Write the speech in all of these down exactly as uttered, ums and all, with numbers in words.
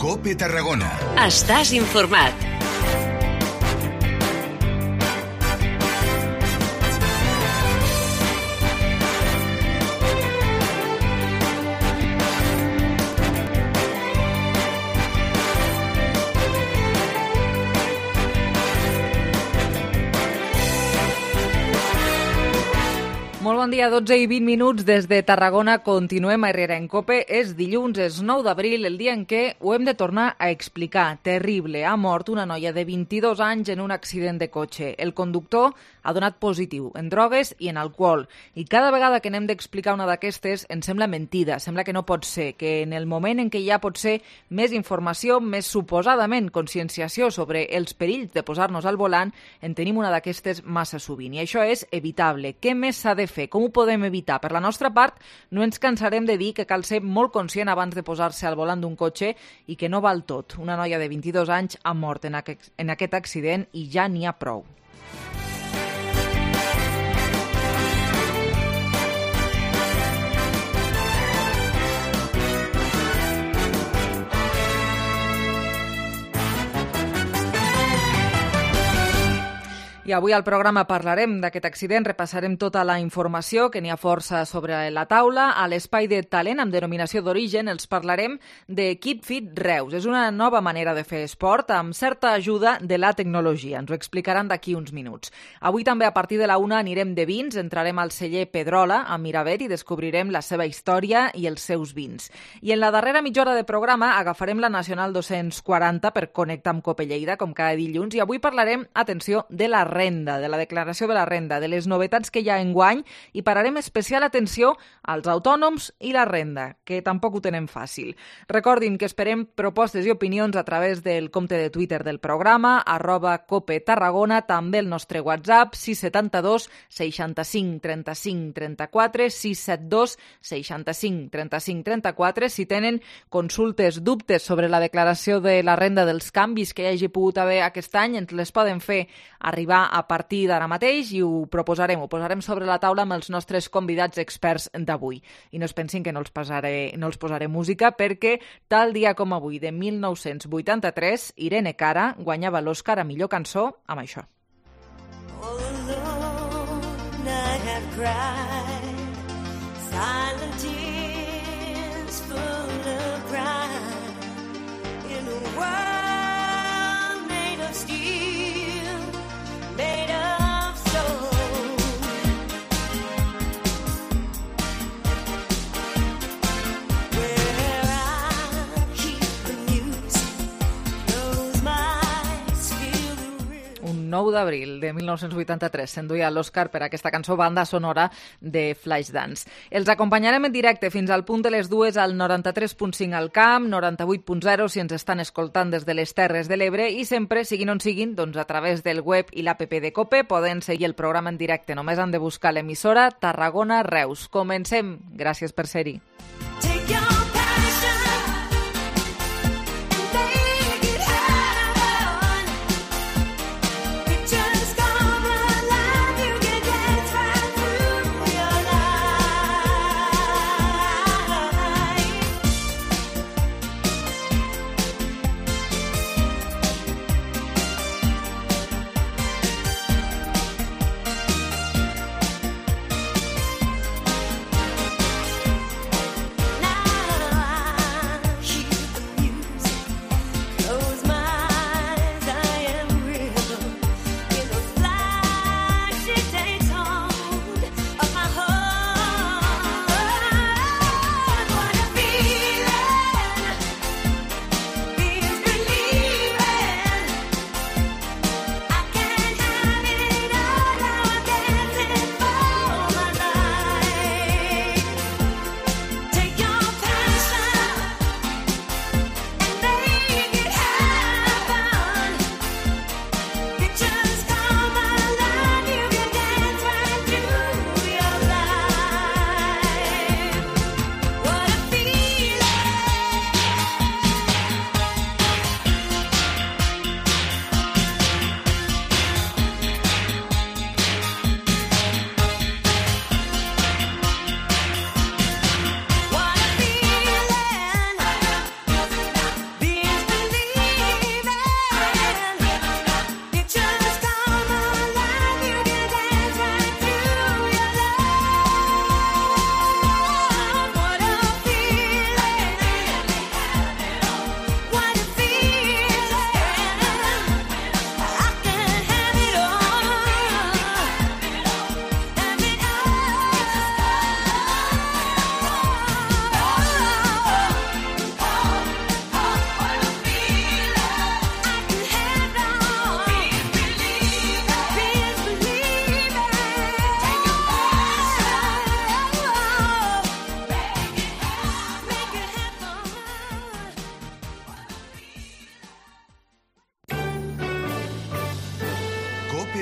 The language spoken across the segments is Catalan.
COPE Tarragona. Estàs informat. Molt bon dia, dotze i vint minuts des de Tarragona. Continuem a Herrera en Cope. És dilluns, és nou d'abril, el dia en què ho hem de tornar a explicar. Terrible. Ha mort una noia de vint-i-dos anys en un accident de cotxe. El conductor ha donat positiu en drogues i en alcohol. I cada vegada que n'hem d'explicar una d'aquestes ens sembla mentida, sembla que no pot ser, que en el moment en què hi ha potser més informació, més suposadament conscienciació sobre els perills de posar-nos al volant, en tenim una d'aquestes massa sovint. I això és evitable. Què més s'ha de fer? Com ho podem evitar? Per la nostra part, no ens cansarem de dir que cal ser molt conscient abans de posar-se al volant d'un cotxe i que no val tot. Una noia de vint-i-dos anys ha mort en aquest, en aquest accident i ja n'hi ha prou. I avui al programa parlarem d'aquest accident, repassarem tota la informació, que n'hi ha força sobre la taula. A l'espai de talent amb denominació d'origen els parlarem de Keep Fit Reus. És una nova manera de fer esport amb certa ajuda de la tecnologia. Ens ho explicaran d'aquí uns minuts. Avui també a partir de la una anirem de vins, entrarem al celler Pedrola a Miravet i descobrirem la seva història i els seus vins. I en la darrera mitja hora de programa agafarem la Nacional dos-cents quaranta per connectar amb Cope Lleida, com cada dilluns, i avui parlarem, atenció, de la renda, de la declaració de la renda, de les novetats que hi ha enguany, i pararem especial atenció als autònoms i la renda, que tampoc ho tenen fàcil. Recordin que esperem propostes i opinions a través del compte de Twitter del programa, arroba Cope Tarragona, també el nostre WhatsApp, sis set dos, seixanta-cinc, trenta-cinc, trenta-quatre, sis set dos, seixanta-cinc, trenta-cinc, trenta-quatre. Si tenen consultes, dubtes sobre la declaració de la renda, dels canvis que hi hagi pogut haver aquest any, ens les poden fer arribar a partir d'ara mateix i ho proposarem, ho posarem sobre la taula amb els nostres convidats experts d'avui. I no es pensin que no els posaré, no els posaré música, perquè tal dia com avui, de mil nou-cents vuitanta-tres, Irene Cara guanyava l'Oscar a millor cançó amb això. All alone I have cried, silent tears full of pride, in a world made of steel, made of soul. Where I keep the music, those mics feel the rhythm. Un nou d'abril de mil nou-cents vuitanta-tres s'enduia l'Oscar per aquesta cançó, banda sonora de Flashdance. Els acompanyarem en directe fins al punt de les dues al noranta-tres punt cinc al Camp, noranta-vuit punt zero si ens estan escoltant des de les Terres de l'Ebre, i sempre, siguin on siguin, doncs a través del web i l'app de Cope poden seguir el programa en directe. Només han de buscar l'emissora Tarragona Reus. Comencem. Gràcies per ser-hi. Take your passion and make it happen. Pictures come alive, you can dance right through your life.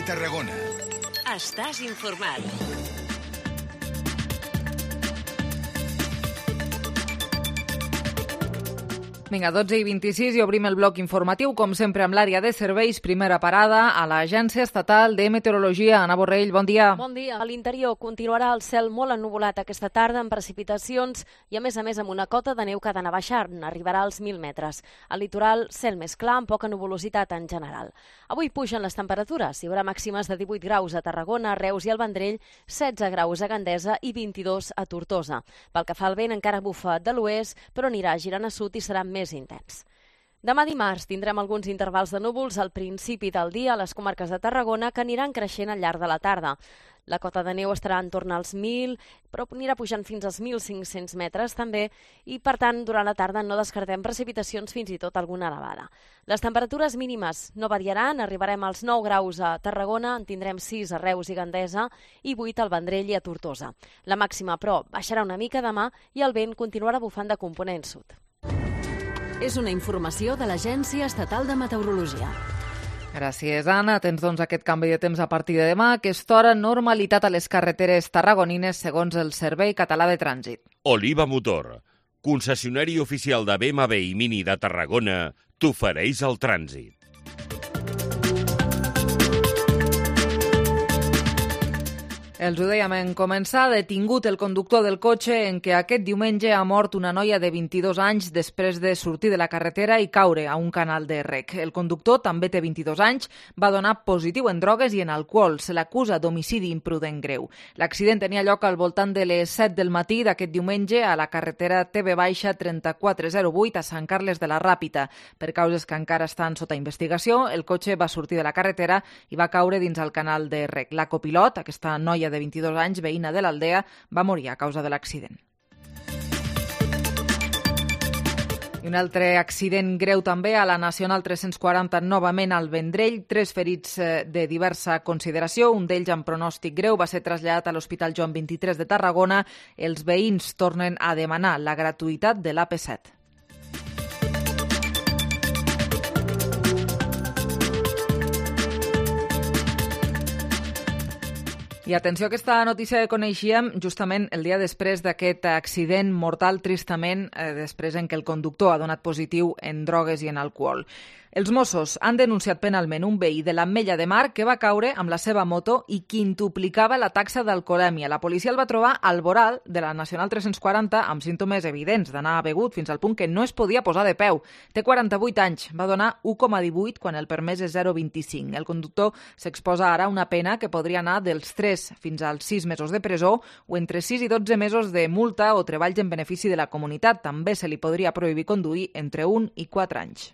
Tarragona. Estàs informat. Vinga, dotze i vint-i-sis i obrim el bloc informatiu, com sempre amb l'àrea de serveis. Primera parada a l'Agència Estatal de Meteorologia. Anna Borrell, bon dia. Bon dia. A l'interior continuarà el cel molt ennuvolat aquesta tarda amb precipitacions i, a més a més, amb una cota de neu que ha d'anar baixant. Arribarà als mil metres. Al litoral, cel més clar amb poca nuvolositat en general. Avui pugen les temperatures. Hi haurà màximes de divuit graus a Tarragona, Reus i el Vendrell, setze graus a Gandesa i vint-i-dos a Tortosa. Pel que fa al vent, encara bufa de l'oest, però anirà girant a sud i serà més intens. Demà dimarts tindrem alguns intervals de núvols al principi del dia a les comarques de Tarragona que aniran creixent al llarg de la tarda. La cota de neu estarà en torn als mil, però anirà pujant fins als mil cinc-cents metres també i, per tant, durant la tarda no descartem precipitacions, fins i tot alguna elevada. Les temperatures mínimes no variaran, arribarem als nou graus a Tarragona, en tindrem sis a Reus i Gandesa i vuit al Vendrell i a Tortosa. La màxima, però, baixarà una mica demà i el vent continuarà bufant de component sud. És una informació de l'Agència Estatal de Meteorologia. Gràcies, Anna. Tens, doncs, aquest canvi de temps a partir de demà. Aquesta hora, normalitat a les carreteres tarragonines, segons el Servei Català de Trànsit. Oliva Motor, concessionari oficial de B M W i Mini de Tarragona, t'ofereix el trànsit. Els ho dèiem en començar, detingut el conductor del cotxe en què aquest diumenge ha mort una noia de vint-i-dos anys després de sortir de la carretera i caure a un canal de rec. El conductor, també té vint-i-dos anys, va donar positiu en drogues i en alcohol. Se l'acusa d'homicidi imprudent greu. L'accident tenia lloc al voltant de les set del matí d'aquest diumenge a la carretera T V trenta-quatre zero vuit a Sant Carles de la Ràpita. Per causes que encara estan sota investigació, el cotxe va sortir de la carretera i va caure dins el canal de rec. La copilot, aquesta noia de vint-i-dos anys, veïna de l'Aldea, va morir a causa de l'accident. I un altre accident greu també a la Nacional tres-cents quaranta, novament al Vendrell. Tres ferits de diversa consideració, un d'ells amb pronòstic greu, va ser traslladat a l'Hospital Joan vint-i-tres de Tarragona. Els veïns tornen a demanar la gratuïtat de l'A P set. I atenció a aquesta notícia que coneixíem justament el dia després d'aquest accident mortal, tristament, eh, després en què el conductor ha donat positiu en drogues i en alcohol. Els Mossos han denunciat penalment un veí de l'Ametlla de Mar que va caure amb la seva moto i quintuplicava la taxa d'alcoholèmia. La policia el va trobar al voral de la Nacional tres-cents quaranta amb símptomes evidents d'anar begut fins al punt que no es podia posar de peu. Té quaranta-vuit anys, va donar u coma divuit quan el permès és zero coma vint-i-cinc. El conductor s'exposa ara a una pena que podria anar dels tres fins als sis mesos de presó o entre sis i dotze mesos de multa o treballs en benefici de la comunitat. També se li podria prohibir conduir entre un i quatre anys.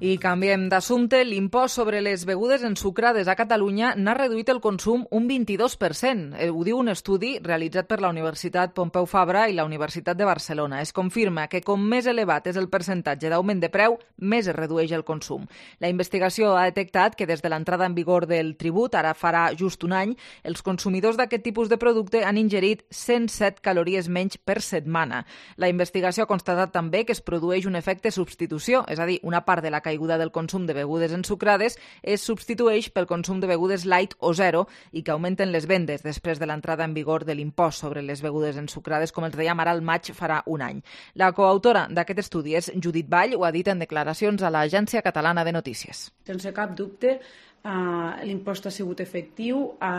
I canviem d'assumpte. L'impost sobre les begudes ensucrades a Catalunya n'ha reduït el consum un vint-i-dos per cent. Ho diu un estudi realitzat per la Universitat Pompeu Fabra i la Universitat de Barcelona. Es confirma que com més elevat és el percentatge d'augment de preu, més es redueix el consum. La investigació ha detectat que des de l'entrada en vigor del tribut, ara farà just un any, els consumidors d'aquest tipus de producte han ingerit cent set calories menys per setmana. La investigació ha constatat també que es produeix un efecte substitució, és a dir, una part de la caiguda del consum de begudes ensucrades es substitueix pel consum de begudes light o zero i que augmenten les vendes després de l'entrada en vigor de l'impost sobre les begudes ensucrades, com els dèiem, ara al maig farà un any. La coautora d'aquest estudi és Judit Vall, ho ha dit en declaracions a l'Agència Catalana de Notícies. Sense cap dubte, Uh, l'impost ha sigut efectiu, ha,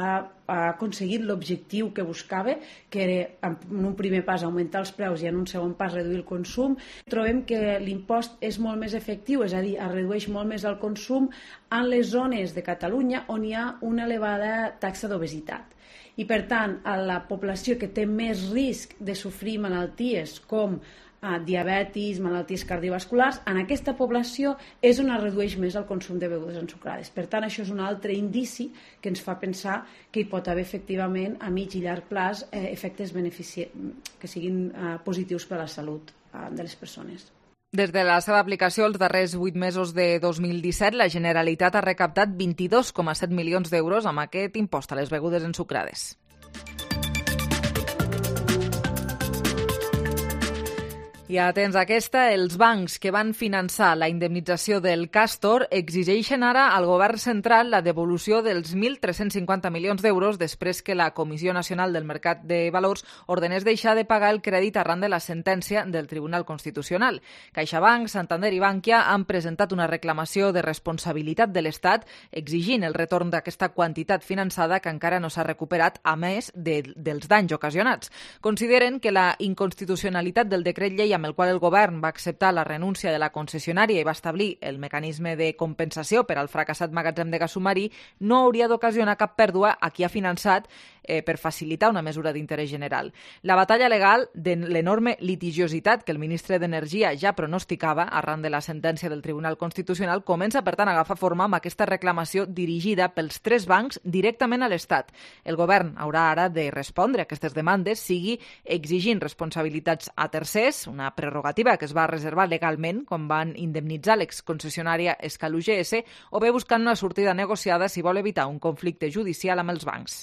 ha aconseguit l'objectiu que buscava, que era en un primer pas augmentar els preus i en un segon pas reduir el consum. Trobem que l'impost és molt més efectiu, és a dir, es redueix molt més el consum en les zones de Catalunya on hi ha una elevada taxa d'obesitat. I per tant, a la població que té més risc de sofrir malalties com a diabetis, malalties cardiovasculars, en aquesta població és on es redueix més el consum de begudes ensucrades. Per tant, això és un altre indici que ens fa pensar que hi pot haver efectivament a mig i llarg plaç eh, efectes benefici... que siguin eh, positius per a la salut eh, de les persones. Des de la seva aplicació els darrers vuit mesos de dos mil disset, la Generalitat ha recaptat vint-i-dos coma set milions d'euros amb aquest impost a les begudes ensucrades. I atents a aquesta, els bancs que van finançar la indemnització del Castor exigeixen ara al govern central la devolució dels mil tres-cents cinquanta milions d'euros després que la Comissió Nacional del Mercat de Valors ordenés deixar de pagar el crèdit arran de la sentència del Tribunal Constitucional. CaixaBank, Santander i Bankia han presentat una reclamació de responsabilitat de l'Estat exigint el retorn d'aquesta quantitat finançada que encara no s'ha recuperat, a més de, dels danys ocasionats. Consideren que la inconstitucionalitat del decret llei amb el qual el govern va acceptar la renúncia de la concessionària i va establir el mecanisme de compensació per al fracassat magatzem de gas submarí no hauria d'ocasionar cap pèrdua a qui ha finançat eh, per facilitar una mesura d'interès general. La batalla legal de l'enorme litigiositat que el ministre d'Energia ja pronosticava arran de la sentència del Tribunal Constitucional comença, per tant, a agafar forma amb aquesta reclamació dirigida pels tres bancs directament a l'Estat. El govern haurà ara de respondre a aquestes demandes, sigui exigint responsabilitats a tercers, una prerrogativa que es va reservar legalment quan van indemnitzar l'exconcessionària Escal U G S, o bé buscant una sortida negociada si vol evitar un conflicte judicial amb els bancs.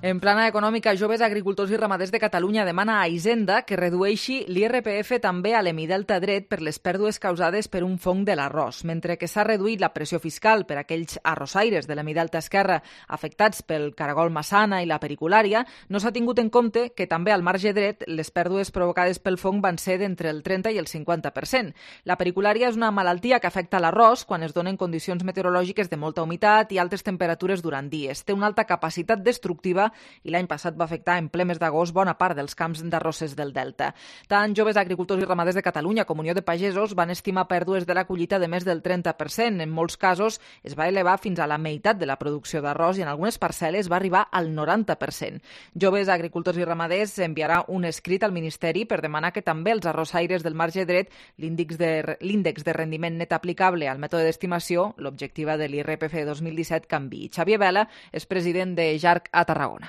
En plana econòmica, joves agricultors i ramaders de Catalunya demana a Hisenda que redueixi l'I R P F també a l'Hemidelta dret per les pèrdues causades per un fong de l'arròs. Mentre que s'ha reduït la pressió fiscal per a aquells arrossaires de l'Hemidelta esquerra afectats pel caragol massana i la periculària, no s'ha tingut en compte que també al marge dret les pèrdues provocades pel fong van ser d'entre el trenta i el cinquanta per cent. La periculària és una malaltia que afecta l'arròs quan es donen condicions meteorològiques de molta humitat i altes temperatures durant dies. Té una alta capacitat destructiva i l'any passat va afectar en ple mes d'agost bona part dels camps d'arrosses del Delta. Tant joves agricultors i ramaders de Catalunya com Unió de Pagesos van estimar pèrdues de la collita de més del trenta per cent. En molts casos es va elevar fins a la meitat de la producció d'arròs i en algunes parcel·les va arribar al noranta per cent. Joves agricultors i ramaders enviarà un escrit al Ministeri per demanar que també els arrossaires del marge dret l'índex de, l'índex de rendiment net aplicable al mètode d'estimació, l'objectiva de l'I R P F dos mil disset, canvi. Xavier Vela és president de Jarc a Tarragona.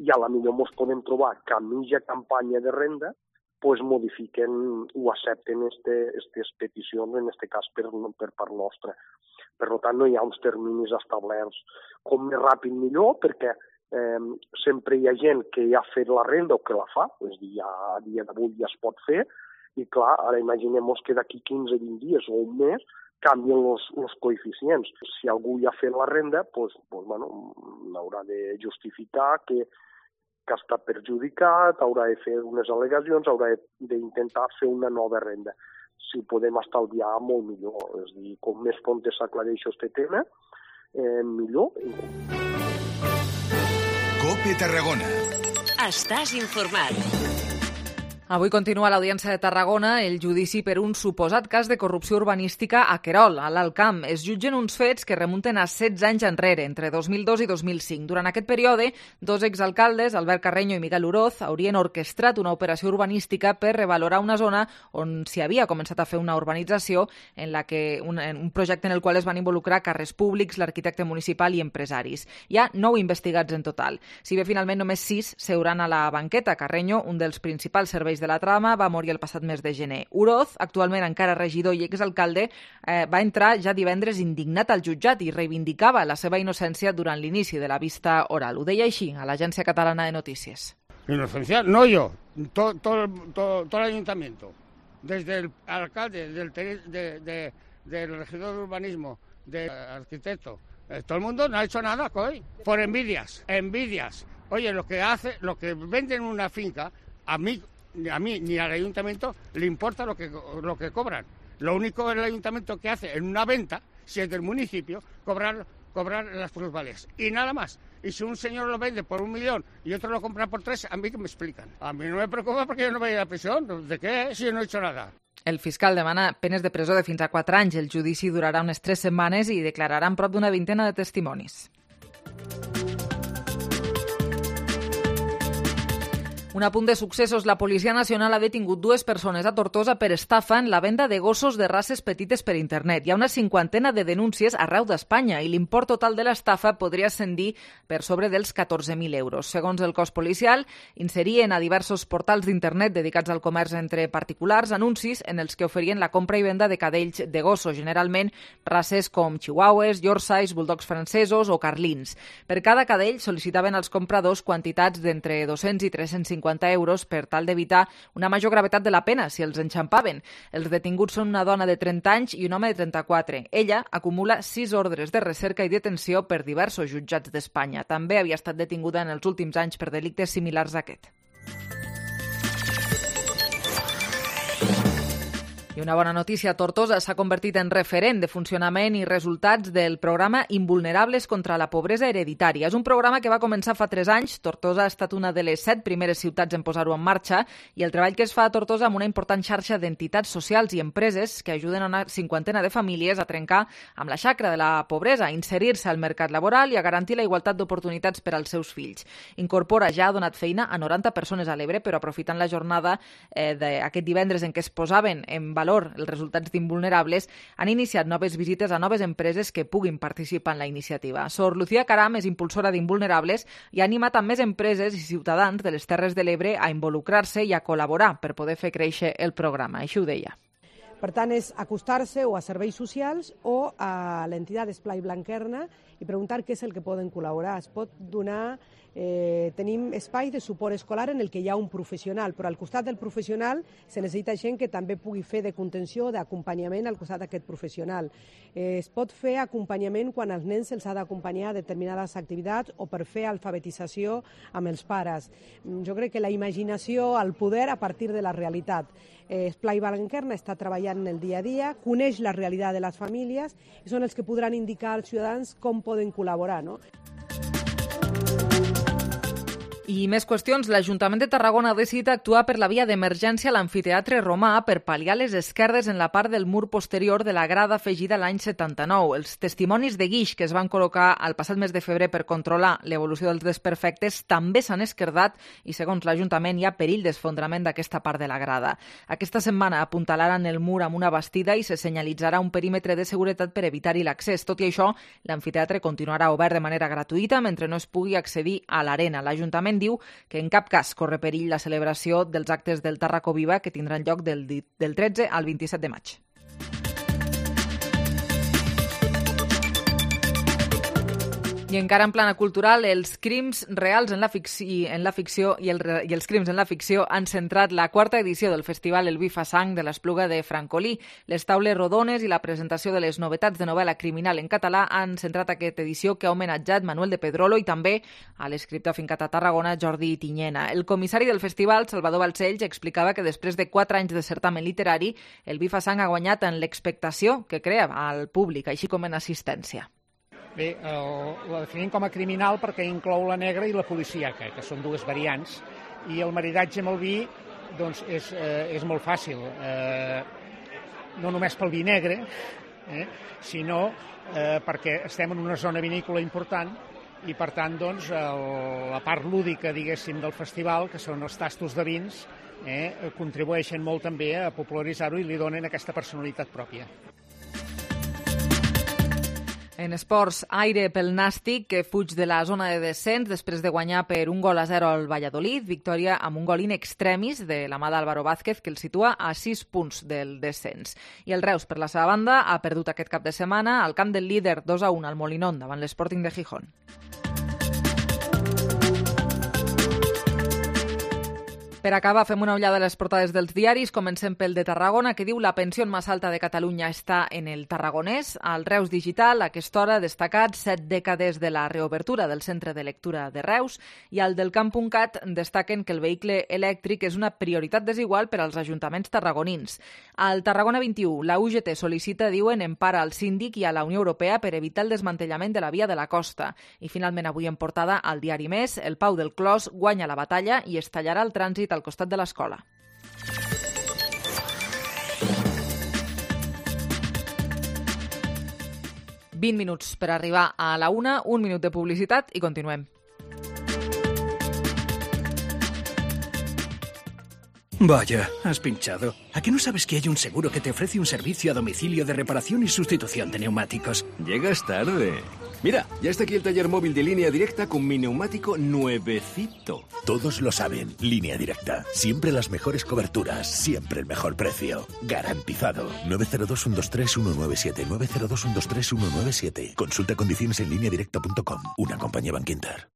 I a la millor ens podem trobar que a mitja campanya de renda pues modifiquen o accepten aquestes peticions, en aquest cas per, per part nostra. Per tant, no hi ha uns terminis establerts com més ràpid millor, perquè eh, sempre hi ha gent que ja ha fet la renda o que la fa, és a dir, ja, a dia d'avui ja es pot fer, i clar, ara imaginem que d'aquí quinze a vint dies o un mes canvien els coeficients. Si algú ja ha fet la renda, pues, pues, bueno, haurà de justificar que que està perjudicat, haurà de fer unes al·legacions, haurà d'intentar fer una nova renda. Si ho podem estalviar, molt millor. És a dir, com més pronte s'aclareix aquest tema, eh, millor. COPE Tarragona. Estàs informat. Avui continua a l'Audiència de Tarragona el judici per un suposat cas de corrupció urbanística a Querol, a l'Alt Camp. Es jutgen uns fets que remunten a setze anys enrere, entre dos mil dos i dos mil cinc. Durant aquest període, dos exalcaldes, Albert Carreño i Miguel Uroz, haurien orquestrat una operació urbanística per revalorar una zona on s'hi havia començat a fer una urbanització en la que un, un projecte en el qual es van involucrar càrrecs públics, l'arquitecte municipal i empresaris. Hi ha nou investigats en total. Si bé finalment només sis seuran a la banqueta. Carreño, un dels principals serveis de la trama, va morir el passat mes de gener. Uroz, actualment encara regidor i exalcalde, eh, va entrar ja divendres indignat al jutjat i reivindicava la seva innocència durant l'inici de la vista oral. Ho deia així a l'Agència Catalana de Notícies. Inocencia, no yo, todo, todo, todo, todo el ayuntamiento, desde el alcalde, del, de, de, del regidor de urbanismo, del arquitecto, eh, todo el mundo no ha hecho nada, coy, por envidias, envidias. Oye, lo que hace, lo que venden una finca, a mí Ni a mí ni al ayuntamiento le importa lo que, lo que cobran. Lo único el ayuntamiento que hace en una venta, si es del municipio, cobrar, cobrar las plusvalías. Y nada más. Y si un señor lo vende por un millón y otro lo compra por tres, a mí que me explican. A mí no me preocupa porque yo no voy a ir a prisión. ¿De qué? Si yo no he hecho nada. El fiscal demana penes de presó de fins a quatre anys. El judici durarà unes tres setmanes i declararan prop d'una vintena de testimonis. Un apunt de successos. La Policia Nacional ha detingut dues persones a Tortosa per estafa en la venda de gossos de races petites per internet. Hi ha una cinquantena de denúncies arreu d'Espanya i l'import total de l'estafa podria ascendir per sobre dels catorze mil euros. Segons el cos policial, inserien a diversos portals d'internet dedicats al comerç entre particulars anuncis en els que oferien la compra i venda de cadells de gossos, generalment races com chihuahues, yorkshires, bulldogs francesos o carlins. Per cada cadell sol·licitaven als compradors quantitats d'entre dos-cents i tres-cents cinquanta euros per tal d'evitar una major gravetat de la pena si els enxampaven. Els detinguts són una dona de trenta anys i un home de trenta-quatre. Ella acumula sis ordres de recerca i detenció per diversos jutjats d'Espanya. També havia estat detinguda en els últims anys per delictes similars a aquest. I una bona notícia, Tortosa s'ha convertit en referent de funcionament i resultats del programa Invulnerables contra la pobresa hereditària. És un programa que va començar fa tres anys. Tortosa ha estat una de les set primeres ciutats en posar-ho en marxa i el treball que es fa a Tortosa amb una important xarxa d'entitats socials i empreses que ajuden a una cinquantena de famílies a trencar amb la xacra de la pobresa, a inserir-se al mercat laboral i a garantir la igualtat d'oportunitats per als seus fills. Incorpora ja ha donat feina a noranta persones a l'Ebre, però aprofitant la jornada eh, d'aquest divendres en què es posaven en valor els resultats d'Invulnerables, han iniciat noves visites a noves empreses que puguin participar en la iniciativa. Sor Lucía Caram és impulsora d'Invulnerables i ha animat a més empreses i ciutadans de les Terres de l'Ebre a involucrar-se i a col·laborar per poder fer créixer el programa. Així ho deia. Per tant, és acostar-se o a serveis socials o a l'entitat Esplai Blanquerna i preguntar què és el que poden col·laborar. Es pot donar... Eh, tenim espai de suport escolar en el que hi ha un professional, però al costat del professional se necessita gent que també pugui fer de contenció, d'acompanyament al costat d'aquest professional. Eh, es pot fer acompanyament quan als nens se'ls ha d'acompanyar a determinades activitats o per fer alfabetització amb els pares. Jo crec que la imaginació, el poder a partir de la realitat. Eh, Esplai Blanquerna està treballant en el dia a dia, coneix la realitat de les famílies i són els que podran indicar als ciutadans com poden col·laborar, no? I més qüestions. L'Ajuntament de Tarragona ha decidit actuar per la via d'emergència a l'amfiteatre romà per pal·liar les esquerdes en la part del mur posterior de la grada afegida l'any setanta-nou. Els testimonis de guix que es van col·locar al passat mes de febrer per controlar l'evolució dels desperfectes també s'han esquerdat i, segons l'Ajuntament, hi ha perill d'esfondrament d'aquesta part de la grada. Aquesta setmana apuntalaran el mur amb una bastida i se senyalitzarà un perímetre de seguretat per evitar-hi l'accés. Tot i això, l'amfiteatre continuarà obert de manera gratuïta mentre no es pugui accedir a l'arena. L'Ajuntament diu que en cap cas corre perill la celebració dels actes del Tarraco Viva que tindran lloc del, del tretze al vint-i-set de maig. I encara en plana cultural, els crims reals en la ficció, en la ficció i, el, i els crims en la ficció han centrat la quarta edició del festival El vi fa sang de l'Espluga de Francolí. Les taules rodones i la presentació de les novetats de novel·la criminal en català han centrat aquesta edició que ha homenatjat Manuel de Pedrolo i també a l'escriptor afincat a Tarragona Jordi Tiñena. El comissari del festival, Salvador Balcells, explicava que després de quatre anys de certamen literari, El vi fa sang ha guanyat en l'expectació que crea al públic, així com en assistència. Bé, el, la definim com a criminal perquè inclou la negra i la policíaca, que són dues variants, i el maridatge amb el vi doncs, és, eh, és molt fàcil, eh, no només pel vi negre, eh, sinó eh, perquè estem en una zona vinícola important i, per tant, doncs, el, la part lúdica, diguéssim, del festival, que són els tastos de vins, eh, contribueixen molt també a popularitzar-ho i li donen aquesta personalitat pròpia. En esports, Aire pel Nàstic, que fuig de la zona de descens després de guanyar per un gol a zero al Valladolid. Victòria amb un gol in extremis de la mà d'Álvaro Vázquez, que el situa a sis punts del descens. I el Reus, per la seva banda, ha perdut aquest cap de setmana al camp del líder dos a un al Molinón davant l'Sporting de Gijón. Per acabar, fem una ullada a les portades dels diaris. Comencem pel de Tarragona, que diu la pensió més alta de Catalunya està en el Tarragonès. Al Reus Digital, a aquesta hora, destacat set dècades de la reobertura del centre de lectura de Reus. I al del Camp.cat destaquen que el vehicle elèctric és una prioritat desigual per als ajuntaments tarragonins. Al Tarragona vint-i-u, la U G T sol·licita, diuen, empara al síndic i a la Unió Europea per evitar el desmantellament de la via de la costa. I finalment, avui en portada, al diari Més, el Pau del Clos guanya la batalla i es tallarà el trànsit al costat de l'escola. vint minuts per arribar a la una, un minut de publicitat i continuem. Vaya, has pinchado. ¿A qué no sabes que hay un seguro que te ofrece un servicio a domicilio de reparación y sustitución de neumáticos? Llegas tarde. Mira, ya está aquí el taller móvil de Línea Directa con mi neumático nuevecito. Todos lo saben, Línea Directa. Siempre las mejores coberturas, siempre el mejor precio. Garantizado. nueve cero dos, uno dos tres, uno nueve siete. nueve cero dos, uno dos tres, uno nueve siete. Consulta condiciones en línea directa punto com. Una compañía Bankinter.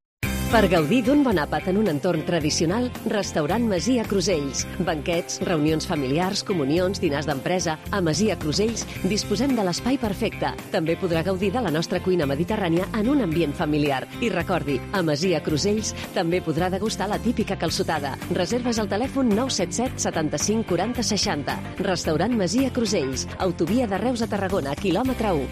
Per gaudir d'un bon àpat en un entorn tradicional, restaurant Masia Crusells. Banquets, reunions familiars, comunions, dinars d'empresa. A Masia Crusells disposem de l'espai perfecte. També podrà gaudir de la nostra cuina mediterrània en un ambient familiar. I recordi, a Masia Crusells també podrà degustar la típica calçotada. Reserves al telèfon nou set set, setanta-cinc, quaranta, seixanta. Restaurant Masia Crusells. Autovia de Reus a Tarragona, quilòmetre u.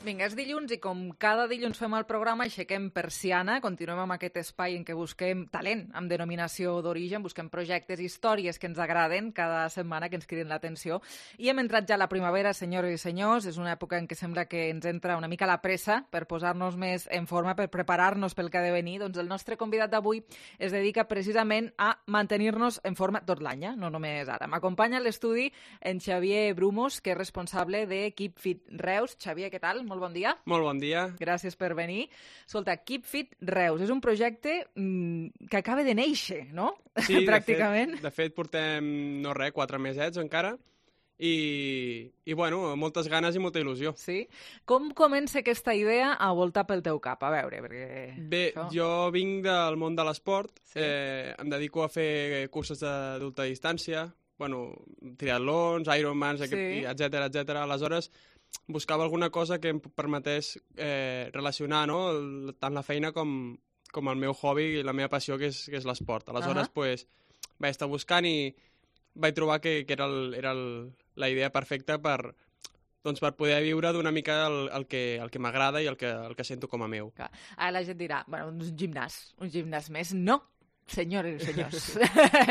Vinga, és dilluns i com cada dilluns fem el programa, aixequem persiana, continuem amb aquest espai en què busquem talent amb denominació d'origen, busquem projectes, històries que ens agraden cada setmana, que ens criden l'atenció. I hem entrat ja a la primavera, senyores i senyors, és una època en què sembla que ens entra una mica la pressa per posar-nos més en forma, per preparar-nos pel que ha de venir. Doncs el nostre convidat d'avui es dedica precisament a mantenir-nos en forma tot l'any, eh? No només ara. M'acompanya a l'estudi en Xavier Brumos, que és responsable de Keep Fit Reus. Xavier, què tal? Molt bon dia. Molt bon dia. Gràcies per venir. Escolta, Keep Fit Reus és un projecte mmm, que acaba de néixer, no? Sí, pràcticament. De fet, de fet portem, no res, quatre mesets encara i, i bueno, moltes ganes i molta il·lusió. Sí? Com comença aquesta idea a voltar pel teu cap? A veure, perquè... Bé, això... jo vinc del món de l'esport, sí. eh, em dedico a fer curses d'ultra distància, bueno, triatlons, Ironmans, sí. etcètera, etcètera. Aleshores, buscava alguna cosa que em permetés eh, relacionar, no?, el, tant la feina com, com el meu hobby i la meva passió, que és, que és l'esport. Aleshores, uh -huh. pues, vaig estar buscant i vaig trobar que, que era, el, era el, la idea perfecta per, doncs, per poder viure d'una mica el, el que, el que m'agrada i el que, el que sento com a meu. Clar. Ara la gent dirà, bueno, un gimnàs, un gimnàs més. No, senyores i senyors,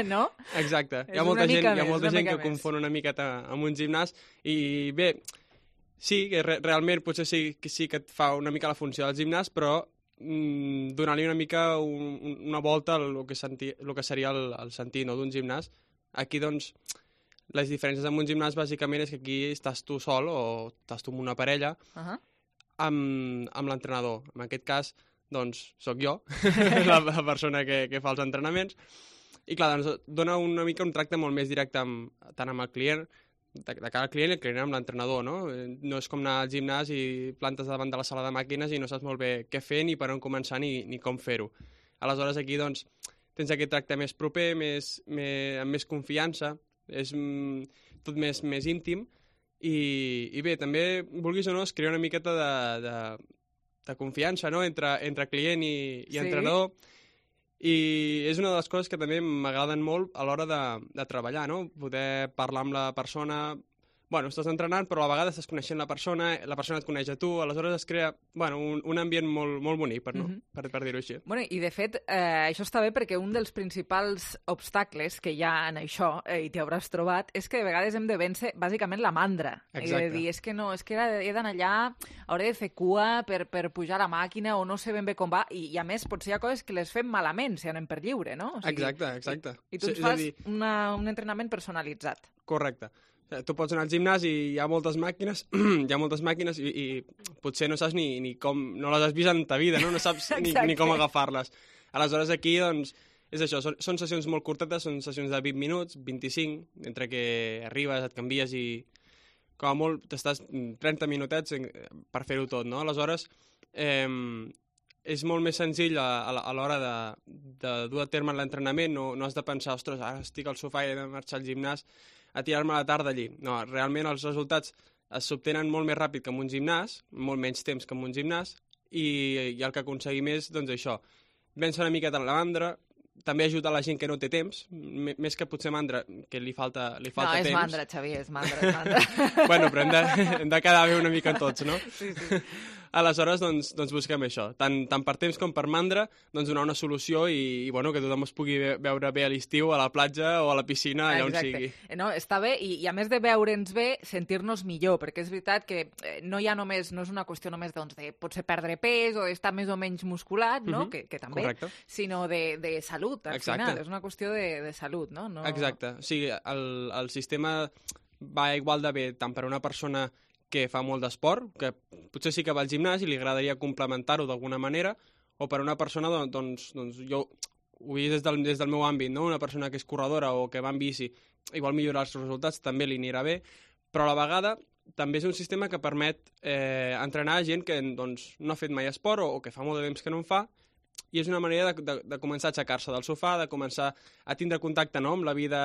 no? Exacte. Hi ha molta gent, més, hi ha molta gent que més. confon una miqueta amb un gimnàs i bé... Sí, que re realment potser sí que, sí que et fa una mica la funció del gimnàs, però mm, donar-li una mica un, una volta al que, senti, el que seria el, el sentit, no?, d'un gimnàs. Aquí, doncs, les diferències amb un gimnàs, bàsicament, és que aquí estàs tu sol o estàs tu amb una parella uh -huh. amb, amb l'entrenador. En aquest cas, doncs, sóc jo, la, la persona que, que fa els entrenaments. I, clar, doncs, dona una mica un tracte molt més directe amb, tant amb el client, de, de cara al client i el client amb l'entrenador, no? No és com anar al gimnàs i plantes davant de la sala de màquines i no saps molt bé què fer, ni per on començar, ni, ni com fer-ho. Aleshores, aquí, doncs, tens aquest tracte més proper, més, més, amb més confiança, és mm, tot més, més íntim, i, i bé, també, vulguis o no, es crea una miqueta de, de, de confiança, no?, entre, entre client i, i sí. entrenador, i és una de les coses que també m'agraden molt a l'hora de, de treballar, no? Poder parlar amb la persona... Bueno, estàs entrenant, però a vegades estàs coneixent la persona, la persona et coneix a tu, aleshores es crea bueno, un, un ambient molt, molt bonic, per, no? uh -huh. per, per dir-ho així. Bueno, i de fet, eh, això està bé perquè un dels principals obstacles que hi ha en això, eh, i t'hi hauràs trobat, és que de vegades hem de vèncer bàsicament la mandra. Exacte. I de dir, és que no, és que he d'anar allà, hauré de fer cua per, per pujar a la màquina o no sé ben bé com va, i, i a més potser hi ha coses que les fem malament si anem per lliure, no? O sigui, exacte, exacte. I, i tu ens sí, fas dir... una, un entrenament personalitzat. Correcte. Tu pots anar al gimnàs i hi ha moltes màquines, hi ha moltes màquines i, i potser no saps ni, ni com... No les has vist en ta vida, no? No saps ni, ni com agafar-les. Aleshores, aquí, doncs, és això, són, són sessions molt curtetes, són sessions de vint minuts, vint-i-cinc, entre que arribes, et canvies i com a molt t'estàs trenta minutets per fer-ho tot, no? Aleshores, eh, és molt més senzill a, a l'hora de, de dur a terme l'entrenament, no, no has de pensar, ostres, ara estic al sofà i he de marxar al gimnàs a tirar-me la tarda allí. No, realment els resultats s'obtenen molt més ràpid que en un gimnàs, molt menys temps que en un gimnàs, i, i el que aconseguim és, doncs això, vèncer una miqueta la mandra, també ajuda la gent que no té temps, més que potser mandra, que li falta, li falta no, temps. No, és mandra, Xavier, és mandra, és mandra. Bueno, però hem de, hem de quedar bé una mica tots, no? Sí, sí. Aleshores, doncs, doncs busquem això. Tant, tant per temps com per mandra, doncs donar una solució i, i bueno, que tothom es pugui veure bé a l'estiu, a la platja o a la piscina, allà Exacte. on sigui. No, està bé, i, i a més de veure'ns bé, sentir-nos millor, perquè és veritat que eh, no hi ha només, no és una qüestió només doncs, de potser perdre pes o estar més o menys musculat, no? Mhm. que, que també, Correcte. sinó de, de salut, al Exacte. final. És una qüestió de, de salut, no? no... Exacte. O sigui, el, el sistema va igual de bé tant per a una persona que fa molt d'esport, que potser sí que va al gimnàs i li agradaria complementar-ho d'alguna manera, o per a una persona, doncs, doncs, doncs jo ho veig des del, des del meu àmbit, no? Una persona que és corredora o que va en bici i vol millorar els resultats, també li anirà bé, però a la vegada també és un sistema que permet eh, entrenar gent que doncs, no ha fet mai esport o, o que fa molt de temps que no en fa, i és una manera de, de, de començar a aixecar-se del sofà, de començar a tindre contacte, no?, amb la vida,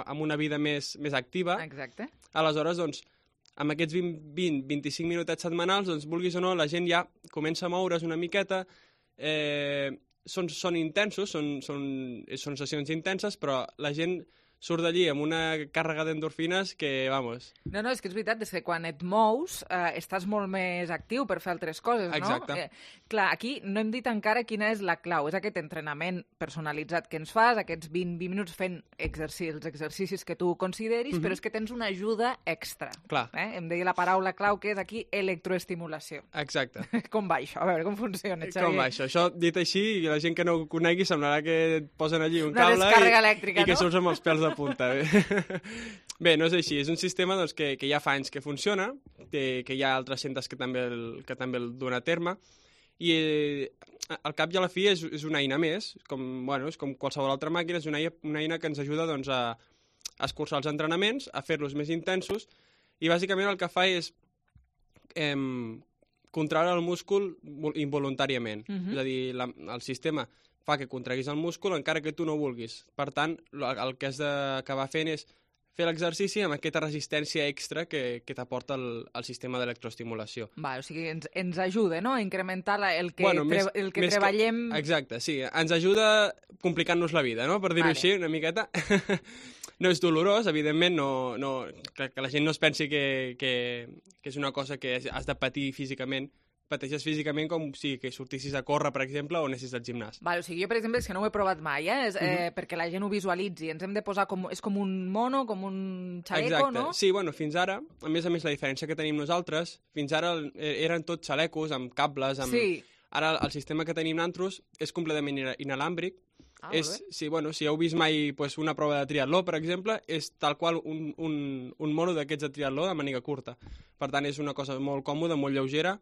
amb una vida més, més activa. Exacte. Aleshores, doncs, amb aquests vint vint vint-i-cinc minutets setmanals, doncs, vulguis o no, la gent ja comença a moure's una miqueta, eh, són, són intensos, són, són, són sessions intenses, però la gent surt d'allí amb una càrrega d'endorfines que, vamos... No, no, és que és veritat, és que quan et mous eh, estàs molt més actiu per fer altres coses, no? Exacte. Eh, clar, aquí no hem dit encara quina és la clau, és aquest entrenament personalitzat que ens fas, aquests vint, vint minuts fent exercicis, els exercicis que tu consideris, Mhm. però és que tens una ajuda extra. Clar. Eh? Em deia la paraula clau, que és aquí electroestimulació. Exacte. Com va això? A veure, com funciona, Xavier? Com va això? Això, dit així, i la gent que no ho conegui semblarà que et posen allí un Una cable descàrrega i, elèctrica, i que no? surts amb els pèls de punta. Bé, no és així. És un sistema doncs, que, que ja fa anys que funciona, que, que hi ha altres centres que també el, que també el duen a terme, i eh, al cap i a la fi és, és una eina més, com, bueno, és com qualsevol altra màquina, és una eina, una eina que ens ajuda doncs, a, a escurçar els entrenaments, a fer-los més intensos, i bàsicament el que fa és eh, contraure el múscul involuntàriament. Mhm. És a dir, la, el sistema fa que contraguis el múscul encara que tu no vulguis. Per tant, el, el que has d'acabar fent és fer l'exercici amb aquesta resistència extra que, que t'aporta el, el sistema d'electroestimulació. Va, o sigui, ens, ens ajuda, no?, a incrementar la, el que, Bueno, tre més- el que més treballem... Exacte, sí. Ens ajuda complicant-nos la vida, no?, per dir-ho Vale. així, una miqueta. No és dolorós, evidentment, no, no, que, que la gent no es pensi que, que, que és una cosa que has de patir físicament. Pateixes físicament com si que sortissis a córrer, per exemple, o anessis al gimnàs. Vale, o sigui, jo, per exemple, és que no ho he provat mai, eh? És, eh Mhm. perquè la gent ho visualitzi. Ens hem de posar com... És com un mono, com un xaleco, Exacte. no? Sí, bueno, fins ara, a més a més, la diferència que tenim nosaltres, fins ara eh, eren tots xalecos, amb cables, amb... Sí. Ara el sistema que tenim nosaltres és completament ina- inalàmbric. Ah, és, molt bé. sí, bueno, si heu vist mai pues, una prova de triatló, per exemple, és tal qual un, un, un mono d'aquests de triatló de màniga curta. Per tant, és una cosa molt còmoda, molt lleugera,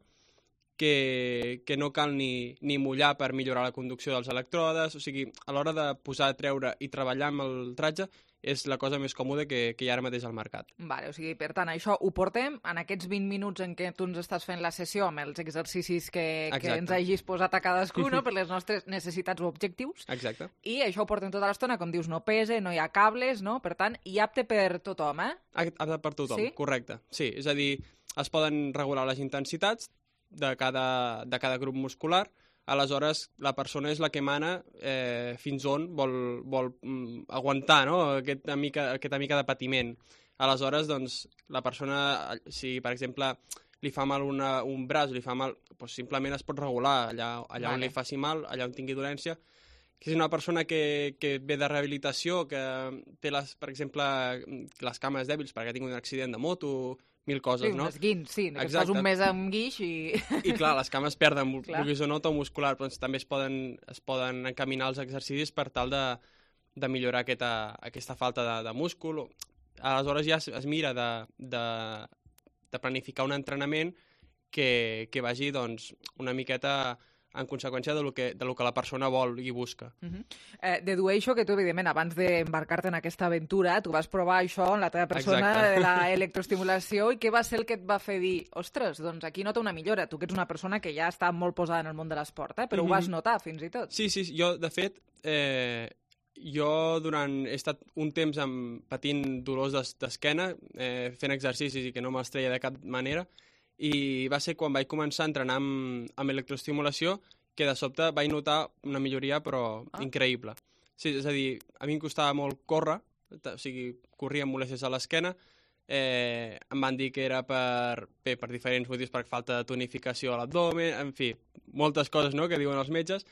que, que no cal ni, ni mullar per millorar la conducció dels elèctrodes, o sigui, a l'hora de posar, treure i treballar amb el tratge és la cosa més còmoda que, que hi ha ara mateix al mercat. Vale, o sigui, per tant, això ho portem en aquests vint minuts en què tu ens estàs fent la sessió amb els exercicis que, que Exacte. ens hagis posat a cadascú, no?, per les nostres necessitats o objectius. Exacte. I això ho portem tota l'estona, com dius, no pesa, no hi ha cables, no? Per tant, i apte per tothom, eh? Apte per tothom, Sí? correcte. Sí, és a dir, es poden regular les intensitats de cada, de cada grup muscular, aleshores la persona és la que mana eh, fins on vol, vol mm, aguantar, no?, aquesta mica, aquesta mica de patiment. Aleshores, doncs, la persona, si per exemple li fa mal una, un braç, li fa mal, doncs simplement es pot regular allà, allà on Vale. li faci mal, allà on tingui dolència. Que és una persona que, que ve de rehabilitació, que té, les, per exemple, les cames dèbils perquè ha tingut un accident de moto, mil coses, Sí, un no? esguint, sí, que Exacte. estàs un mes amb guix i... I clar, les cames perden, Clar. vulguis o no, to muscular, però també es poden, es poden encaminar els exercicis per tal de, de millorar aquesta, aquesta falta de, de múscul. Aleshores ja es, es mira de, de, de planificar un entrenament que, que vagi doncs, una miqueta en conseqüència de lo que, de lo que la persona vol i busca. Uh -huh. eh, dedueixo que tu, evidentment, abans d'embarcar-te en aquesta aventura, tu vas provar això en la teva persona, Exacte. de la electroestimulació, i què va ser el que et va fer dir, ostres, doncs aquí nota una millora, tu que ets una persona que ja està molt posada en el món de l'esport, eh? però Mhm. ho vas notar fins i tot. Sí, sí, sí, jo, de fet, eh, jo durant, he estat un temps amb, patint dolors d'es- d'esquena, eh, fent exercicis i que no me'ls treia de cap manera, i va ser quan vaig començar a entrenar amb, amb electroestimulació que de sobte vaig notar una milloria, però Ah. increïble. Sí, és a dir, a mi em costava molt córrer, o sigui, corria amb molèsties a l'esquena, eh, em van dir que era per, bé, per diferents motius, per falta de tonificació a l'abdomen, en fi, moltes coses, no?, que diuen els metges,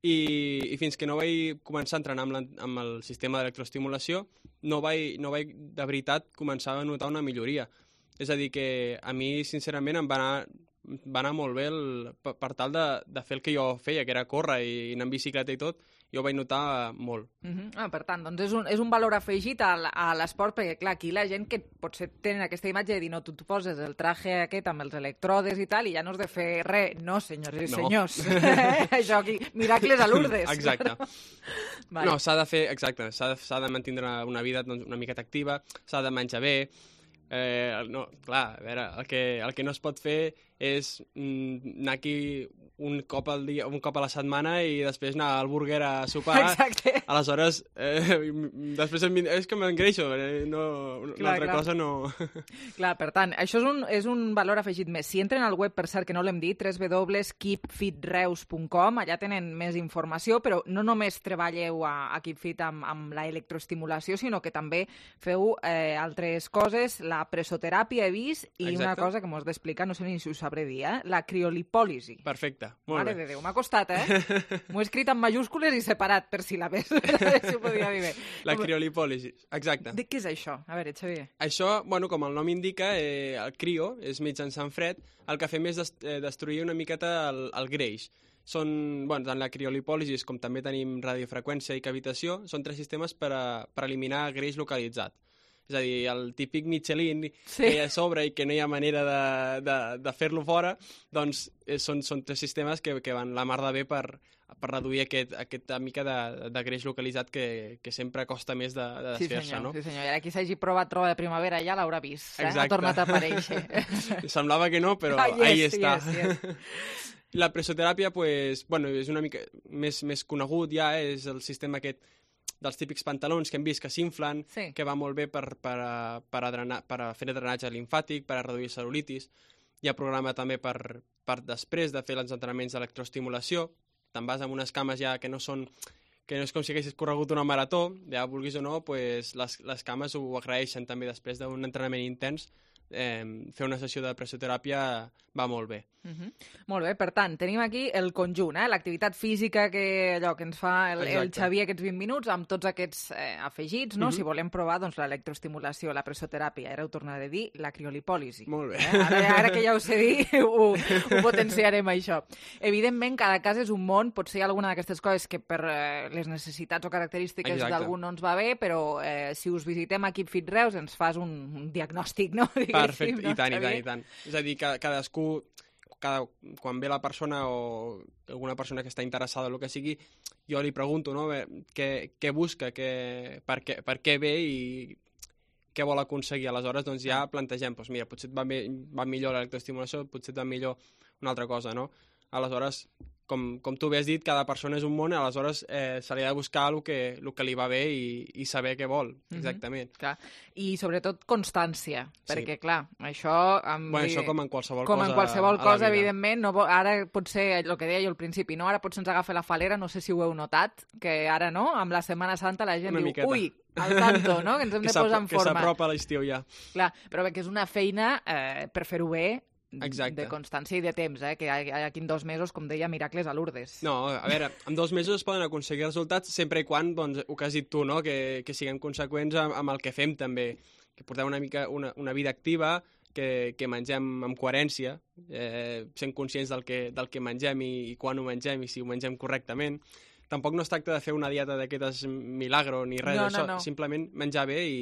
i, i fins que no vaig començar a entrenar amb, la, amb el sistema d'electroestimulació, no vaig, no vaig de veritat començar a notar una milloria. És a dir, que a mi, sincerament, em va anar, va anar molt bé el, per, per tal de, de fer el que jo feia, que era córrer i anar en bicicleta i tot, jo ho vaig notar molt. Uh -huh. ah, per tant, doncs és un, és un valor afegit a, a l'esport, perquè clar, aquí la gent que potser tenen aquesta imatge de dir, no, tu, tu poses el traje aquest amb els electrodes i tal, i ja no has de fer res. No, senyors i No. senyors. Això aquí, miracles a Lourdes. Exacte. Vale. No, s'ha de fer, exacte, s'ha de, s'ha de mantenir una vida doncs, una miqueta activa, s'ha de menjar bé. Eh, no, clar, a veure, el que, el que no es pot fer és mm, anar aquí un cop al dia, un cop a la setmana i després anar al burger a sopar. Exacte. Aleshores, eh, després em, és que m'engreixo, eh, no, una Clar, altra clar. cosa no... Clar, per tant, això és un, és un valor afegit més. Si entren al web, per cert, que no l'hem dit, w w w punt keep fit reus punt com, allà tenen més informació, però no només treballeu a, a KeepFit amb, amb la electroestimulació, sinó que també feu eh, altres coses, la presoteràpia he vist, i Exacte. una cosa que m'ho has d'explicar, no sé ni si ho sabré dir, eh? La criolipòlisi. Perfecte, molt Mare bé. de Déu, m'ha costat, eh? M'ho he escrit en majúscules i separat per síl·labes. Si ho podia dir bé. La criolipòlisi, exacte. De què és això? A veure, Xavier. Això, bueno, com el nom indica, eh, el crio, és mitjançant fred, el que fem és dest eh, destruir una miqueta el, el greix. Són, bueno, tant la criolipòlisi com també tenim radiofreqüència i cavitació, són tres sistemes per, a, per eliminar greix localitzat. És a dir, el típic Michelin Sí. que hi ha a sobre i que no hi ha manera de, de, de fer-lo fora, doncs eh, són, són tres sistemes que, que van la mar de bé per, per reduir aquest, aquesta mica de, de greix localitzat que, que sempre costa més de, de Sí, desfer-se, senyor, no? sí, senyor. I ara qui s'hagi provat roba de primavera ja l'haurà vist, eh? Ha Exacte. tornat a aparèixer. Semblava que no, però Ah, yes, ahí està. yes, yes. La presoteràpia, pues, bueno, és una mica més, més conegut ja, eh? És el sistema aquest dels típics pantalons que hem vist que s'inflen, Sí. que va molt bé per, per, a- per, a drenar, per a fer drenatge limfàtic, per a reduir cel·lulitis. Hi ha programa també per, per després de fer els entrenaments d'electroestimulació. Te'n vas amb unes cames ja que no són que no és com si haguessis corregut una marató, ja vulguis o no, pues, les, les cames ho agraeixen també després d'un entrenament intens. Eh, fer una sessió de presoteràpia va molt bé. Uh -huh. Molt bé, per tant, tenim aquí el conjunt, eh? L'activitat física que, allò, que ens fa el, el Exacte. Xavier aquests vint minuts, amb tots aquests eh, afegits, no? Mhm. Si volem provar doncs, l'electroestimulació, la presoteràpia, ara ho tornaré a dir, la criolipòlisi. Molt bé. Eh? Ara, ara que ja ho sé dir, ho, ho potenciarem, això. Evidentment, cada cas és un món, potser hi ha alguna d'aquestes coses que per eh, les necessitats o característiques Exacte. d'algú no ens va bé, però eh, si us visitem a KeepFit Reus ens fas un, un diagnòstic, no? Diguéssim, Perfecte, no, i tant, i tant, Xavier? i tant. És a dir, que cadascú, cada, quan ve la persona o alguna persona que està interessada en el que sigui, jo li pregunto, no?, bé, què, què busca, què, per, què, per què ve i què vol aconseguir. Aleshores, doncs ja plantegem, doncs mira, potser et va, bé, va millor l'electroestimulació, potser et va millor una altra cosa, no? Aleshores, com, com tu bé has dit, cada persona és un món, aleshores eh, se li ha de buscar el que, el que li va bé i, i saber què vol, exactament. Mm-hmm. Clar. I sobretot constància, Sí. perquè clar, això... Amb... Bueno, això com en qualsevol com cosa en qualsevol a la cosa, vida. evidentment, no, vo- ara potser, el que deia jo al principi, no? Ara potser ens agafa la falera, no sé si ho heu notat, que ara, no?, amb la Setmana Santa la gent Una diu, miqueta. ui, al tanto, no?, que ens hem Que de s'ap- posar en que forma. s'apropa l'estiu ja. Clar, però bé, que és una feina eh, per fer-ho bé, Exacte. de constància i de temps, eh? Que aquí en dos mesos, com deia, miracles a Lourdes. No, a veure, en dos mesos es poden aconseguir resultats sempre i quan, doncs, el que has dit tu, no?, que, que siguem conseqüents amb, amb el que fem també, que portem una mica una, una vida activa, que, que mengem amb coherència, eh, sent conscients del que, del que mengem i, i quan ho mengem i si ho mengem correctament. Tampoc no es tracta de fer una dieta d'aquestes milagro ni res No, no, d'això, no. simplement menjar bé i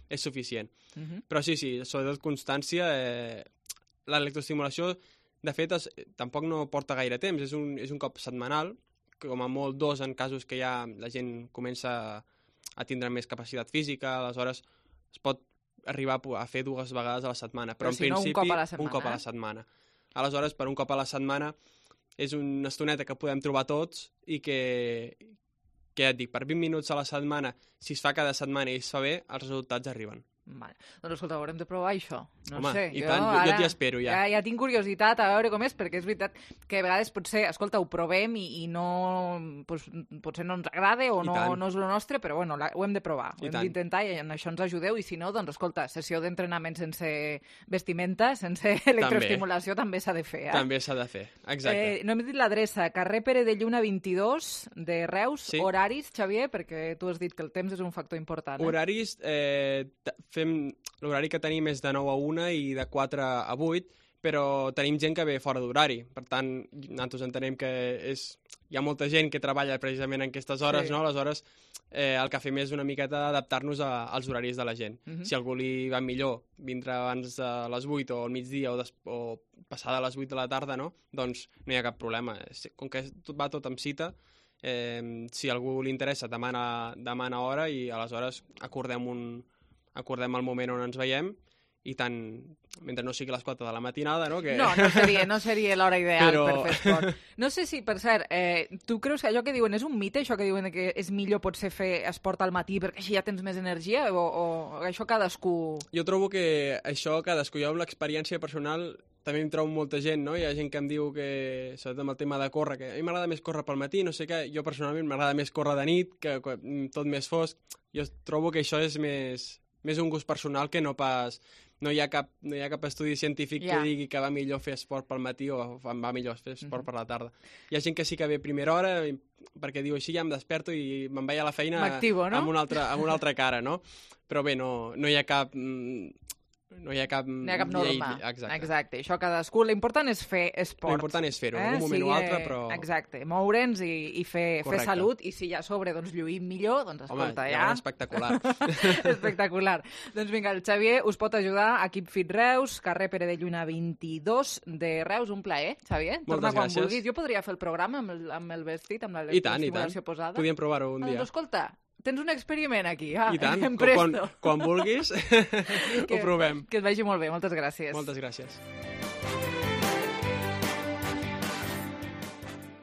és suficient. Mhm. Però sí, sí, sobretot constància, eh, l'electroestimulació, de fet, es, tampoc no porta gaire temps, és un, és un cop setmanal, que com a molt dos en casos que ja la gent comença a tindre més capacitat física, aleshores es pot arribar a fer dues vegades a la setmana, però, Però en si no, un principi cop a la setmana, un cop a eh? la setmana. Aleshores, per un cop a la setmana és una estoneta que podem trobar tots i que, que ja et dic, per vint minuts a la setmana, si es fa cada setmana i es fa bé, els resultats arriben. Vale. Doncs escolta, haurem de provar això. No Home, sé, i jo, tant, jo, ara, jo t'hi espero ja. ja. Ja tinc curiositat a veure com és, perquè és veritat que a vegades potser, escolta, ho provem i, i no, pues, potser no ens agrada o no, no és el nostre, però bueno, la, ho hem de provar, ho I hem tant. d'intentar i en això ens ajudeu, i si no, doncs escolta, sessió d'entrenament sense vestimenta, sense electroestimulació també s'ha de fer. Eh? També s'ha de fer, exacte. Eh, no hem dit l'adreça, carrer Pere de Lluna vint-i-dos de Reus, Sí. horaris, Xavier, perquè tu has dit que el temps és un factor important. Eh? Horaris, eh, t- fem l'horari que tenim és de nou a una i de quatre a vuit, però tenim gent que ve fora d'horari. Per tant, nosaltres entenem que és... hi ha molta gent que treballa precisament en aquestes hores, Sí. no? Aleshores, eh, el que fem és una miqueta adaptar-nos a, als horaris de la gent. Mhm. Si a algú li va millor vindre abans de les vuit o al migdia o, des, o passada les vuit de la tarda, no? Doncs no hi ha cap problema. Com que tot va tot amb cita, eh, si a algú li interessa, demana, demana hora i aleshores acordem un, acordem el moment on ens veiem i tant, mentre no sigui a les quatre de la matinada, no? Que... No, no seria, no seria l'hora ideal Però- per fer esport. No sé si, per cert, eh, tu creus que allò que diuen és un mite, això que diuen que és millor potser fer esport al matí perquè així ja tens més energia, o, o això cadascú... Jo trobo que això, cadascú, jo amb l'experiència personal també em trobo molta gent, no? Hi ha gent que em diu que, sobretot amb el tema de córrer, que a mi m'agrada més córrer pel matí, no sé què, jo personalment m'agrada més córrer de nit, que, que tot més fosc. Jo trobo que això és més, més un gust personal que no pas... No hi ha cap, no hi ha cap estudi científic Ja. que digui que va millor fer esport pel matí o em va millor fer esport Mhm. per la tarda. Hi ha gent que sí que ve a primera hora i- perquè diu així ja em desperto i me'n vaig a la feina M'activo, no? amb, una altra, amb una altra cara, no? Però bé, no, no hi ha cap... mm, No hi ha cap... No hi ha cap norma. Llei, exacte. Exacte. Això cadascú... L'important és fer esport. L'important és fer-ho, en un moment o altre, però- Exacte, moure'ns i, i fer, fer Correcte. salut, i si ja a sobre doncs, lluïm millor, doncs Home, escolta, ja ja... va espectacular. Espectacular. Doncs vinga, el Xavier us pot ajudar a Keep Fit Reus, carrer Pere de Lluna vint-i-dos de Reus. Un plaer, Xavier. Torna Moltes quan gràcies. vulguis. Jo podria fer el programa amb el, amb el vestit, amb la I tant, i tant. estimulació posada. Podíem provar-ho un Ah, dia. doncs escolta, tens un experiment aquí. Ah, I tant, em quan, presto. quan vulguis ho provem. Que et vagi molt bé, moltes gràcies. Moltes gràcies.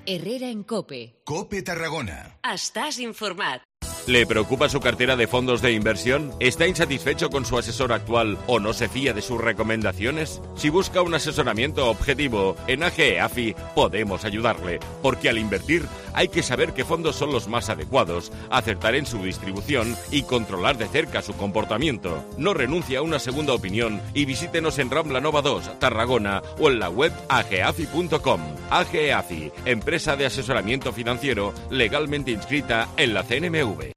Herrera en Cope. Cope Tarragona. Estás informat. ¿Le preocupa su cartera de fondos de inversión? ¿Está insatisfecho con su asesor actual o no se fía de sus recomendaciones? Si busca un asesoramiento objetivo, en A G E A F I podemos ayudarle, porque al invertir hay que saber qué fondos son los más adecuados, acertar en su distribución y controlar de cerca su comportamiento. No renuncie a una segunda opinión y visítenos en Rambla Nova dos, Tarragona, o en la web ageafi punto com. A G E A F I, empresa de asesoramiento financiero legalmente inscrita en la C N M V.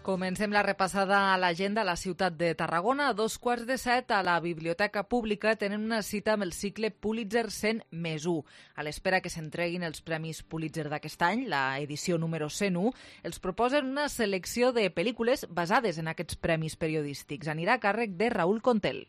Comencem la repassada a l'agenda a la ciutat de Tarragona. A dos quarts de set a la Biblioteca Pública tenen una cita amb el cicle Pulitzer cent més u. A l'espera que s'entreguin els Premis Pulitzer d'aquest any, la edició número cent u, els proposen una selecció de pel·lícules basades en aquests premis periodístics. Anirà a càrrec de Raül Contel.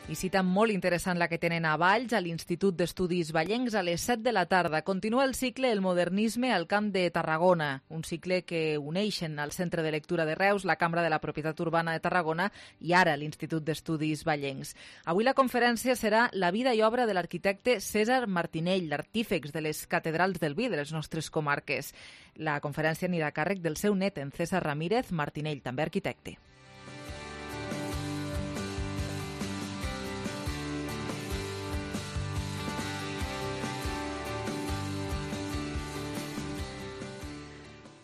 I cita molt interessant la que tenen a Valls, a l'Institut d'Estudis Vallencs, a les set de la tarda. Continua el cicle El modernisme al Camp de Tarragona, un cicle que uneixen al Centre de Lectura de Reus, la Cambra de la Propietat Urbana de Tarragona i ara l'Institut d'Estudis Vallencs. Avui la conferència serà La vida i obra de l'arquitecte César Martinell, l'artífex de les catedrals del vi de les nostres comarques. La conferència anirà a càrrec del seu net, en César Ramírez Martinell, també arquitecte.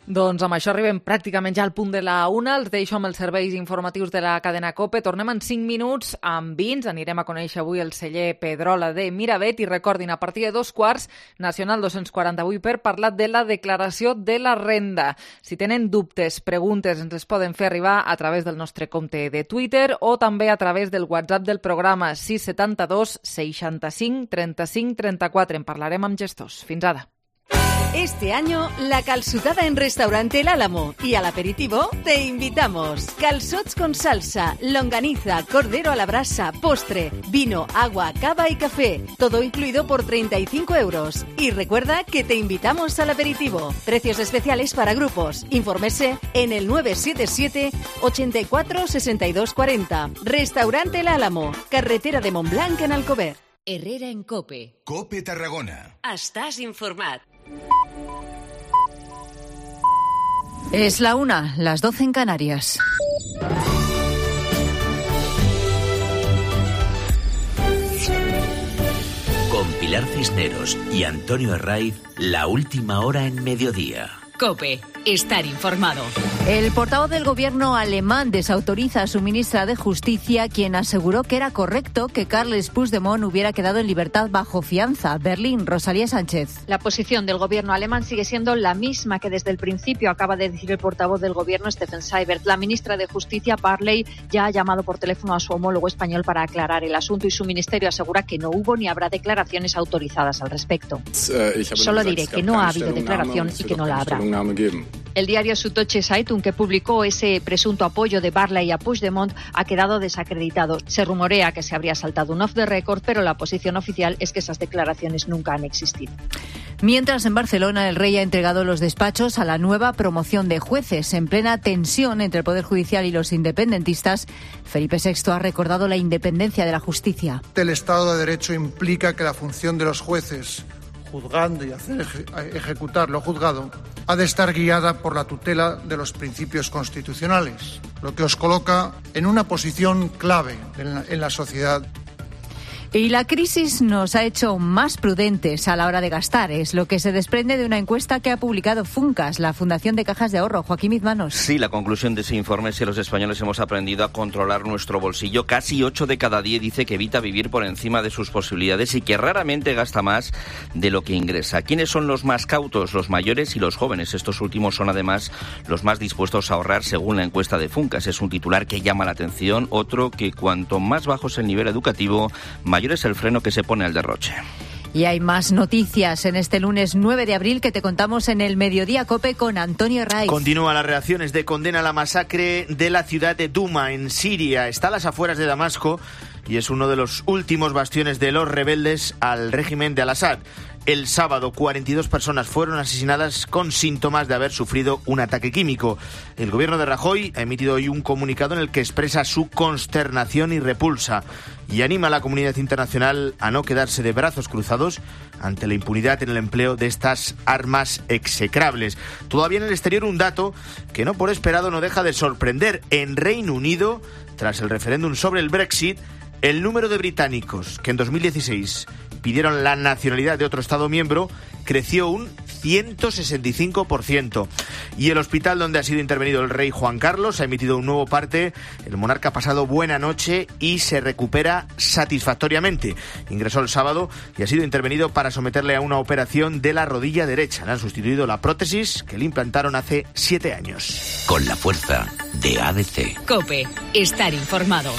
Doncs amb això arribem pràcticament ja al punt de la una. Els deixo amb els serveis informatius de la cadena COPE. Tornem en cinc minuts amb vins. Anirem a conèixer avui el celler Pedrola de Miravet i recordin, a partir de dos quarts, Nacional dos-cents quaranta-vuit per parlar de la declaració de la renda. Si tenen dubtes, preguntes, ens les poden fer arribar a través del nostre compte de Twitter o també a través del WhatsApp del programa sis setanta-dos seixanta-cinc trenta-cinc trenta-quatre. En parlarem amb gestors. Fins ara. Este año, la calçotada en Restaurante El Álamo y al aperitivo te invitamos. Calçots con salsa, longaniza, cordero a la brasa, postre, vino, agua, cava y café. Todo incluido por treinta y cinco euros. Y recuerda que te invitamos al aperitivo. Precios especiales para grupos. Infórmese en el nueve siete siete, ochenta y cuatro, sesenta y dos cuarenta. Restaurante El Álamo, carretera de Montblanc en Alcover. Herrera en Cope. Cope Tarragona. Estàs informat. Es la una, las doce en Canarias. Con Pilar Cisneros y Antonio Herraiz, la última hora en mediodía. Cope, estar informado. El portavoz del gobierno alemán desautoriza a su ministra de Justicia, quien aseguró que era correcto que Carles Puigdemont hubiera quedado en libertad bajo fianza. Berlín, Rosalía Sánchez. La posición del gobierno alemán sigue siendo la misma que desde el principio acaba de decir el portavoz del gobierno, Steffen Seibert. La ministra de Justicia, Barley, ya ha llamado por teléfono a su homólogo español para aclarar el asunto y su ministerio asegura que no hubo ni habrá declaraciones autorizadas al respecto. Solo diré que no ha habido declaración y que no la habrá. El diario Süddeutsche Zeitung, que publicó ese presunto apoyo de Barley a Puigdemont, ha quedado desacreditado. Se rumorea que se habría saltado un off the record, pero la posición oficial es que esas declaraciones nunca han existido. Mientras, en Barcelona, el rey ha entregado los despachos a la nueva promoción de jueces. En plena tensión entre el Poder Judicial y los independentistas, Felipe sexto ha recordado la independencia de la justicia. El Estado de Derecho implica que la función de los jueces, juzgando y hacer ejecutar lo juzgado, ha de estar guiada por la tutela de los principios constitucionales, lo que os coloca en una posición clave en la, en la sociedad. Y la crisis nos ha hecho más prudentes a la hora de gastar. Es lo que se desprende de una encuesta que ha publicado Funcas, la Fundación de Cajas de Ahorro. Joaquín Izmanos. Sí, la conclusión de ese informe es que los españoles hemos aprendido a controlar nuestro bolsillo. Casi ocho de cada diez dice que evita vivir por encima de sus posibilidades y que raramente gasta más de lo que ingresa. ¿Quiénes son los más cautos? Los mayores y los jóvenes. Estos últimos son además los más dispuestos a ahorrar según la encuesta de Funcas. Es un titular que llama la atención. Otro que cuanto más bajo es el nivel educativo, mayor es el freno que se pone al derroche. Y hay más noticias en este lunes nueve de abril que te contamos en el Mediodía Cope con Antonio Herraiz. Continúan las reacciones de condena a la masacre de la ciudad de Duma, en Siria. Está a las afueras de Damasco y es uno de los últimos bastiones de los rebeldes al régimen de Al-Assad. El sábado, cuarenta y dos personas fueron asesinadas con síntomas de haber sufrido un ataque químico. El gobierno de Rajoy ha emitido hoy un comunicado en el que expresa su consternación y repulsa y anima a la comunidad internacional a no quedarse de brazos cruzados ante la impunidad en el empleo de estas armas execrables. Todavía en el exterior un dato que no por esperado no deja de sorprender. En Reino Unido, tras el referéndum sobre el Brexit, el número de británicos que en dos mil dieciséis pidieron la nacionalidad de otro Estado miembro creció un ciento sesenta y cinco por ciento. Y el hospital donde ha sido intervenido el rey Juan Carlos ha emitido un nuevo parte. El monarca ha pasado buena noche y se recupera satisfactoriamente. Ingresó el sábado y ha sido intervenido para someterle a una operación de la rodilla derecha. Le han sustituido la prótesis que le implantaron hace siete años. Con la fuerza de A D C. Cope, estar informado.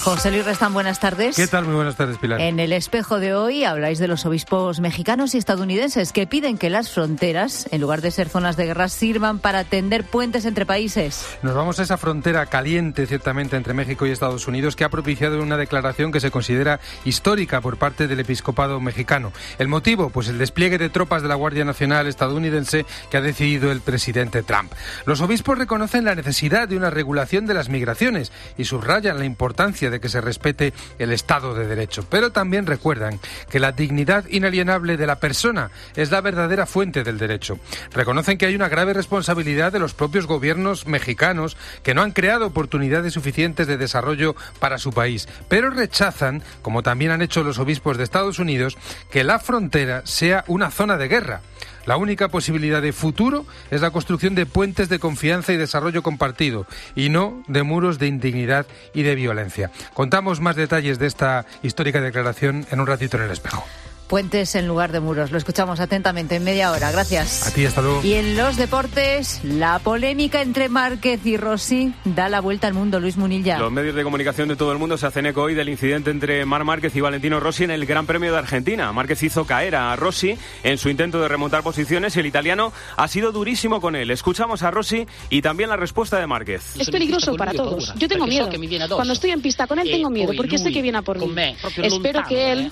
José Luis Restán, buenas tardes. ¿Qué tal? Muy buenas tardes, Pilar. En el espejo de hoy habláis de los obispos mexicanos y estadounidenses que piden que las fronteras, en lugar de ser zonas de guerra, sirvan para tender puentes entre países. Nos vamos a esa frontera caliente, ciertamente, entre México y Estados Unidos, que ha propiciado una declaración que se considera histórica por parte del episcopado mexicano. ¿El motivo? Pues el despliegue de tropas de la Guardia Nacional estadounidense que ha decidido el presidente Trump. Los obispos reconocen la necesidad de una regulación de las migraciones y subrayan la importancia de que se respete el Estado de Derecho. Pero también recuerdan que la dignidad inalienable de la persona es la verdadera fuente del derecho. Reconocen que hay una grave responsabilidad de los propios gobiernos mexicanos que no han creado oportunidades suficientes de desarrollo para su país, pero rechazan, como también han hecho los obispos de Estados Unidos, que la frontera sea una zona de guerra. La única posibilidad de futuro es la construcción de puentes de confianza y desarrollo compartido, y no de muros de indignidad y de violencia. Contamos más detalles de esta histórica declaración en un ratito en El Espejo. Puentes en lugar de muros. Lo escuchamos atentamente en media hora. Gracias. A ti, hasta luego. Y en los deportes, la polémica entre Márquez y Rossi da la vuelta al mundo. Luis Munilla. Los medios de comunicación de todo el mundo se hacen eco hoy del incidente entre Marc Márquez y Valentino Rossi en el Gran Premio de Argentina. Márquez hizo caer a Rossi en su intento de remontar posiciones y el italiano ha sido durísimo con él. Escuchamos a Rossi y también la respuesta de Márquez. Es peligroso para todos. Yo tengo miedo. Cuando estoy en pista con él tengo miedo porque sé que viene a por mí. Espero que él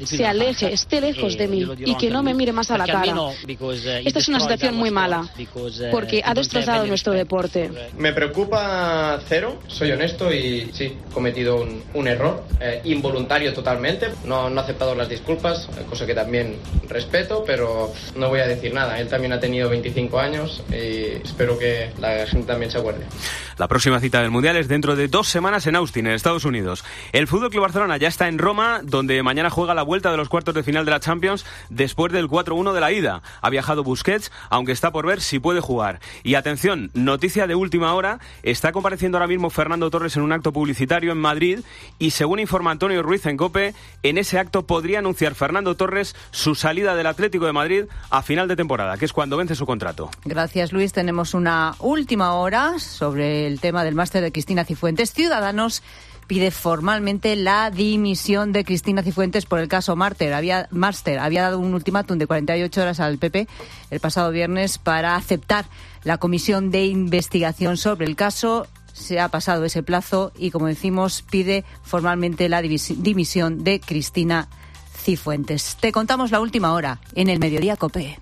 se aleje, esté lejos de mí y que no me mire más a la cara. Esta es una situación muy mala porque ha destrozado nuestro deporte. Me preocupa cero, soy honesto y sí, he cometido un, un error eh, involuntario totalmente. No, no he aceptado las disculpas, cosa que también respeto, pero no voy a decir nada. Él también ha tenido veinticinco años y espero que la gente también se acuerde. La próxima cita del Mundial es dentro de dos semanas en Austin, en Estados Unidos. El F C Barcelona ya está en Roma, donde mañana juega la vuelta de los cuartos de final de la Champions después del cuatro uno de la ida. Ha viajado Busquets, aunque está por ver si puede jugar. Y atención, noticia de última hora, está compareciendo ahora mismo Fernando Torres en un acto publicitario en Madrid y según informa Antonio Ruiz en COPE, en ese acto podría anunciar Fernando Torres su salida del Atlético de Madrid a final de temporada, que es cuando vence su contrato. Gracias, Luis. Tenemos una última hora sobre el tema del máster de Cristina Cifuentes. Ciudadanos pide formalmente la dimisión de Cristina Cifuentes por el caso Máster. Había, Máster había dado un ultimátum de cuarenta y ocho horas al P P el pasado viernes para aceptar la comisión de investigación sobre el caso. Se ha pasado ese plazo y, como decimos, pide formalmente la dimisión de Cristina Cifuentes. Te contamos la última hora en el Mediodía COPE.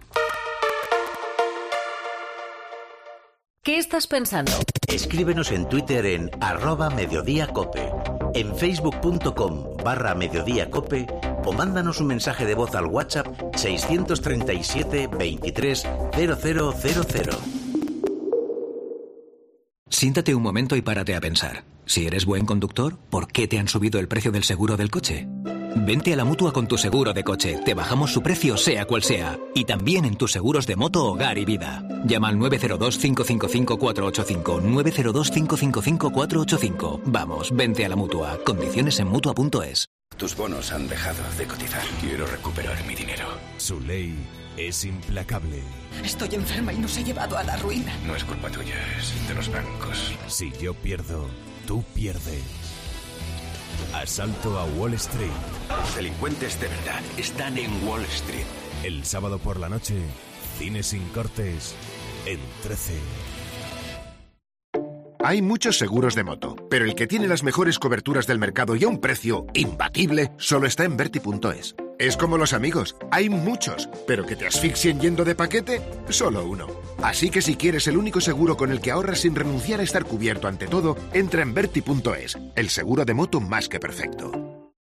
¿Qué estás pensando? Escríbenos en Twitter en arroba mediodíacope, en facebook.com barra mediodíacope o mándanos un mensaje de voz al WhatsApp seiscientos treinta y siete veintitrés cero cero cero cero. Siéntate un momento y párate a pensar. Si eres buen conductor, ¿por qué te han subido el precio del seguro del coche? Vente a la Mutua con tu seguro de coche. Te bajamos su precio sea cual sea. Y también en tus seguros de moto, hogar y vida. Llama al nueve cero dos, cinco cinco cinco, cuatro ocho cinco. nueve cero dos, cinco cinco cinco, cuatro ocho cinco. Vamos, vente a la Mutua. Condiciones en Mutua punto es. Tus bonos han dejado de cotizar. Quiero recuperar mi dinero. Su ley es implacable. Estoy enferma y nos ha llevado a la ruina. No es culpa tuya, es de los bancos. Si yo pierdo, tú pierdes. Asalto a Wall Street. Los delincuentes de verdad están en Wall Street. El sábado por la noche, cine sin cortes en trece. Hay muchos seguros de moto, pero el que tiene las mejores coberturas del mercado y a un precio imbatible solo está en Verti punto es. Es como los amigos, hay muchos, pero que te asfixien yendo de paquete, solo uno. Así que si quieres el único seguro con el que ahorras sin renunciar a estar cubierto ante todo, entra en Verti punto es, el seguro de moto más que perfecto.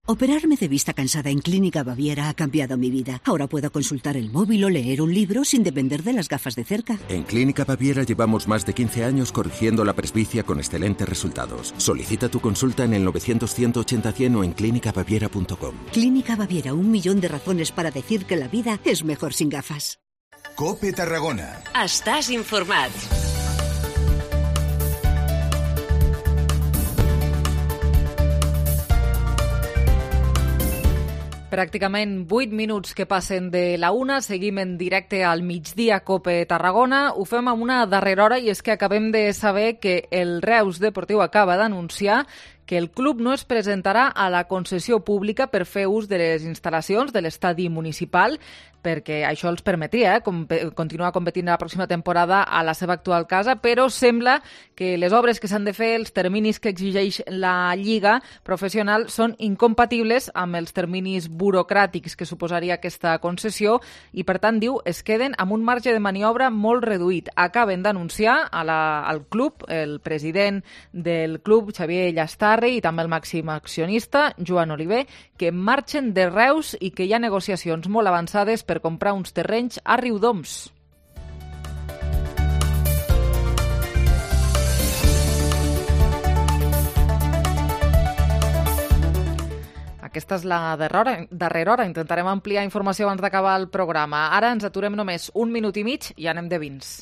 Operarme de vista cansada en Clínica Baviera ha cambiado mi vida. Ahora puedo consultar el móvil o leer un libro sin depender de las gafas de cerca. En Clínica Baviera llevamos más de quince años corrigiendo la presbicia con excelentes resultados. Solicita tu consulta en el novecientos, ciento ochenta, cien o en clínica baviera punto com. Clínica Baviera, un millón de razones para decir que la vida es mejor sin gafas. COPE Tarragona. Estàs informat. Pràcticament vuit minuts que passen de la una, seguim en directe al migdia COPE Tarragona. Ho fem amb una darrera hora i és que acabem de saber que el Reus Deportiu acaba d'anunciar que el club no es presentarà a la concessió pública per fer ús de les instal·lacions de l'estadi municipal, perquè això els permetria eh, com, continuar competint la pròxima temporada a la seva actual casa, però sembla que les obres que s'han de fer, els terminis que exigeix la Lliga professional, són incompatibles amb els terminis burocràtics que suposaria aquesta concessió i, per tant, diu, es queden amb un marge de maniobra molt reduït. Acaben d'anunciar a la, al club, el president del club, Xavier Llastar, i també el màxim accionista, Joan Oliver, que marxen de Reus i que hi ha negociacions molt avançades per comprar uns terrenys a Riudoms. Aquesta és la darrera, darrera hora. Intentarem ampliar informació abans d'acabar el programa. Ara ens aturem només un minut i mig i anem de vins.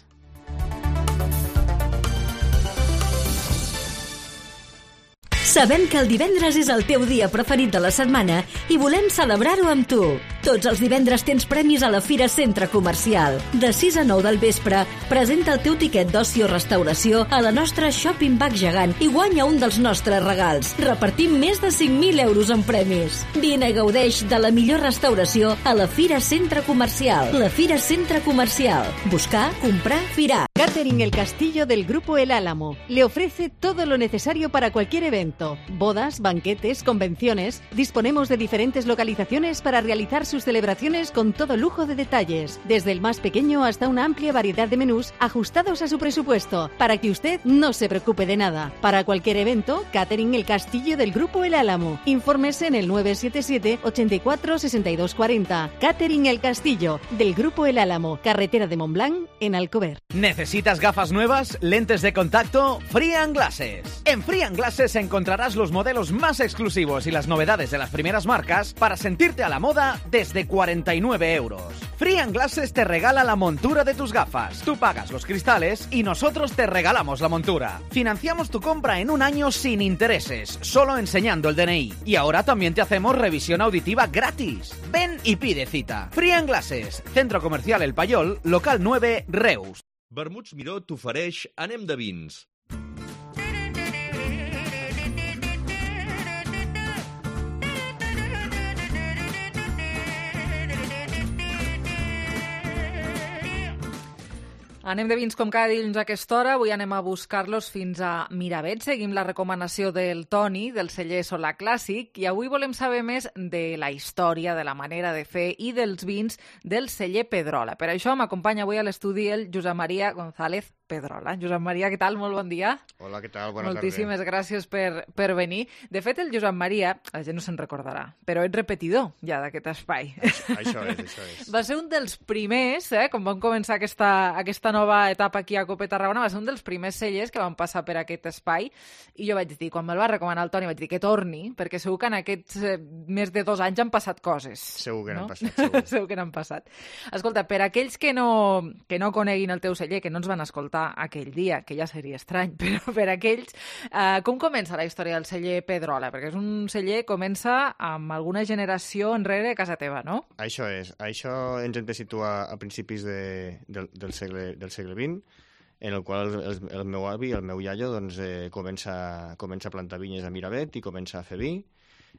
Sabem que el divendres és el teu dia preferit de la setmana i volem celebrar-ho amb tu. Tots els divendres tens premis a la Fira Centre Comercial. De sis a nou del vespre, presenta el teu tiquet d'oci o restauració a la nostra Shopping Bag gegant i guanya un dels nostres regals. Repartim més de cinc mil euros en premis. Vine i gaudeix de la millor restauració a la Fira Centre Comercial. La Fira Centre Comercial. Buscar, comprar, firar. Catering El Castillo del Grupo El Álamo le ofrece todo lo necesario para cualquier evento. Bodas, banquetes, convenciones. Disponemos de diferentes localizaciones para realizar sus celebraciones con todo lujo de detalles, desde el más pequeño hasta una amplia variedad de menús ajustados a su presupuesto, para que usted no se preocupe de nada. Para cualquier evento, Catering El Castillo del Grupo El Álamo. Infórmese en el nueve siete siete, ochenta y cuatro, sesenta y dos cuarenta. Catering El Castillo del Grupo El Álamo, carretera de Montblanc, en Alcover. ¿Necesitas gafas nuevas? ¿Lentes de contacto? Free and Glasses. En Free and Glasses encontrarás los modelos más exclusivos y las novedades de las primeras marcas para sentirte a la moda desde cuarenta y nueve euros. Free and Glasses te regala la montura de tus gafas. Tú pagas los cristales y nosotros te regalamos la montura. Financiamos tu compra en un año sin intereses, solo enseñando el D N I. Y ahora también te hacemos revisión auditiva gratis. Ven y pide cita. Free and Glasses, Centro Comercial El Payol, local nueve, Reus. Vermuts Miró t'ofereix Anem de vins. Anem de vins com cada dilluns a aquesta hora. Avui anem a buscar-los fins a Miravet. Seguim la recomanació del Toni, del celler Solà Clàssic, i avui volem saber més de la història, de la manera de fer i dels vins del celler Pedrola. Per això m'acompanya avui a l'estudi el Josep Maria González Pedrola. Josep Maria, què tal? Molt bon dia. Hola, què tal? Bona Moltíssimes tarda. gràcies per, per venir. De fet, el Josep Maria, la gent no se'n recordarà, però ets repetidor ja d'aquest espai. Això, això és, això és. Va ser un dels primers, eh, quan vam començar aquesta, aquesta nova etapa aquí a Cope Tarragona, va ser un dels primers cellers que van passar per aquest espai, i jo vaig dir, quan me'l va recomanar el Toni, vaig dir que torni, perquè segur que en aquests eh, més de dos anys han passat coses. Segur que no? n'han passat, segur. Segur que n'han passat. Escolta, per aquells que no, que no coneguin el teu celler, que no ens van escoltar aquell dia, que ja seria estrany, però per aquells, eh, com comença la història del celler Pedrola? Perquè és un celler que comença amb alguna generació enrere a casa teva, no? Això és. Això ens hem de situar a principis de, del, del, segle, del segle vint, en el qual el, el meu avi, el meu iaio, doncs, eh, comença, comença a plantar vinyes a Miravet i comença a fer vi.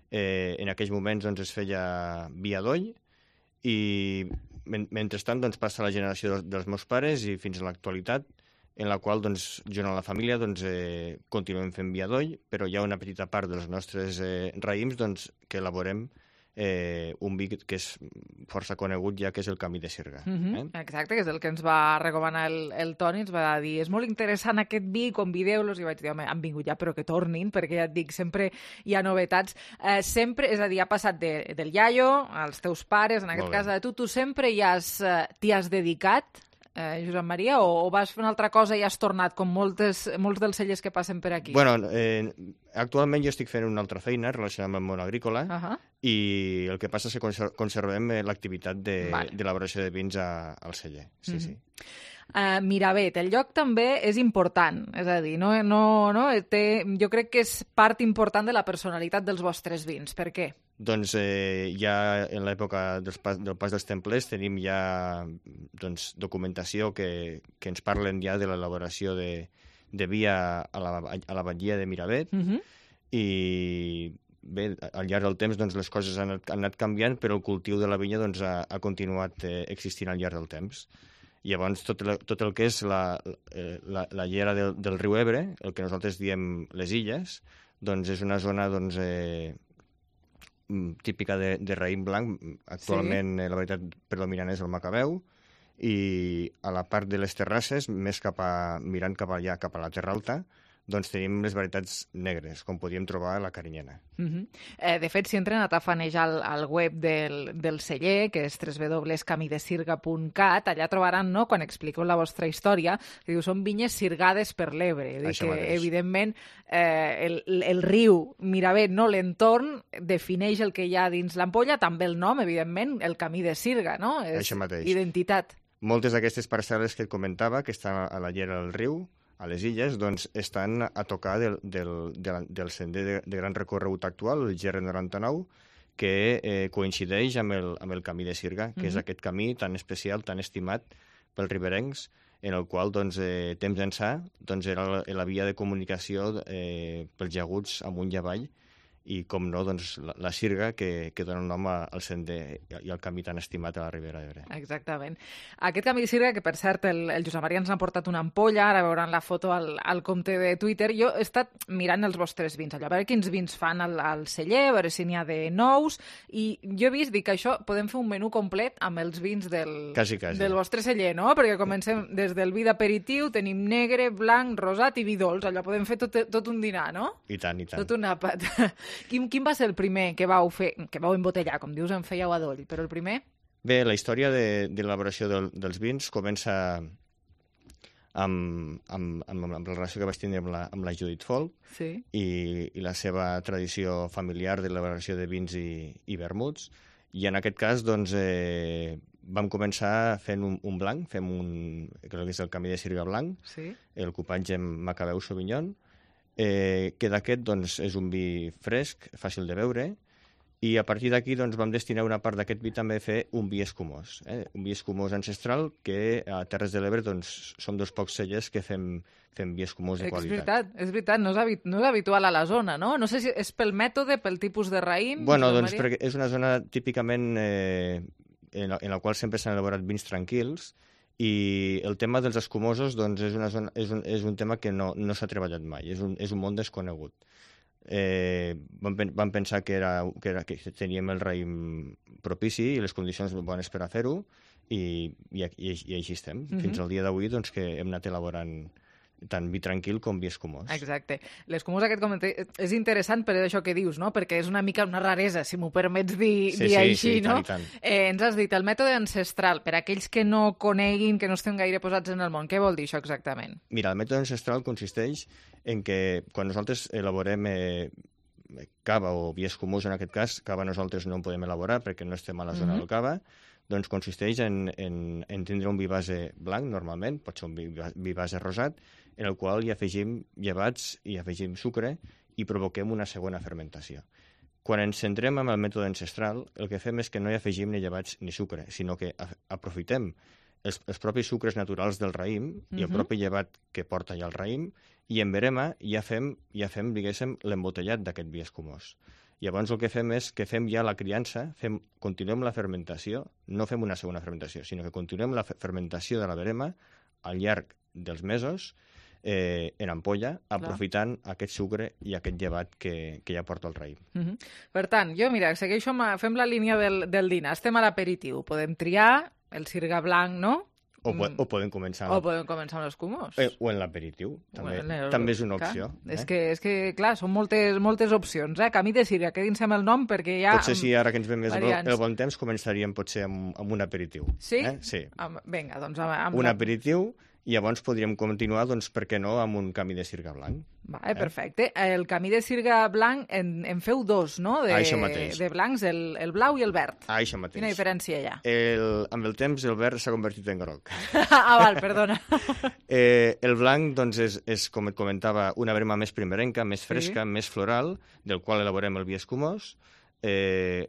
Eh, en aquells moments doncs, es feia vi a doll, i men mentrestant doncs, passa la generació dels, dels meus pares i fins a l'actualitat, en la qual, doncs, junt amb la família, doncs, eh, continuem fent vi a doll, però hi ha una petita part dels nostres eh, raïms doncs, que elaborem eh, un vi que és força conegut ja, que és el Camí de Sirga. Uh -huh. eh? Exacte, que és el que ens va recomanar el, el Toni, ens va dir, és molt interessant aquest vi, convideu-los, i vaig dir, home, han vingut ja, però que tornin, perquè ja et dic, sempre hi ha novetats. Eh, sempre, és a dir, ha passat de, del iaio als teus pares, en aquest cas de tu, tu sempre hi has, eh, t'hi has dedicat, Eh, Josep Maria, o, o vas fer una altra cosa i has tornat, com moltes, molts dels cellers que passen per aquí? Bueno, eh, actualment jo estic fent una altra feina relacionada amb el món agrícola, uh -huh. i el que passa és que conser conservem eh, l'activitat d'elaboració de, de vins a, al celler. Sí, uh -huh. sí. Uh, Miravet, el lloc també és important, és a dir, no, no, no, té, jo crec que és part important de la personalitat dels vostres vins. Per què? Doncs eh, ja en l'època del, pas, del pas dels templers tenim ja doncs, documentació que, que ens parlen ja de l'elaboració de, de vi a, a, la, a la batllia de Miravet, uh -huh. i bé, al llarg del temps doncs, les coses han, han anat canviant, però el cultiu de la vinya doncs, ha, ha continuat eh, existint al llarg del temps. Llavors, tot el, tot el que és la, la, la llera del, del riu Ebre, el que nosaltres diem les illes, doncs és una zona doncs, eh, típica de, de raïm blanc. Actualment sí. La varietat predominant és el Macabeu, i a la part de les terrasses, més cap a, mirant cap allà, cap a la Terra Alta, doncs tenim les varietats negres, com podíem trobar a la Carinyena. Uh -huh. eh, de fet, si entren a tafanejar al, al web del, del celler, que és w w w punt camidesirga punt cat, allà trobaran, no?, quan expliqueu la vostra història, que diu, són vinyes sirgades per l'Ebre. Que, mateix. Evidentment, eh, el, el riu Miravet, no?, l'entorn, defineix el que hi ha dins l'ampolla, també el nom, evidentment, el Camí de Sirga, no? És Això mateix. Identitat. Moltes d'aquestes parcel·les que et comentava, que estan a la llera del riu, a les illes, doncs estan a tocar del, del, del, del sender de, de gran recorregut actual, el G R noranta-nou, que eh, coincideix amb el, amb el camí de Sirga, que mm-hmm. és aquest camí tan especial, tan estimat pels riberencs, en el qual doncs, eh, temps ençà doncs, era la, la via de comunicació eh, pels llaguts amunt i avall, i, com no, doncs, la, la Sirga, que, que dona nom al sender i al camí tan estimat a la Ribera d'Ebre. Exactament. Aquest camí de Sirga, que per cert el, el Josep Maria ens ha portat una ampolla, ara veuran la foto al, al compte de Twitter. Jo he estat mirant els vostres vins, allò, a veure quins vins fan al, al celler, a veure si n'hi ha de nous, i jo he vist, dic que això podem fer un menú complet amb els vins del, quasi, quasi. del vostre celler, no? Perquè comencem des del vi d'aperitiu, tenim negre, blanc, rosat i vi dolç, allò podem fer tot, tot un dinar, no? I tant, i tant. Tot un àpat. Quin, quin va ser el primer que vau fer, que vau embotellar, com dius, en fèieu a doll, però el primer? Bé, la història de, de l'elaboració del, dels vins comença amb, amb, amb, amb la relació que vaig tenir amb la, amb la Judit Folk sí. i, i la seva tradició familiar d'elaboració de vins i, i vermuts, i en aquest cas doncs, eh, vam començar fent un, un blanc, fem un, crec que és el camí de Sirga blanc, sí. el cupatge amb Macabeu Sauvignon, Eh, que d'aquest doncs, és un vi fresc, fàcil de beure, i a partir d'aquí doncs, vam destinar una part d'aquest vi també a fer un vi escumós, eh? un vi escumós ancestral que a Terres de l'Ebre doncs, som dos pocs cellers que fem, fem vi escumós de qualitat. És veritat, és veritat, no és, habit, no és habitual a la zona, no? No sé si és pel mètode, pel tipus de raïm... Bueno, doncs perquè és una zona típicament eh, en, la, en la qual sempre s'han elaborat vins tranquils, i el tema dels escumosos doncs, és, una zona, és, un, és un tema que no, no s'ha treballat mai, és un, és un món desconegut. Eh, vam, vam pensar que, era, que, era, que teníem el raïm propici i les condicions bones per a fer-ho, i, i, i, i així estem. Mm-hmm. Fins al dia d'avui doncs, que hem anat elaborant tant vi tranquil com vi escumós. Exacte. L'escumós aquest comenté és interessant per això que dius, no? Perquè és una mica una raresa, si m'ho permets dir, sí, dir sí, així, sí, no? Tant, tant. Eh, ens has dit el mètode ancestral, per aquells que no coneguin, que no estem gaire posats en el món. Què vol dir això exactament? Mira, el mètode ancestral consisteix en que quan nosaltres elaborem eh, cava o vi escumós, en aquest cas, cava nosaltres no en podem elaborar perquè no estem a la zona mm-hmm. del cava, doncs consisteix en, en, en tindre un vi base blanc, normalment, pot ser un vi, vi base rosat, en el qual hi afegim llevats i afegim sucre i provoquem una segona fermentació. Quan ens centrem en el mètode ancestral, el que fem és que no hi afegim ni llevats ni sucre, sinó que aprofitem els, els propis sucres naturals del raïm uh-huh. i el propi llevat que porta ja el raïm, i en verema ja fem, ja fem diguéssim, l'embotellat d'aquest vi escumós. Llavors el que fem és que fem ja la criança, fem, continuem la fermentació, no fem una segona fermentació, sinó que continuem la fermentació de la verema al llarg dels mesos, Eh, en ampolla, aprofitant Clar. aquest sucre i aquest llevat que, que ja porta el raïm. Uh-huh. Per tant, jo, mira, segueixo amb, fem la línia del, del dinar. Estem a l'aperitiu. Podem triar el sirga blanc, no? O, po o podem començar... O podem començar amb l'escumós. Eh, o en l'aperitiu, també, bueno, també és una opció. Eh? És, que, és que, clar, són moltes, moltes opcions. Eh? Camí de Sirga, quedin-se amb el nom perquè hi ha... Potser si ara que ens ve més variants. el bon temps començaríem potser amb, amb un aperitiu. Sí? Eh? Sí. Am, vinga, doncs... Amb, amb un la... aperitiu... I llavors podríem continuar, doncs, per què no, amb un camí de sirga blanc. Vale, eh? Perfecte. El camí de sirga blanc en, en feu dos, no? De, això mateix. De blancs, el, el blau i el verd. Ah, això mateix. Quina diferència hi ha? El, amb el temps el verd s'ha convertit en groc. Ah, val, perdona. eh, el blanc, doncs, és, és, com et comentava, una verema més primerenca, més fresca, sí. més floral, del qual elaborem el vi escumós. Eh,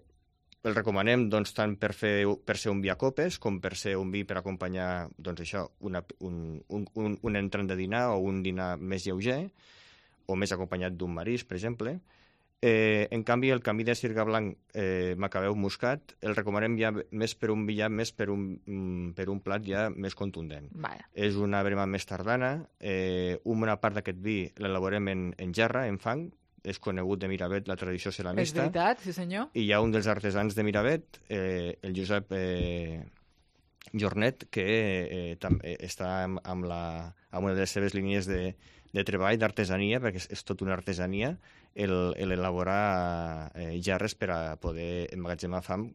El recomanem doncs, tant per, fer, per ser un vi a copes com per ser un vi per acompanyar doncs, això, una, un, un, un, un entrant de dinar o un dinar més lleuger o més acompanyat d'un marisc, per exemple. Eh, en canvi, el camí de sirga blanc eh, Macabeu muscat el recomanem ja més per un vi ja més per un, per un plat ja més contundent. Vaya. És una verema més tardana. Eh, una part d'aquest vi l'elaborem en, en gerra, en fang. És conegut de Miravet la tradició ceramista. És veritat, sí senyor. I hi ha un dels artesans de Miravet, eh, el Josep eh, Jornet, que eh, també està amb, amb, la, amb una de les seves línies de, de treball, d'artesania, perquè és, és tot una artesania, l'elaborar eh, gerres per a poder emmagatzemar fam,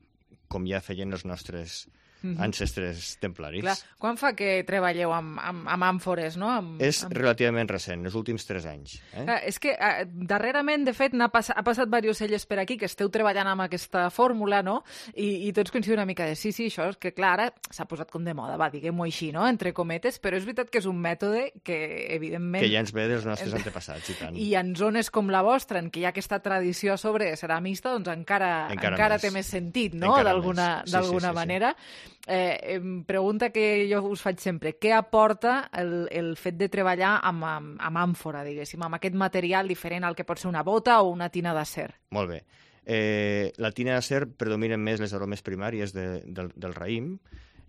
com ja feien els nostres mm -hmm. ancestres templaris. Clar. Quan fa que treballeu amb, amb, amb àmfores, no? Amb, és amb... relativament recent, els últims tres anys. Eh? Clar, és que eh, darrerament, de fet, ha, pass ha passat diversos cellers per aquí que esteu treballant amb aquesta fórmula, no? I, i tots coincidim una mica de sí, sí, això és que, clar, ara s'ha posat com de moda, va, diguem-ho així, no? Entre cometes, però és veritat que és un mètode que, evidentment... Que ja ens ve dels nostres antepassats, i tant. I en zones com la vostra, en què hi ha aquesta tradició a sobre ceramista, doncs encara, encara, encara té més sentit, no?, d'alguna sí, sí, sí, manera. Sí. Eh, pregunta que jo us faig sempre, què aporta el, el fet de treballar amb, amb, amb àmfora, diguéssim, amb aquest material diferent al que pot ser una bota o una tina d'acer? Molt bé. Eh, la tina d'acer predominen més les aromes primàries de, del, del raïm.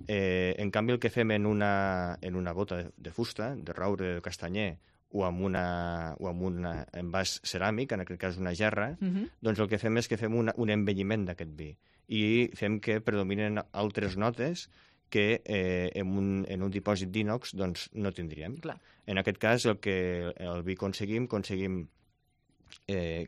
Eh, en canvi, el que fem en una, en una bota de, de fusta, de roure, de castanyer, o amb, una, o amb un envàs ceràmic, en aquest cas una gerra, uh -huh. doncs el que fem és que fem una, un envelliment d'aquest vi i fem que predominen altres notes que eh, en, un, en un dipòsit d'ínox doncs, no tindríem. Clar. En aquest cas, el que el vi aconseguim, aconseguim, eh,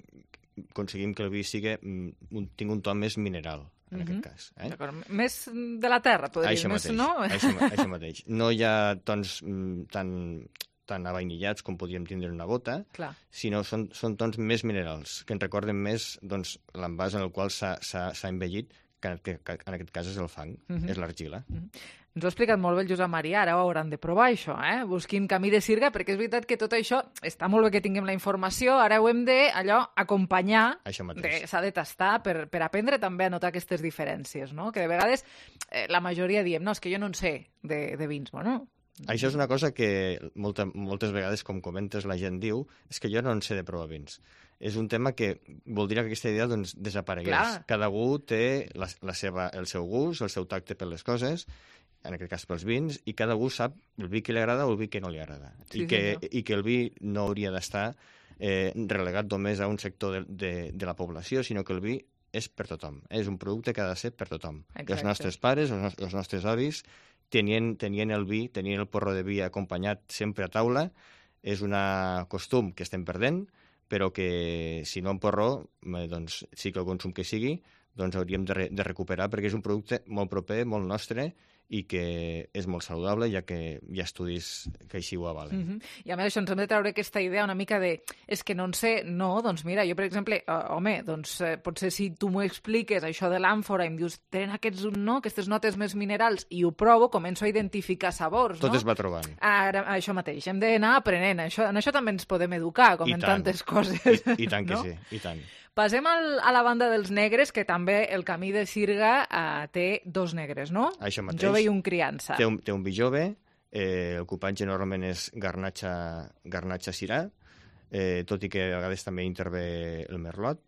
aconseguim que el vi sigui, un, tingui un to més mineral, en uh -huh. aquest cas. Eh? D'acord. Més de la terra, podria dir, més, no? Això, això mateix. No hi ha tons tan... tan avainillats com podríem tindre en una bota, Clar. sinó són, són tons més minerals, que ens recorden més doncs, l'envàs en el qual s'ha envellit, que, que, que en aquest cas és el fang, uh -huh. és l'argila. Uh -huh. Ens ho ha explicat molt bé el Josep Maria, ara ho hauran de provar, això, eh? Busquin camí de sirga, perquè és veritat que tot això, està molt bé que tinguem la informació, ara ho hem de, allò, acompanyar, s'ha de tastar per, per aprendre també a notar aquestes diferències, no? Que de vegades eh, la majoria diem, no, és que jo no en sé de, de vins, bueno... Això és una cosa que molta, moltes vegades, com comentes, la gent diu, és que jo no en sé de provar vins. És un tema que voldria que aquesta idea doncs, desaparegués. Clar. Cada algú té la, la seva, el seu gust, el seu tacte per les coses, en aquest cas pels vins, i cada algú sap el vi que li agrada o el vi que no li agrada. Sí, I, que, sí, no. I que el vi no hauria d'estar eh, relegat només a un sector de, de, de la població, sinó que el vi és per tothom. És un producte que ha de ser per tothom. Exacte. Els nostres pares, els, nos els nostres avis, tenien, tenien el vi, tenien el porró de vi acompanyat sempre a taula. És un costum que estem perdent, però que si no en porró, doncs sí que el consum que sigui, doncs hauríem de, re de recuperar, perquè és un producte molt proper, molt nostre, i que és molt saludable, ja que hi ha estudis que així ho avalen. Uh -huh. I a més això ens hem de treure aquesta idea una mica de és que no en sé, no, doncs mira, jo per exemple, uh, home, doncs eh, potser si tu m'ho expliques, això de l'àmfora, i em dius, tenen aquests, no, aquestes notes més minerals, i ho provo, començo a identificar sabors, Tot no? es va trobant. Ara, això mateix, hem d'anar aprenent, això, en això també ens podem educar, com I en tant. tantes coses. I, i tant que no? sí, i tant. Passem al, a la banda dels negres, que també el camí de Sirga eh, té dos negres, no? Això mateix. Jove i un criança. Té un, té un vi jove, eh, el cupatge normalment és garnatxa, garnatxa sirà, eh, tot i que a vegades també intervé el merlot.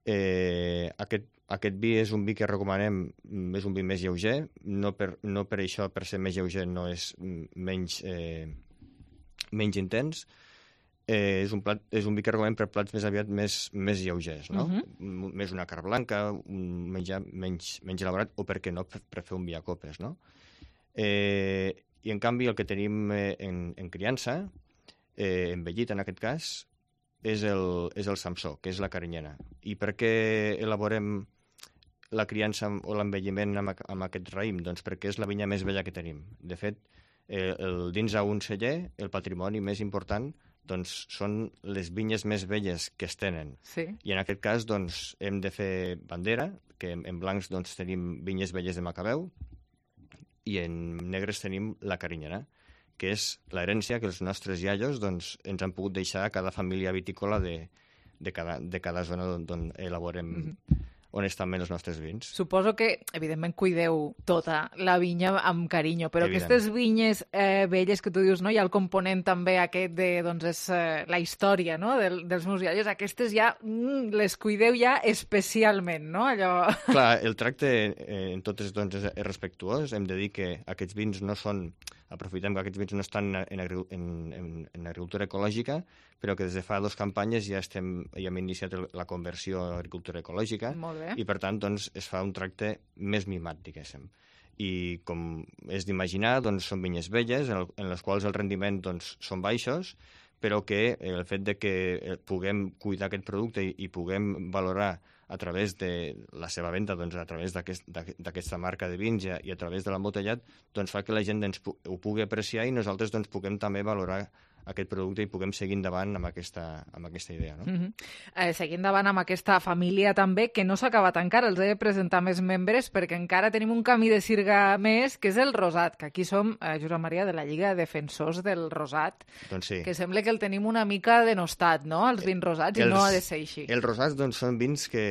Eh, aquest, aquest vi és un vi que recomanem, és un vi més lleuger, no per, no per això, per ser més lleuger, no és menys, eh, menys intens. Eh, és, un plat, és un vi que recomanem per plats més aviat més, més lleugers, no? Uh -huh. Més una carn blanca, un menjar menys, menys elaborat, o per què no, per, per fer un vi a copes, no? Eh, I en canvi el que tenim eh, en, en criança, eh, envellit en aquest cas, és el, és el Samsó, que és la carinyena. I per què elaborem la criança o l'envelliment amb, amb aquest raïm? Doncs perquè és la vinya més vella que tenim. De fet, eh, el, dins a un celler, el patrimoni més important doncs són les vinyes més velles que es tenen. Sí. I en aquest cas doncs, hem de fer bandera, que en, en blancs doncs, tenim vinyes velles de Macabeu, i en negres tenim la carinyena, que és l'herència que els nostres iaios doncs, ens han pogut deixar a cada família vitícola de, de, cada, de cada zona d'on elaborem mm-hmm. honestament els nostres vins. Suposo que, evidentment, cuideu tota la vinya amb carinyo, però Evident. Aquestes vinyes eh, velles que tu dius, no? Hi ha el component també aquest de, doncs, és eh, la història, no?, Del, dels meus iaios. Aquestes ja mm, les cuideu ja especialment, no? Allò... Clar, el tracte eh, en totes doncs, és, és respectuós. Hem de dir que aquests vins no són... Aprofitem que aquests vins no estan en, en, en, en agricultura ecològica, però que des de fa dues campanyes ja, estem, ja hem iniciat la conversió a agricultura ecològica. Molt bé. I per tant doncs, es fa un tracte més mimat, diguéssim. I com és d'imaginar, doncs, són vinyes velles en, el, en les quals el rendiment doncs, són baixos, però que el fet de que puguem cuidar aquest producte i, i puguem valorar a través de la seva venda, doncs, a través d'aquesta aquest, marca de vins i a través de l'embotellat, doncs fa que la gent ens, ho pugui apreciar i nosaltres doncs, puguem també valorar aquest producte i puguem seguir endavant amb aquesta, amb aquesta idea. No? Mm-hmm. eh, seguir endavant amb aquesta família també, que no s'ha acabat encara, els he de presentar més membres perquè encara tenim un camí de sirga més, que és el rosat, que aquí som, eh, Josep Maria, de la Lliga de Defensors del Rosat, doncs sí. Que sembla que el tenim una mica denostat, no?, els vins rosats, els, i no ha de ser així. Els rosats doncs, són vins que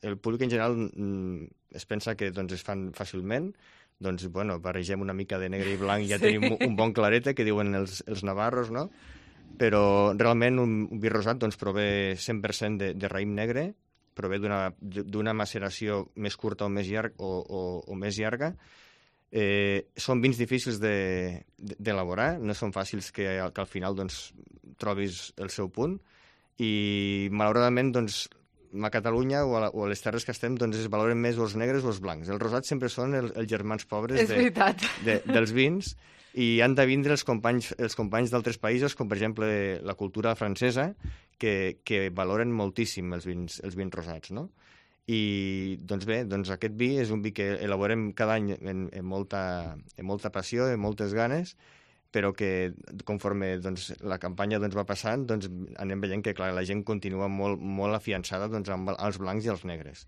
el públic en general mm, es pensa que doncs, es fan fàcilment, doncs, bueno, barregem una mica de negre i blanc i ja sí. tenim un bon clarete, que diuen els, els navarros, no? Però realment un, un vi rosat doncs, prové cent per cent de, de raïm negre, prové d'una maceració més curta o més, llarg, o, o, o més llarga. Eh, són vins difícils d'elaborar, de, de, no són fàcils que, que al final doncs, trobis el seu punt, i malauradament doncs, a Catalunya o a, la, o a les terres que estem doncs es valoren més els negres o els blancs. Els rosats sempre són el, els germans pobres de, de, dels vins, i han de vindre els companys, els companys d'altres països, com per exemple la cultura francesa, que, que valoren moltíssim els vins, els vins rosats, no? I doncs bé, doncs aquest vi és un vi que elaborem cada any en, en, molta, en molta passió, en moltes ganes, però que conforme doncs, la campanya doncs, va passant, doncs, anem veient que clar, la gent continua molt, molt afiançada doncs, amb els blancs i els negres.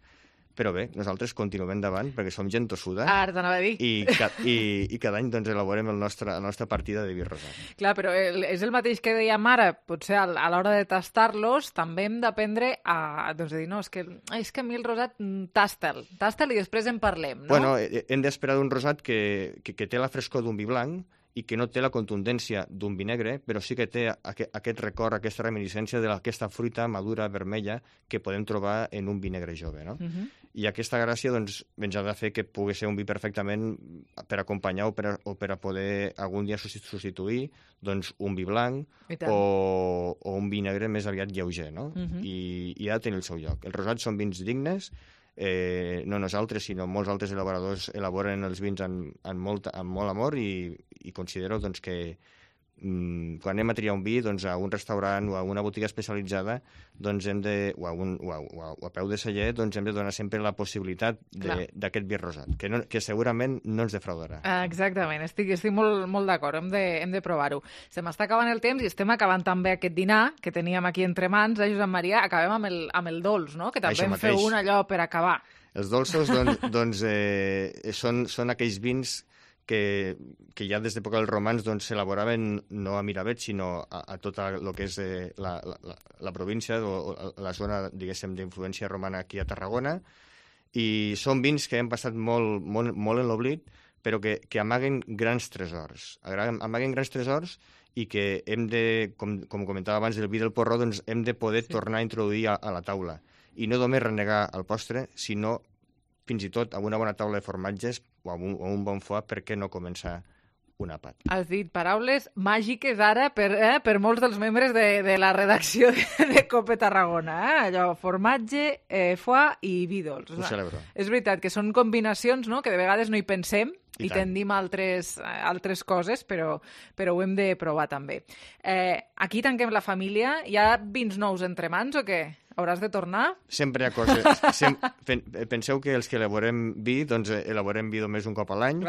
Però bé, nosaltres continuem endavant perquè som gent tossuda. Ara t'anava a dir. I, ca i, i cada any doncs, elaborem el nostre, la nostra partida de vi rosat. Clar, però el, és el mateix que dèiem ara, potser a, a l'hora de tastar-los també hem d'aprendre a, doncs, a dir, no, és que, és que a mi el rosat, tasta'l, tasta'l i després en parlem, no? Bueno, hem d'esperar d'un rosat que, que, que té la frescor d'un vi blanc i que no té la contundència d'un vi negre, però sí que té aquest, aquest record, aquesta reminiscència d'aquesta fruita madura, vermella, que podem trobar en un vi negre jove, no? Uh-huh. I aquesta gràcia doncs, ens ha de fer que pugui ser un vi perfectament per acompanyar o per a, o per a poder algun dia substituir doncs, un vi blanc o, o un vi negre més aviat lleuger, no? Uh-huh. I, i ha de tenir el seu lloc. Els rosats són vins dignes, Eh, no nosaltres, sinó molts altres elaboradors elaboren els vins amb, amb, molt, amb molt amor i, i considero doncs, que mm, quan anem a triar un vi doncs, a un restaurant o a una botiga especialitzada doncs, hem de, o, a un, o, a, o, a, o a peu de celler doncs, hem de donar sempre la possibilitat d'aquest vi rosat, que, no, que segurament no ens defraudarà. Exactament, estic, estic molt, molt d'acord, hem de, hem de provar-ho. Se m'està acabant el temps i estem acabant també aquest dinar que teníem aquí entre mans, eh, Josep Maria, acabem amb el, amb el dolç, no? Que també em feu un allò per acabar. Els dolços doncs, doncs, eh, són, són aquells vins que, que ja des d'època dels romans doncs, s'elaboraven no a Miravet, sinó a, a tota el que és eh, la, la, la província o, o la zona, diguéssim, d'influència romana aquí a Tarragona, i són vins que han passat molt, molt, molt en l'oblit, però que, que amaguen grans tresors. Amaguen grans tresors i que hem de, com, com comentava abans, el vi del porró, doncs hem de poder sí. tornar a introduir a, a la taula. I no només renegar el postre, sinó fins i tot amb una bona taula de formatges o amb un, o un bon foie, per què no començar un àpat? Has dit paraules màgiques ara per, eh, per molts dels membres de, de la redacció de, de Cope Tarragona. Eh? Allò, formatge, eh, foie i vi dolç. Ho celebro. És veritat que són combinacions, no?, que de vegades no hi pensem i, i tendim a altres, altres coses, però, però ho hem de provar també. Eh, aquí tanquem la família. Hi ha vins nous entre mans o què? Hauràs de tornar? Sempre hi ha coses. Sem Penseu que els que elaborem vi, doncs elaborem vi només un cop a l'any.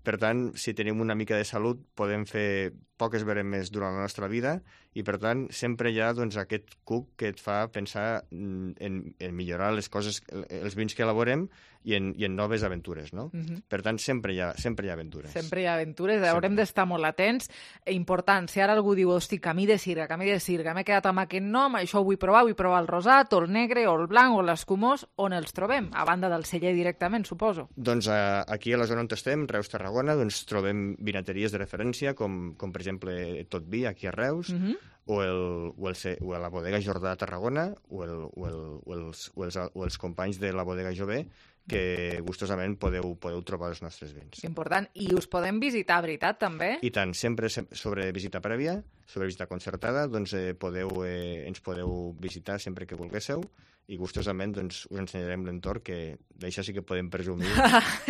Per tant, si tenim una mica de salut, podem fer poques veremes durant la nostra vida i, per tant, sempre hi ha doncs, aquest cuc que et fa pensar en, en millorar les coses, els vins que elaborem i en, i en noves aventures, no? Uh-huh. Per tant, sempre hi ha, sempre hi ha aventures. Sempre hi ha aventures. Sempre. Haurem d'estar molt atents. Important, si ara algú diu, hosti, camí de sirga, camí de sirga, m'he quedat amb aquest nom, això ho vull provar, vull provar el rosat, o el negre, o el blanc, o l'escumós, on els trobem? A banda del celler directament, suposo. Doncs eh, aquí a la zona on estem, Reus, Tarragona, doncs trobem vinateries de referència, com, com per exemple Tot Vi, aquí a Reus, uh-huh. o, el, o, el, o la bodega Jordà a Tarragona, o, el, o, el, o, els, o, els, o els companys de la bodega Jové, que gustosament podeu, podeu trobar els nostres vins. Important. I us podem visitar, veritat, també? I tant, sempre sobre visita prèvia, sobre visita concertada, doncs eh, podeu, eh, ens podeu visitar sempre que volguésseu i gustosament doncs, us ensenyarem l'entorn, que d'això sí que podem presumir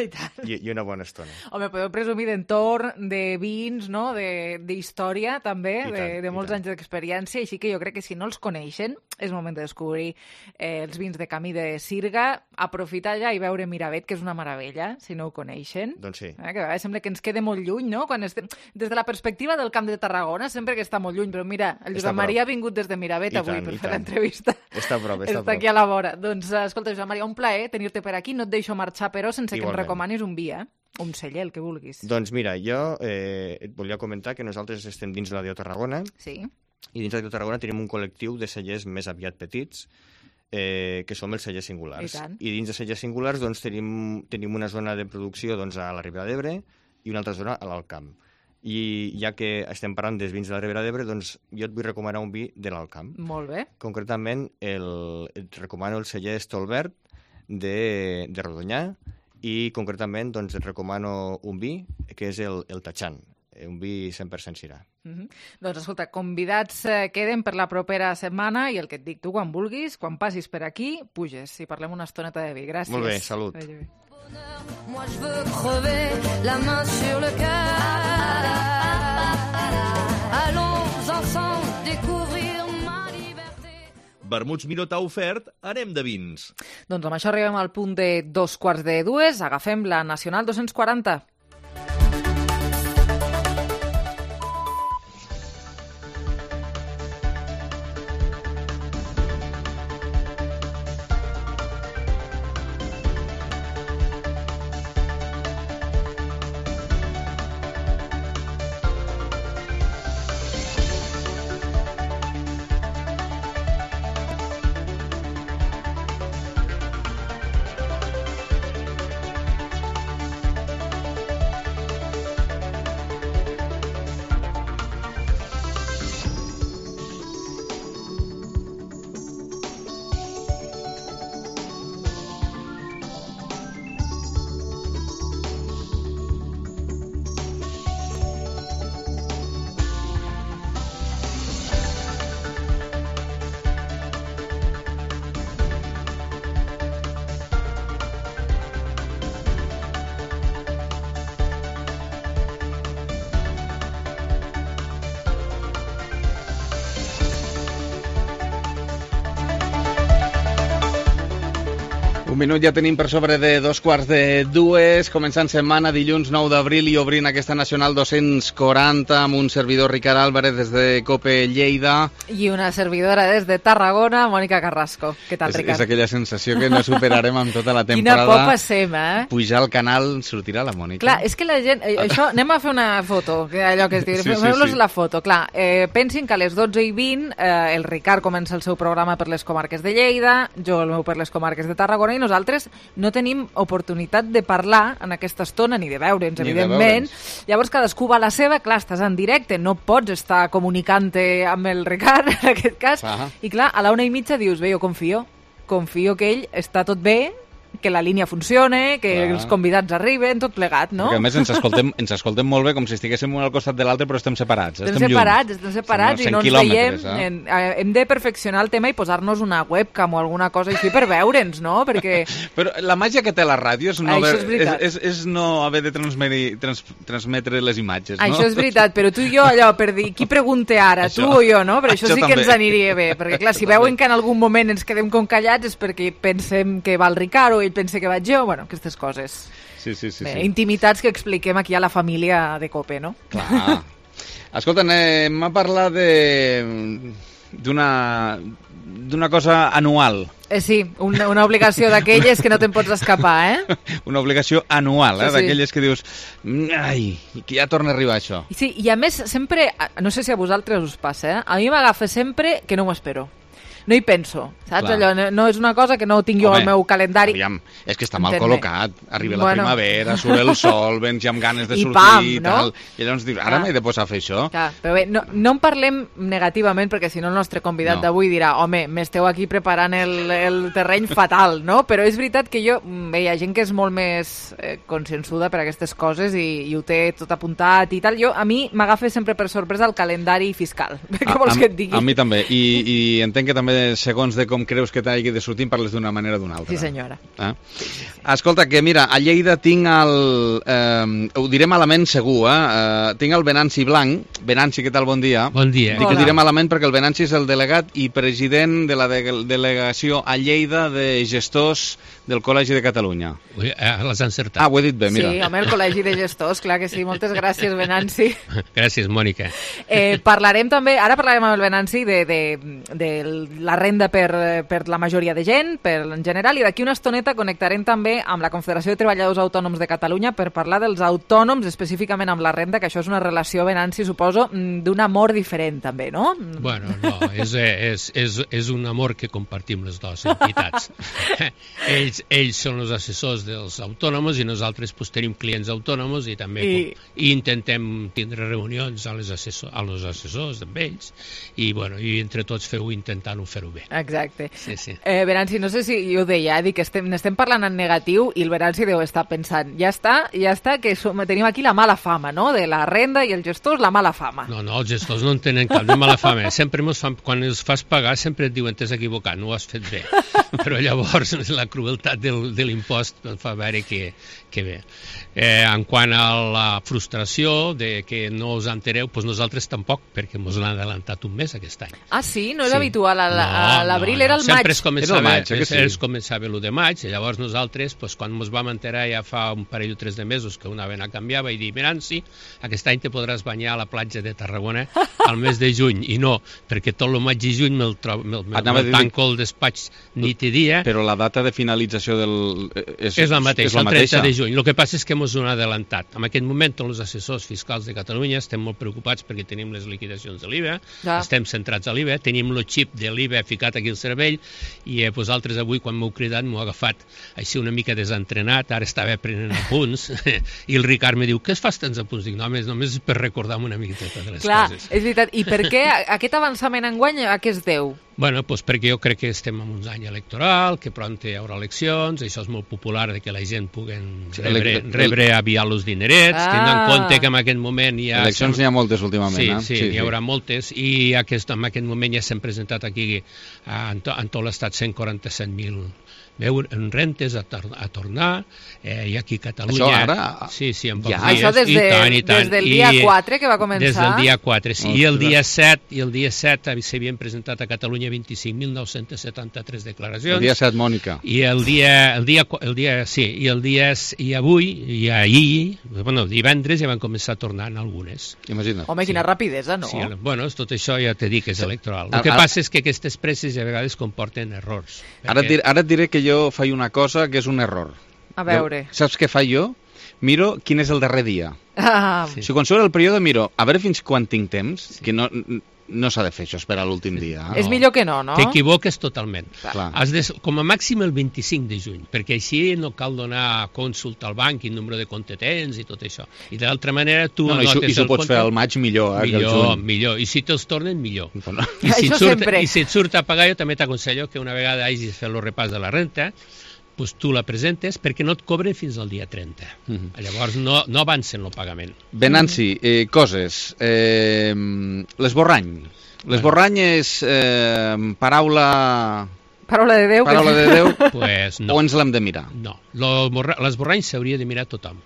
I, I, i una bona estona. Home, podeu presumir d'entorn, de vins, no? d'història també, tant, de, de molts anys d'experiència, així que jo crec que si no els coneixen és moment de descobrir eh, els vins de Camí de Sirga, aprofitar ja i veure Miravet, que és una meravella, si no ho coneixen. Doncs sí. Eh, que a vegades sembla que ens quede molt lluny, no? Quan estem... Des de la perspectiva del Camp de Tarragona sempre que està molt lluny, però mira, el Josep Maria ha vingut des de Miravet I avui tant, per fer l'entrevista. Està a prop, està, està a prop. Aquí a la vora. Doncs, escolta, Josep Maria, un plaer tenir-te per aquí. No et deixo marxar, però, sense Igualment. que em recomanis un vi, eh? Un celler, el que vulguis. Doncs mira, jo eh, et volia comentar que nosaltres estem dins de la Dió Tarragona. Sí. I dins de la Dió Tarragona tenim un col·lectiu de cellers més aviat petits, eh, que som els cellers singulars. I tant. I dins de cellers singulars doncs, tenim, tenim una zona de producció doncs, a la Ribera d'Ebre i una altra zona a l'Alt Camp. I ja que estem parlant dels vins de la Ribera d'Ebre, doncs jo et vull recomanar un vi de l'Alt Camp. Molt bé. Concretament, el, et recomano el celler Stolbert de, de Rodonyà i concretament doncs, et recomano un vi que és el, el Tachan, un vi cent per cent Syrah. Mm-hmm. Doncs escolta, convidats eh, queden per la propera setmana i el que et dic tu, quan vulguis, quan passis per aquí, puges i parlem una estoneta de vi. Gràcies. Molt bé, salut. Adéu. Moi je veux crever la main sur le cœur. Allons ensemble découvrir ma liberté. Vermuts Miró t'ha ofert Anem de vins. Doncs amb això arribem al punt de dos quarts de dues. Agafem la Nacional dos-cents quaranta. Un minut ja tenim per sobre de dos quarts de dues, començant setmana, dilluns nou d'abril i obrint aquesta Nacional dos-cents quaranta amb un servidor Ricard Álvarez des de COPE Lleida. I una servidora des de Tarragona, Mònica Carrasco. Què tal, és, Ricard? És aquella sensació que no superarem amb tota la temporada. Quina por passem, eh? Pujar al canal, sortirà la Mònica. Clar, és que la gent... Això, anem a fer una foto, que allò que es diu, sí, fem-los sí, sí. la foto. Clar, eh, pensin que a les dotze i vint eh, el Ricard comença el seu programa per les comarques de Lleida, jo el meu per les comarques de Tarragona, i nosaltres no tenim oportunitat de parlar en aquesta estona, ni de veure'ns, ni evidentment. De veure'ns. Llavors cadascú va a la seva, clar, estàs en directe, no pots estar comunicant-te amb el Ricard, en aquest cas. Ah. I clar, a la una i mitja dius, bé, jo confio, confio que ell està tot bé, que la línia funcione, que Clar. els convidats arriben, tot plegat, no? Perquè a més ens escoltem, ens escoltem molt bé, com si estiguéssim un al costat de l'altre, però estem separats. Estem, estem separats, lluny. estem separats i no ens veiem. Eh? En, eh, hem de perfeccionar el tema i posar-nos una webcam o alguna cosa així per veure'ns, no? Perquè... Però la màgia que té la ràdio és no, Això haver, és veritat. és, és, és no haver de transmetre, trans, transmetre les imatges, no? Això és veritat, però tu i jo, allò, per dir, qui pregunte ara, Això. tu o jo, no? Però això, Això sí que també. ens aniria bé, perquè clar, si Això veuen també. que en algun moment ens quedem com callats és perquè pensem que va el Ricard o ell pensa que vaig jo, bueno, aquestes coses. Sí, sí, sí. Bé, sí. intimitats que expliquem aquí a la família de COPE, no? Clar. Escolta, anem a parlar de d'una d'una cosa anual. Eh, sí, una, una obligació d'aquelles que no te'n pots escapar, eh? Una obligació anual, eh? Sí, sí. D'aquelles que dius, ai, que ja torna a arribar això. I sí, i a més, sempre, no sé si a vosaltres us passa, eh? A mi m'agafa sempre que no m'ho espero. No hi penso, saps? Clar. Allò, no, no és una cosa que no tinc jo Home, al meu calendari. Aviam, és que està mal Entén-me. col·locat. Arriba la Bueno. primavera, surt el sol, vens ja amb ganes de I sortir pam, i no? tal. I llavors dius, ara Clar. m'he de posar a fer això. Clar, però bé, no, no en parlem negativament perquè si no el nostre convidat No. d'avui dirà home, m'esteu aquí preparant el, el terreny fatal, no? Però és veritat que jo, bé, hi ha gent que és molt més eh, consciençuda per aquestes coses i, i ho té tot apuntat i tal. Jo, a mi m'agafa sempre per sorpresa el calendari fiscal. Què vols a, que et digui? A mi també. I, i entenc que també eh, segons de com creus que t'hagi de sortir, parles d'una manera o d'una altra. Sí, senyora. Eh? Sí, sí, sí. Escolta, que mira, a Lleida tinc el... Eh, ho diré malament segur, eh? eh? Tinc el Venanci Blanc. Venanci, què tal? Bon dia. Bon dia. Dic que ho diré malament perquè el Venanci és el delegat i president de la de delegació a Lleida de gestors del Col·legi de Catalunya. Ui, eh, l'has encertat. Ah, ho he dit bé, mira. Sí, home, el Col·legi de Gestors, clar que sí. Moltes gràcies, Venanci. Gràcies, Mònica. Eh, parlarem també, ara parlarem amb el Venanci de, de, de la renda per, per la majoria de gent, per en general, i d'aquí una estoneta connectarem també amb la Confederació de Treballadors Autònoms de Catalunya per parlar dels autònoms, específicament amb la renda, que això és una relació, Venanci, suposo, d'un amor diferent també, no? Bueno, no, és, és, és, és un amor que compartim les dues entitats. ells, ells són els assessors dels autònoms i nosaltres pues, tenim clients autònoms i també I... i intentem tindre reunions a les assessor, a els assessors amb ells i, bueno, i entre tots feu intentant-ho fer-ho bé. Exacte. Sí, sí. Eh, Venanci, no sé si jo ho deia, dic que estem, estem parlant en negatiu i el Venanci deu estar pensant, ja està, ja està, que som, tenim aquí la mala fama, no?, de la renda i els gestors, la mala fama. No, no, els gestors no en tenen cap de mala fama. Sempre mos fan, quan els fas pagar sempre et diuen t'has equivocat, no ho has fet bé. Però llavors la crueltat del, de l'impost fa veure que, que bé. Eh, en quant a la frustració de que no us entereu, doncs nosaltres tampoc, perquè ens l'han adelantat un mes aquest any. Ah, sí? No és sí. habitual. A l'abril no, no, era el sempre maig. Es començava, era el maig, eh, sí. Es començava l'u de maig, i llavors nosaltres, doncs, quan ens vam enterar ja fa un parell o tres de mesos que una vena canviava, i dir, Venanci, aquest any te podràs banyar a la platja de Tarragona al mes de juny, i no, perquè tot el maig i juny me'l me, me, me, me tanco el despatx nit i dia. Però la data de finalització del... És, és la mateixa, és la el mateixa. trenta de juny. El que passa és que ens ho han adelantat. En aquest moment, tots els assessors fiscals de Catalunya estem molt preocupats perquè tenim les liquidacions de l'I V A, ja. Estem centrats a l'I V A, tenim el xip de l'I V A ficat aquí al cervell, i eh, vosaltres avui, quan m'heu cridat, m'ho ha agafat així una mica desentrenat, ara estava prenent apunts, i el Ricard me diu, què es fas tants apunts? Dic, no, només, només per recordar-me una miqueta de les Clar, coses. És veritat. I per què aquest avançament enguany a què es deu? Bueno, pues perquè jo crec que estem en un any electoral, que pront hi haurà eleccions, això és molt popular de que la gent puguen rebre, rebre aviat els dinerets, ah. tenint en compte que en aquest moment hi ha... Eleccions n'hi ha moltes últimament, sí, eh? Sí, sí, n'hi haurà sí. moltes, i aquest, en aquest moment ja s'han presentat aquí en, to, en tot l'estat cent quaranta-set mil en rentes a, tor a tornar, eh, i aquí a Catalunya... Això ara? Sí, sí, en pocs ja. dies. Això des, de, I tant, i tant. des del dia quatre que va començar? Des del dia quatre, sí. I el dia set, i el dia set s'havien presentat a Catalunya vint-i-cinc mil nou-cents setanta-tres declaracions. El dia set, Mònica. I el dia, el dia, el dia, sí, i el dia, i avui, i ahir, bueno, divendres ja van començar a tornar en algunes. Imagina't. Home, quina sí. rapidesa, no? Sí, bueno, tot això ja t'he dit que és electoral. El que ara, passa és que aquestes presses a vegades comporten errors. Ara, perquè... ara et diré que jo faig una cosa que és un error. A veure. Jo, saps què faig jo? Miro quin és el darrer dia. Ah. Sí. Si quan surt el període miro, a veure fins quan tinc temps, sí. que no... No s'ha de fer això, esperar l'últim dia. No. És millor que no, no? T'equivoques totalment. Clar. Has de, com a màxim el vint-i-cinc de juny, perquè així no cal donar consulta al banc, quin número de compte tens i tot això. I d'altra manera tu... No, no, i s'ho pots fer al maig millor, eh, millor, que el juny. Millor, i si te'ls tornen, millor. No. I, si això surt, sempre. I si et surt a pagar, jo també t'aconsello que una vegada hagis fet el repàs de la renta, pues tu la presentes perquè no et cobren fins al dia trenta. Uh-huh. Llavors no, no avancen el pagament. Venanci, eh, coses. Eh, l'esborrany. L'esborrany és eh, paraula... Paraula de Déu? Paraula de Déu? Pues no. O ens l'hem de mirar? No, l'esborrany s'hauria de mirar tothom.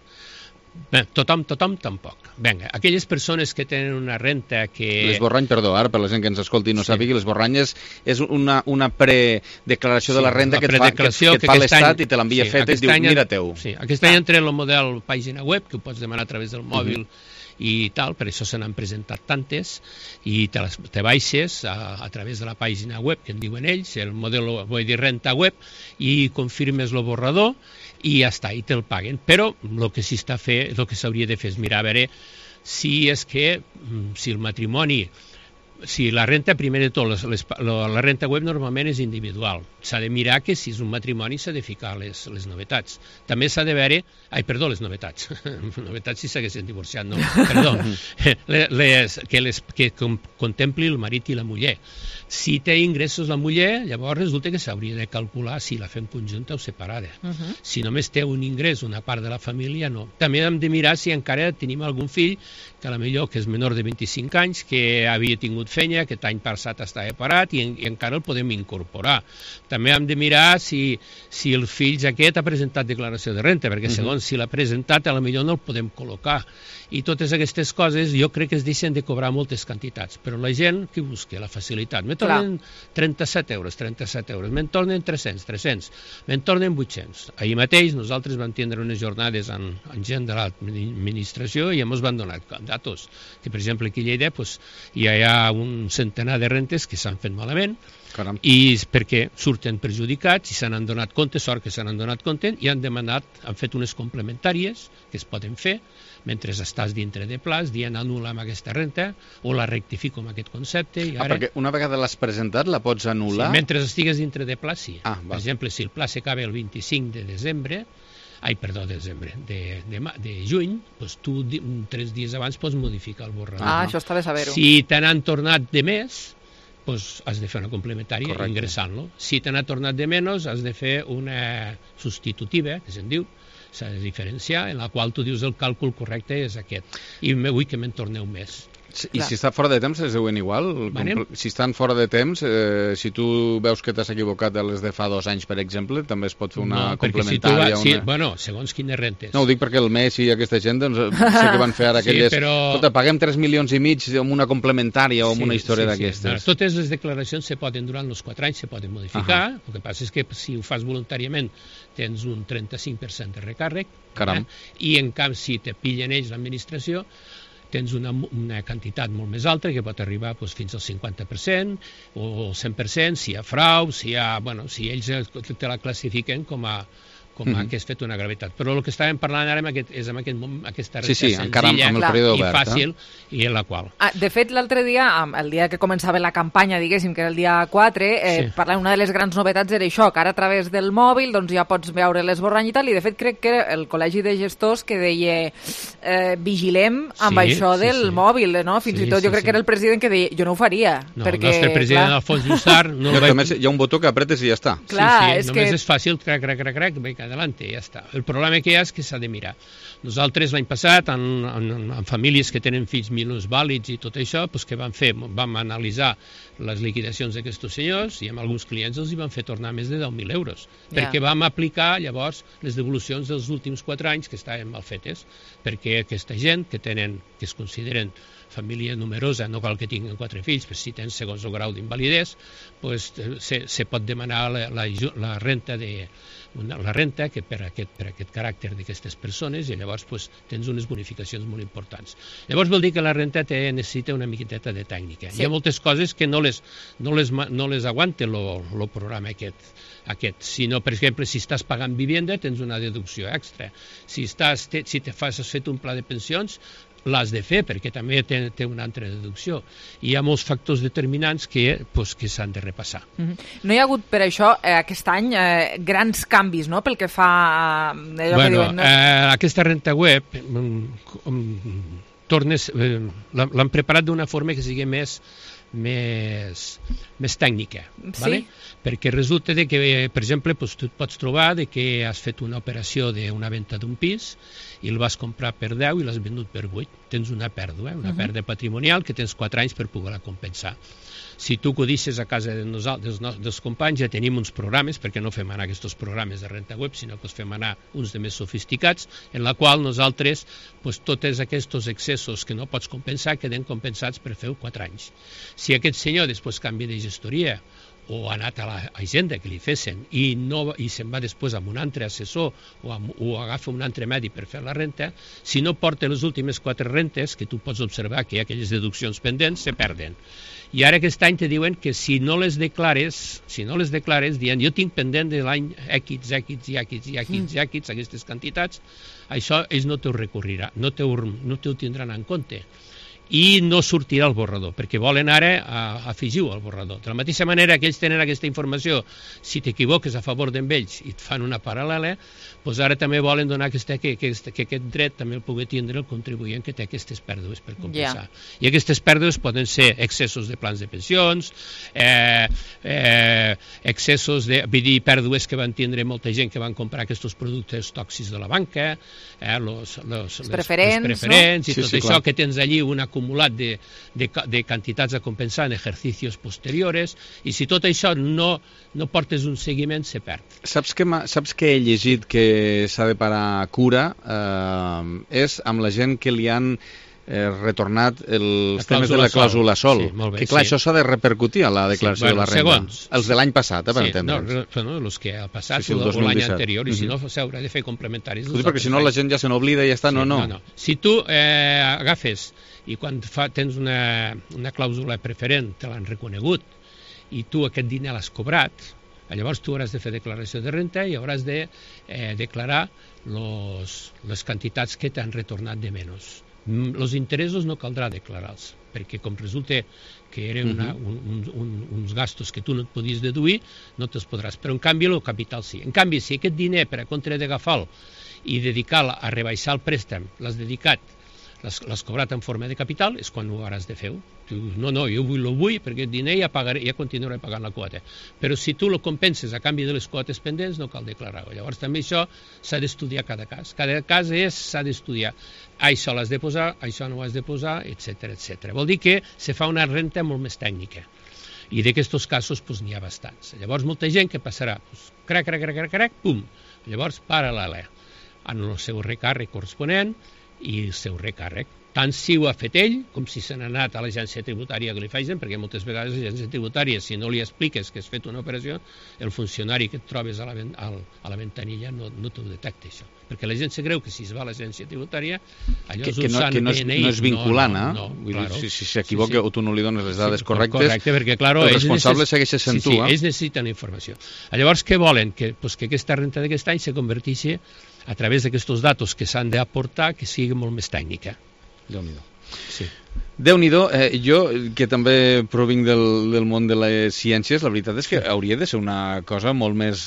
Bé, tothom, tothom tampoc. Vinga, aquelles persones que tenen una renta que... L'esborrany, perdó, ara per la gent que ens escolti i no sí. sàpigui, l'esborrany és, és una, una predeclaració sí, de la renda que et fa, que, que et fa l'Estat i te l'envia sí, feta i et diu, mira teu. Sí, aquest any entra el model pàgina web, que ho pots demanar a través del mòbil, uh-huh. i tal, per això se n'han presentat tantes, i te, les, te baixes a, a través de la pàgina web que en diuen ells, el model, vull dir, renta web, i confirmes el borrador, i ja està, i te'l paguen. Però el que s'hi està fer, el que s'hauria de fer és mirar a veure si és que, si el matrimoni, si la renta, primer de tot, les, les, la renta web normalment és individual. S'ha de mirar que si és un matrimoni s'ha de ficar les, les novetats. També s'ha de veure... Ai, perdó, les novetats. novetats si s'haguessin divorciat, no. Perdó. les, que, les, que com, contempli el marit i la muller. Si té ingressos la muller, llavors resulta que s'hauria de calcular si la fem conjunta o separada. Uh-huh. Si només té un ingrés, una part de la família, no. També hem de mirar si encara tenim algun fill, que a la millor que és menor de vint-i-cinc anys, que havia tingut fet feina, aquest any passat estava parat i, i encara el podem incorporar. També hem de mirar si, si el fill aquest ha presentat declaració de renta, perquè segons uh-huh. si l'ha presentat, a lo millor no el podem col·locar. I totes aquestes coses jo crec que es deixen de cobrar moltes quantitats, però la gent que busca la facilitat, me tornen trenta-set euros, trenta-set euros, me'n tornen tres-cents, tres-cents, me'n tornen vuit-cents. Ahir mateix nosaltres vam tindre unes jornades amb, amb gent de l'administració i ens van donar datos, que per exemple aquí a Lleida pues, ja hi ha un centenar de rentes que s'han fet malament, Caram. i perquè surten perjudicats i se n'han donat compte, sort que se n'han donat compte, i han demanat, han fet unes complementàries que es poden fer mentre estàs dintre de plaç, dient anul·la amb aquesta renta o la rectifico amb aquest concepte. I ara... Ah, perquè una vegada l'has presentat la pots anul·lar? Sí, mentre estigues dintre de plaç, sí. Ah, per exemple, si el plaç s'acaba el vint-i-cinc de desembre, ai, perdó, de desembre, de, de, de juny, doncs tu tres dies abans pots modificar el borrador. Ah, això està bé saber-ho. Si te n'han tornat de més, doncs has de fer una complementària Correcte. ingressant-lo. Si te n'ha tornat de menys, has de fer una substitutiva, que se'n diu, s'ha de diferenciar, en la qual tu dius el càlcul correcte és aquest. I vull que me'n torneu més. I si està fora de temps es deuen igual? Manem? Si estan fora de temps, eh, si tu veus que t'has equivocat de les de fa dos anys, per exemple, també es pot fer una no, complementària? Si una... sí, bueno, segons quines rentes. No, ho dic perquè el Messi i aquesta gent, doncs, sé que van fer ara aquelles... Sí, però... Escolta, paguem tres milions i mig amb una complementària o amb sí, una història sí, d'aquestes. Sí. Bueno, totes les declaracions se poden, durant els quatre anys se poden modificar. Uh -huh. El que passa és que si ho fas voluntàriament tens un trenta-cinc per cent de recàrrec. Caram. Eh? I en canvi, si te pillen ells l'administració, tens una, una quantitat molt més alta que pot arribar doncs, fins al cinquanta per cent o el cent per cent si hi ha frau, si, hi ha, bueno, si ells te la classifiquen com a, com a Mhm. que has fet una gravetat. Però el que estàvem parlant ara amb aquest, és amb aquest, aquesta Sí, resta sí, encara amb- senzilla amb el període i obert, fàcil, i en la qual. Ah, de fet, l'altre dia, am- el dia que començava la campanya, diguéssim, que era el dia quatre, eh, Sí. parlant, una de les grans novetats era això, que ara a través del mòbil doncs, ja pots veure l'esborrany i tal, i de fet crec que era el Col·legi de Gestors que deia eh, vigilem amb Sí, això sí, del sí. mòbil, no? Fins Sí, i tot jo sí, crec sí. que era el president que deia jo no ho faria. No, perquè, el nostre president, clar, Alfons Jussar, no No, el que a vaig... més hi ha un botó que apretes i ja està. Clar, sí, sí, és només que- és fàcil, crac, crac, crac, crac, vinga, adelante, ja està. El problema que hi ha és que s'ha de mirar. Nosaltres l'any passat, en, en, en famílies que tenen fills minusvàlids i tot això, doncs què vam fer? Vam analitzar les liquidacions d'aquests senyors i amb alguns clients els hi van fer tornar més de deu mil euros, Ja. perquè vam aplicar llavors les devolucions dels últims quatre anys que estaven mal fetes, perquè aquesta gent que tenen, que es consideren família numerosa, no cal que tinguin quatre fills, però si tens segons el grau d'invalidesa, pues, se, se pot demanar la, la, la renta de una, la renta que per aquest, per aquest caràcter d'aquestes persones, i llavors pues, tens unes bonificacions molt importants. Llavors vol dir que la renta té, necessita una miqueteta de tècnica. Sí. Hi ha moltes coses que no les, no les, ma- no les aguanta el programa aquest, aquest. Si no, per exemple, si estàs pagant vivienda, tens una deducció extra. Si, estàs, te, si te fas, has fet un pla de pensions, l'has de fer, perquè també té, té una altra deducció. I hi ha molts factors determinants que, pues, que s'han de repassar. Mhm. No hi ha hagut per això eh, aquest any eh, grans canvis, no?, pel que fa a allò Bueno, que diuen... No? eh, aquesta renta web mm, mm, tornes, eh, l'han l'han preparat d'una forma que sigui més més, més tècnica, Sí. vale? Perquè resulta de que, per exemple, doncs, tu et pots trobar de que has fet una operació d'una venda d'un pis i el vas comprar per deu i l'has venut per vuit. Tens una pèrdua, una Mhm. pèrdua patrimonial que tens quatre anys per poder-la compensar. Si tu acudisses a casa de nosaltres, dels, nos- dels companys, ja tenim uns programes, perquè no fem anar aquests programes de renta web, sinó que els fem anar uns de més sofisticats, en la qual nosaltres, pues, tots aquests excessos que no pots compensar, queden compensats per fer quatre anys. Si aquest senyor després canvia de gestoria o ha anat a la agenda que li fessin i, no, i se'n va després amb un altre assessor o, amb, o agafa un altre medi per fer la renta, si no porta les últimes quatre rentes, que tu pots observar que hi ha aquelles deduccions pendents, se perden. I ara aquest any te diuen que si no les declares, si no les declares, dient jo tinc pendent de l'any X, X, i X, i X, i X, aquestes quantitats, això ells no t'ho recorrirà, no t'ho no t'ho tindran en compte. I no sortirà el borrador, perquè volen ara a, afegir-ho al borrador. De la mateixa manera que ells tenen aquesta informació, si t'equivoques a favor d'ells i et fan una paral·lela, doncs ara també volen donar aquesta, que, que, que aquest dret també el pugui tindre el contribuent que té aquestes pèrdues per compensar. Ja. I aquestes pèrdues poden ser excessos de plans de pensions, eh, eh, excessos de, vull dir, pèrdues que van tindre molta gent que van comprar aquests productes tòxics de la banca, eh, los, los, les, preferents, les preferents no? i Sí, tot sí, això, clar. que tens allí una acumulat de, de, de quantitats a compensar en exercicis posteriores, i si tot això no, no portes un seguiment, se perd. Saps que, saps que he llegit que s'ha de parar cura? Eh, és amb la gent que li han eh, retornat els temes de la clàusula sol. Sí, molt bé, que clar, sí. Això s'ha de repercutir a la declaració sí, bueno, de la renda. Segons. Els de l'any passat, eh, per sí, entendre'ns. No, no, els que ha passat sí, sí, o l'any anterior, i mm-hmm. si no s'haurà de fer complementaris. Sí, perquè si no la gent ja se n'oblida i ja està, sí, no, no. no, no. Si tu eh, agafes i quan fa, tens una, una clàusula preferent, te l'han reconegut, i tu aquest diner l'has cobrat, llavors tu hauràs de fer declaració de renta i hauràs de eh, declarar los, les quantitats que t'han retornat de menys. Els interessos no caldrà declarar-los, perquè com resulta que eren una, un, un, un, uns gastos que tu no et podies deduir, no te'ls podràs. Però en canvi el capital sí. En canvi, si aquest diner per a compte d'agafar-lo i dedicar-lo a rebaixar el préstec l'has dedicat, l'has cobrat en forma de capital, és quan ho hauràs de fer. Tu, no, no, jo vull, lo vull perquè el diner ja, pagaré, ja continuaré pagant la quota. Però si tu lo compenses a canvi de les quotes pendents, no cal declarar-ho. Llavors també això s'ha d'estudiar cada cas. Cada cas és, s'ha d'estudiar. Això l'has de posar, això no ho has de posar, etcètera, etcètera. Vol dir que se fa una renta molt més tècnica. I d'aquests casos pues, n'hi ha bastants. Llavors molta gent que passarà, pues, crac, crac, crac, crac, crac, pum, llavors paral·lela en el seu recàrrec corresponent i el seu recàrrec. Tant si ho ha fet ell, com si se n'ha anat a l'agència tributària que li facin, perquè moltes vegades l'agència tributària, si no li expliques que has fet una operació, el funcionari que et trobes a la, a la ventanilla no, no t'ho detecta, això. Perquè la gent se creu que si es va a l'agència tributària, allò que, és que, no, que no, és, no és vinculant, no, no, no, claro. Si s'equivoca si, si o tu no li dones les dades sí, correctes, correcte, perquè, claro, el responsable necess... segueix sent tu. Sí, sí, ells necessiten informació. Llavors, què volen? Que, pues, que aquesta renta d'aquest any se converteixi a través d'aquests datos que s'han d'aportar, que sigui molt més tècnica. Déu-n'hi-do. Sí. Déu-n'hi-do, eh, jo que també provinc del, del món de les ciències, la veritat és que hauria de ser una cosa molt més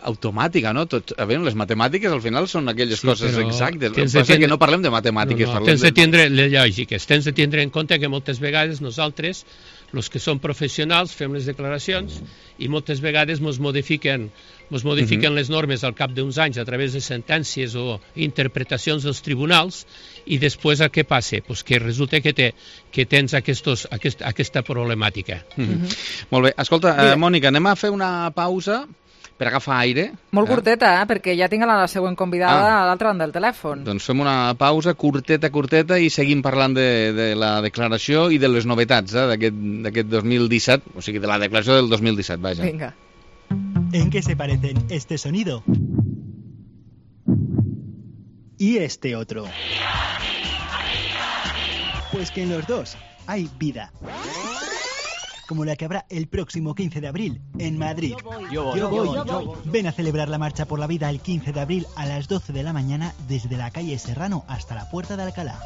automàtica, no? Tot, a veure, les matemàtiques al final són aquelles sí, coses exactes, el que passa és que no parlem de matemàtiques. No, no, tens de tindre les lògiques, tens de tindre en compte que moltes vegades nosaltres, els que som professionals, fem les declaracions i moltes vegades ens modifiquen ens modifiquen uh-huh. les normes al cap d'uns anys a través de sentències o interpretacions dels tribunals i després el que passa? Pues que resulta que, te, que tens aquestos, aquest, aquesta problemàtica. Uh-huh. Uh-huh. Molt bé. Escolta, eh, Mònica, anem a fer una pausa per agafar aire. Molt curteta, eh? Perquè ja tinc la següent convidada ah. a l'altra banda del telèfon. Doncs fem una pausa curteta, curteta i seguim parlant de, de la declaració i de les novetats eh? d'aquest dos mil disset, o sigui, de la declaració del dos mil disset, vaja. Vinga. ¿En qué se parecen este sonido y este otro? Pues que en los dos hay vida. Como la que habrá el próximo quince de abril en Madrid. Yo voy, yo voy, yo voy, yo voy. Ven a celebrar la Marcha por la Vida el quince de abril a las doce de la mañana desde la calle Serrano hasta la Puerta de Alcalá.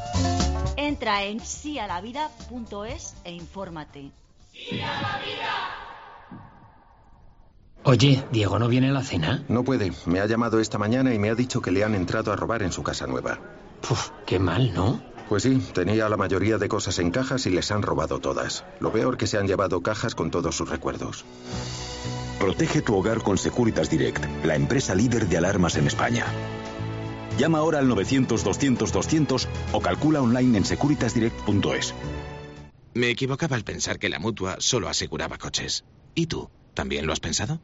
Entra en sialavida punto es e infórmate. ¡Sí a la vida! Oye, ¿Diego no viene a la cena? No puede. Me ha llamado esta mañana y me ha dicho que le han entrado a robar en su casa nueva. Puf, qué mal, ¿no? Pues sí, tenía la mayoría de cosas en cajas y les han robado todas. Lo peor que se han llevado cajas con todos sus recuerdos. Protege tu hogar con Securitas Direct, la empresa líder de alarmas en España. Llama ahora al novecientos doscientos doscientos o calcula online en securitas direct punto es. Me equivocaba al pensar que la Mutua solo aseguraba coches. ¿Y tú? ¿También lo has pensado?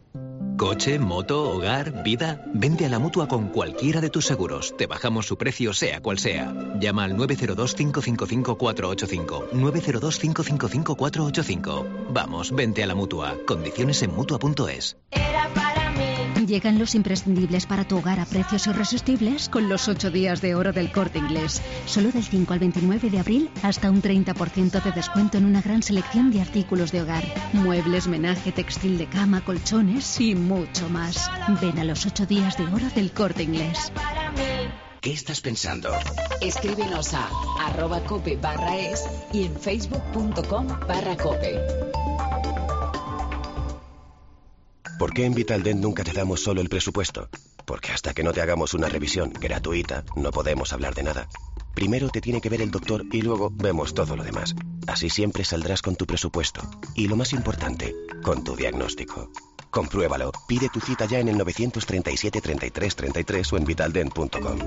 Coche, moto, hogar, vida. Vente a la Mutua con cualquiera de tus seguros. Te bajamos su precio sea cual sea. Llama al nueve cero dos, cinco cinco cinco, cuatro ocho cinco. nueve cero dos, cinco cinco cinco, cuatro ocho cinco. Vamos, vente a la Mutua. Condiciones en mutua punto es. Era para mí. Llegan los imprescindibles para tu hogar a precios irresistibles con los ocho días de oro del Corte Inglés. Solo del cinco al veintinueve de abril hasta un treinta por ciento de descuento en una gran selección de artículos de hogar. Muebles, menaje, textil de cama, colchones y mucho más. Ven a los ocho días de oro del Corte Inglés. ¿Qué estás pensando? Escríbenos a arroba cope barra es y en facebook punto com barra cope. ¿Por qué en Vitaldent nunca te damos solo el presupuesto? Porque hasta que no te hagamos una revisión gratuita, no podemos hablar de nada. Primero te tiene que ver el doctor y luego vemos todo lo demás. Así siempre saldrás con tu presupuesto. Y lo más importante, con tu diagnóstico. Compruébalo. Pide tu cita ya en el novecientos treinta y siete, treinta y tres, treinta y tres o en vitaldent punto com.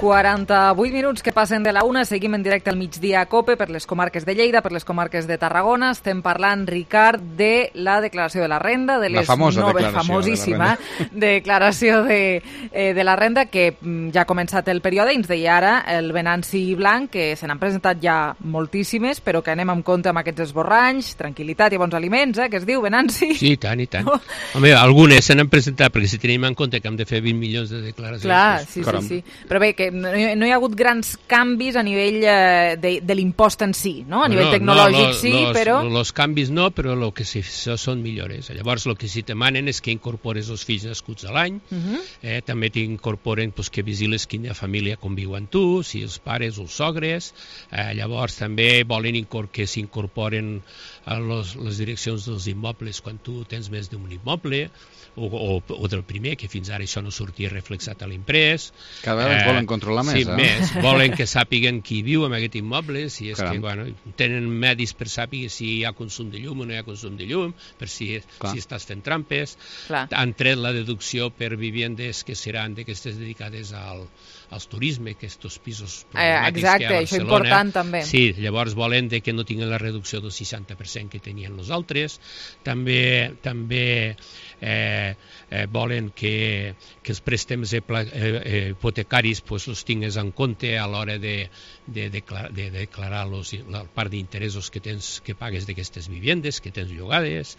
quaranta-vuit minuts que passen de la una, seguim en directe al migdia a COPE per les comarques de Lleida, per les comarques de Tarragona. Estem parlant, Ricard, de la declaració de la renda, de les la famosa noves, declaració famosíssima de la declaració de, eh, de la renda, que ja ha començat el període, i ens deia ara el Venanci Blanc, que se n'han presentat ja moltíssimes, però que anem amb compte amb aquests esborranys, tranquil·litat i bons aliments, eh, que es diu, Venanci? Sí, i tant, i tant. Oh. Home, algunes se n'han presentat, perquè si tenim en compte que hem de fer vint milions de declaracions... Clar, doncs, sí, sí, sí. Però bé, que no hi, no hi ha hagut grans canvis a nivell eh, de, de l'impost en si, no? A nivell no, tecnològic no, lo, sí, los, però... Els canvis no, però el que sí són millores. Llavors, el que sí demanen és que incorpores els fills nascuts a l'any, uh -huh. eh, també t'incorporen pues, que vigiles quina família conviu amb tu, si els pares o els sogres, eh, llavors també volen que s'incorporen a los, les direccions dels immobles quan tu tens més d'un immoble, O, o, o del primer, que fins ara això no sortia reflexat a l'imprès. Cada vegada eh, volen controlar més, sí, eh? més. Volen que sàpiguen qui viu en aquest immoble, si és Caram. que, bueno, tenen medis per saber si hi ha consum de llum o no hi ha consum de llum, per si, si estàs fent trampes. Clar. Han tret la deducció per viviendes que seran d'aquestes dedicades al, als turisme, aquests pisos problemàtics eh, exacte, que hi ha a Barcelona. Això important també. Sí, llavors volen de que no tinguin la reducció del seixanta per cent que tenien els altres. També, també eh, eh, volen que, que els préstecs eh, eh, hipotecaris pues, els tingues en compte a l'hora de, de, declarar, de declarar los, la part d'interessos que tens que pagues d'aquestes viviendes, que tens llogades.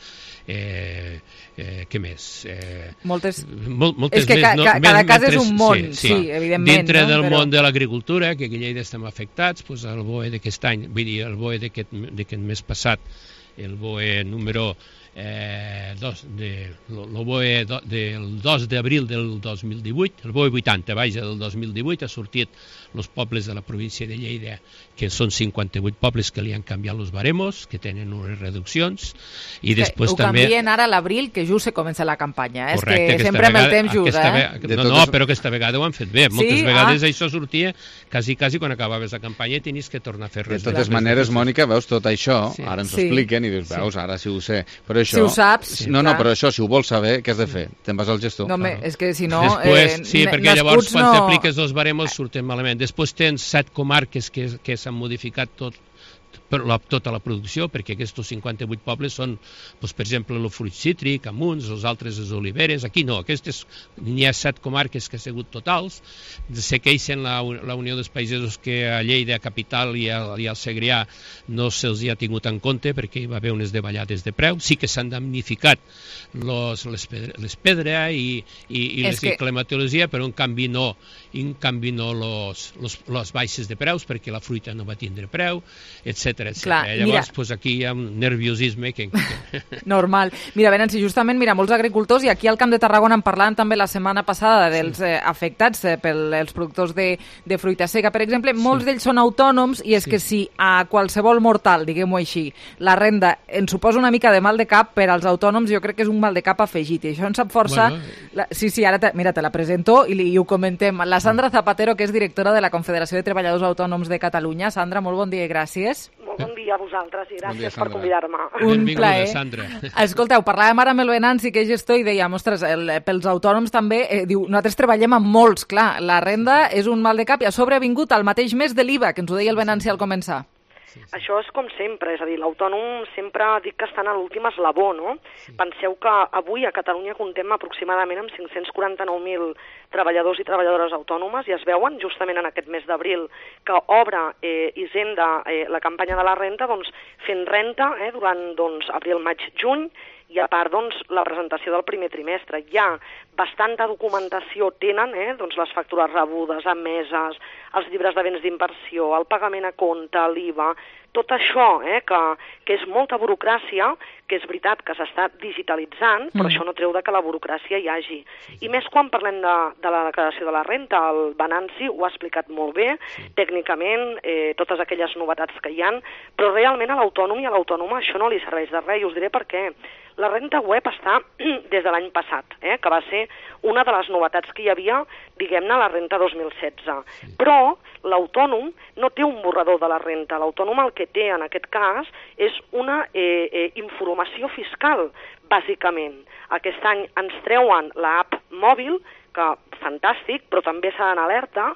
Eh, eh, què més? Eh, moltes... Mol, moltes és que més, ca, no? ca, cada cas Mentre, és un món, sí, sí. sí, evidentment. Dintre no? del Però... món de l'agricultura, que a Lleida estem afectats, pues, el B O E d'aquest any, vull dir, el B O E d'aquest mes passat, el B O E número eh, dos, de, el B O E do, del dos d'abril del dos mil divuit, el B O E vuitanta, vaja, del dos mil divuit, ha sortit els pobles de la província de Lleida, que són cinquanta-vuit pobles que li han canviat els baremos, que tenen unes reduccions, i després ho també... Ho canvien ara a l'abril, que just se comença la campanya. Eh? Correcte, és que sempre vegada, amb el temps just, eh? Ve... No, no, però aquesta vegada ho han fet bé. Moltes sí? vegades ah. això sortia quasi, quasi quan acabaves la campanya i tenies que tornar a fer res. De totes maneres, Mònica, veus tot això, sí. ara ens ho sí. expliquen i dius, veus, ara sí ho sé. Però això, si ho saps... Sí, no, no, però això, si ho vols saber, què has de fer? Te'n vas al gestor. No, home, és que si no... Després, eh, sí, perquè llavors quan no... t'apliques els baremos surten malament. Després tens set comarques que, que s'han modificat tot per la, tota la producció, perquè aquests cinquanta-vuit pobles són, doncs, per exemple, el fruit cítric, amuns, els altres les oliveres. Aquí no, aquestes n'hi ha set comarques que han sigut totals. Se queixen la, la Unió dels Pagesos que a Lleida capital i, a, i al Segrià no se'ls ha tingut en compte perquè hi va haver unes davallades de preu. Sí que s'han damnificat los, les, pedra, les pedra i, i, i les que... climatologia, però en canvi no, en canvi no los, los, les baixes de preus perquè la fruita no va tindre preu, etcètera. Clar, llavors, mira, pues aquí hi ha un nerviosisme que... Normal. Mira, Venanci, justament, mira, molts agricultors, i aquí al Camp de Tarragona en parlàvem també la setmana passada dels sí. eh, afectats eh, pels productors de, de fruita seca, per exemple, molts sí. d'ells són autònoms, i és sí. que si a qualsevol mortal, diguem-ho així, la renda ens suposa una mica de mal de cap, per als autònoms jo crec que és un mal de cap afegit, i això ens sap força... Bueno. La... Sí, sí, ara, te... mira, te la presento i, li... i ho comentem. La Sandra Zapatero, que és directora de la Confederació de Treballadors Autònoms de Catalunya. Sandra, molt bon dia i gràcies. Molt bon dia a vosaltres i gràcies bon dia, per convidar-me. Un plaer. Sandra. Escolteu, parlàvem ara amb el Venanci, que és gestor, i dèiem, ostres, el, pels autònoms també, eh, diu, nosaltres treballem amb molts, clar, la renda és un mal de cap, i a sobre ha vingut al mateix mes de l'I V A, que ens ho deia el Venanci al començar. Sí, sí. Això és com sempre, és a dir, l'autònom sempre dic que estan a l'últim eslabó, no? Sí. Penseu que avui a Catalunya comptem aproximadament amb cinc-cents quaranta-nou mil treballadors i treballadores autònomes, i es veuen justament en aquest mes d'abril que obre eh, Hisenda eh, la campanya de la renta, doncs fent renta eh, durant doncs, abril, maig, juny, i a part doncs, la presentació del primer trimestre. Hi ha bastanta documentació, tenen eh, doncs, les factures rebudes, emeses, els llibres de béns d'inversió, el pagament a compte, l'I V A, tot això, eh, que, que és molta burocràcia, que és veritat que s'està digitalitzant, però mm. això no treu de que la burocràcia hi hagi. Sí, sí. I més quan parlem de, de la declaració de la renta, el Venanci ho ha explicat molt bé, sí. tècnicament, eh, totes aquelles novetats que hi ha, però realment a l'autònom i a l'autònoma això no li serveix de res, i us diré per què. La renta web està des de l'any passat, eh, que va ser una de les novetats que hi havia, diguem-ne, a la renta dos mil setze. Sí. Però l'autònom no té un borrador de la renta. L'autònom el que té en aquest cas és una eh, eh, informació fiscal, bàsicament. Aquest any ens treuen l'app mòbil, que fantàstic, però també s'ha d'anar alerta,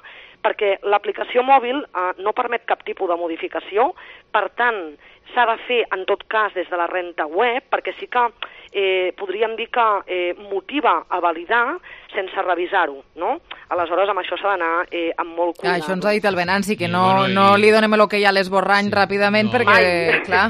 perquè l'aplicació mòbil eh, no permet cap tipus de modificació, per tant, s'ha de fer, en tot cas, des de la renta web, perquè sí que eh, podríem dir que eh, motiva a validar sense revisar-ho, no? Aleshores, amb això s'ha d'anar eh, amb molt cuidado. Ah, això ens ha dit el Venanci, que no, bueno, no i... li donem el que hi ha a l'esborrany sí, ràpidament, no. perquè, Mai. clar...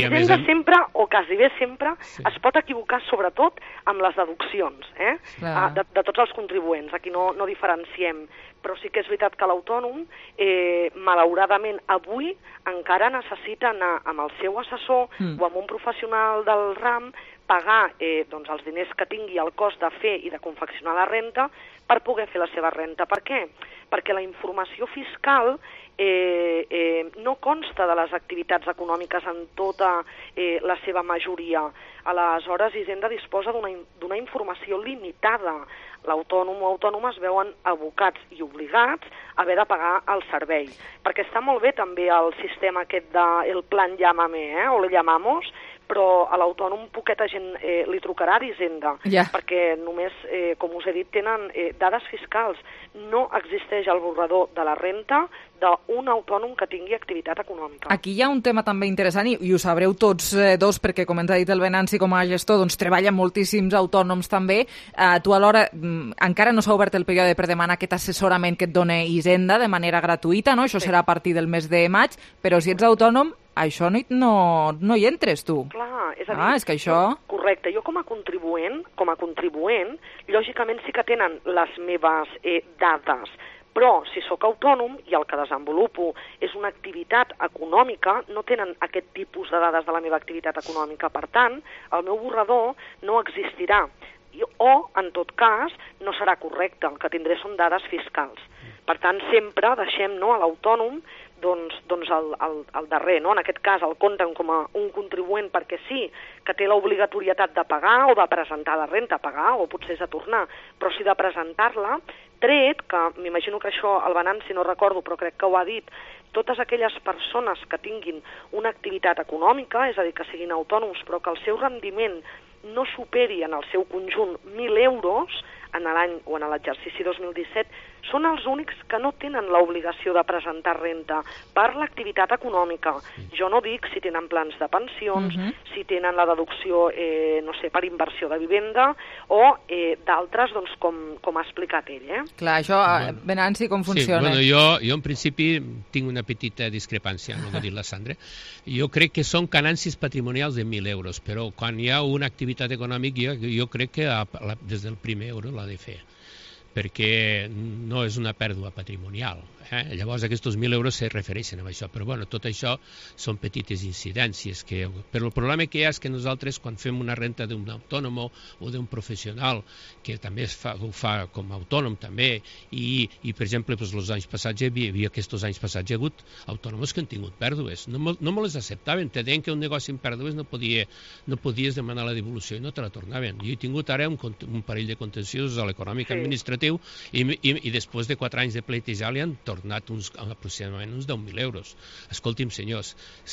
I a més, hem... sempre, o quasi bé sempre, sí. es pot equivocar sobretot amb les deduccions, eh? Ah, de, de tots els contribuents. Aquí no, no diferenciem. Però sí que és veritat que l'autònom, eh, malauradament, avui encara necessita anar amb el seu assessor mm. o amb un professional del ram, pagar eh, doncs, els diners que tingui el cost de fer i de confeccionar la renta per poder fer la seva renta. Per què? Perquè la informació fiscal eh, eh, no consta de les activitats econòmiques en tota eh, la seva majoria. Aleshores, Hisenda disposa d'una informació limitada. L'autònom o autònoma es veuen abocats i obligats a haver de pagar el servei. Perquè està molt bé també el sistema aquest del plan Llámame, eh, o le llamamos, però a l'autònom poqueta gent eh, li trucarà d'Hisenda, yeah. perquè només, eh, com us he dit, tenen eh, dades fiscals. No existeix el borrador de la renta d'un autònom que tingui activitat econòmica. Aquí hi ha un tema també interessant, i, i ho sabreu tots eh, dos, perquè com ens ha dit el Venanci com a gestor, doncs treballen moltíssims autònoms també. Eh, tu alhora, mm, encara no s'ha obert el període per demanar aquest assessorament que et dona Hisenda de manera gratuïta, no? Això sí. serà a partir del mes de maig, però si ets autònom, això no, no, no hi entres, tu. Clar, és a dir... Ah, és que això... Correcte. Jo com a contribuent, com a contribuent, lògicament sí que tenen les meves eh, dades, però si sóc autònom i el que desenvolupo és una activitat econòmica, no tenen aquest tipus de dades de la meva activitat econòmica. Per tant, el meu borrador no existirà. O, en tot cas, no serà correcte. El que tindré són dades fiscals. Per tant, sempre deixem no, a l'autònom doncs, doncs el, el, el darrer, no? En aquest cas el compten com a un contribuent perquè sí que té l'obligatorietat de pagar o de presentar la renta a pagar, o potser és de tornar, però sí de presentar-la, tret, que m'imagino que això el Venanci no recordo, però crec que ho ha dit, totes aquelles persones que tinguin una activitat econòmica, és a dir, que siguin autònoms, però que el seu rendiment no superi en el seu conjunt mil euros en l'any o en l'exercici dos mil disset, són els únics que no tenen l'obligació de presentar renta per l'activitat econòmica. Jo no dic si tenen plans de pensions, uh-huh. si tenen la deducció, eh, no sé, per inversió de vivenda o eh, d'altres, doncs, com, com ha explicat ell. Eh? Clar, això, bueno. Venanci, com funciona? Sí, bueno, jo, jo en principi tinc una petita discrepància amb el que ha dit la Sandra. Jo crec que són canàncies patrimonials de mil euros, però quan hi ha una activitat econòmica, jo, jo crec que a, a, des del primer euro l'ha de fer, perquè no és una pèrdua patrimonial. Eh? Llavors aquests mil euros se refereixen a això, però bueno, tot això són petites incidències. Que... Però el problema que hi ha és que nosaltres, quan fem una renta d'un autònom o d'un professional, que també es fa, ho fa com a autònom també, i, i per exemple, doncs, els anys passats hi havia, havia aquests anys passats hi ha hagut autònoms que han tingut pèrdues, no, no me les acceptaven, te deien que un negoci amb pèrdues no, podia, no podies demanar la devolució i no te la tornaven. Jo he tingut ara un, un parell de contenciosos a l'econòmic sí. administratiu i, i, i després de quatre anys de pleitejar li han tornat tornat uns, aproximadament uns deu mil euros. Escolti'm, senyors,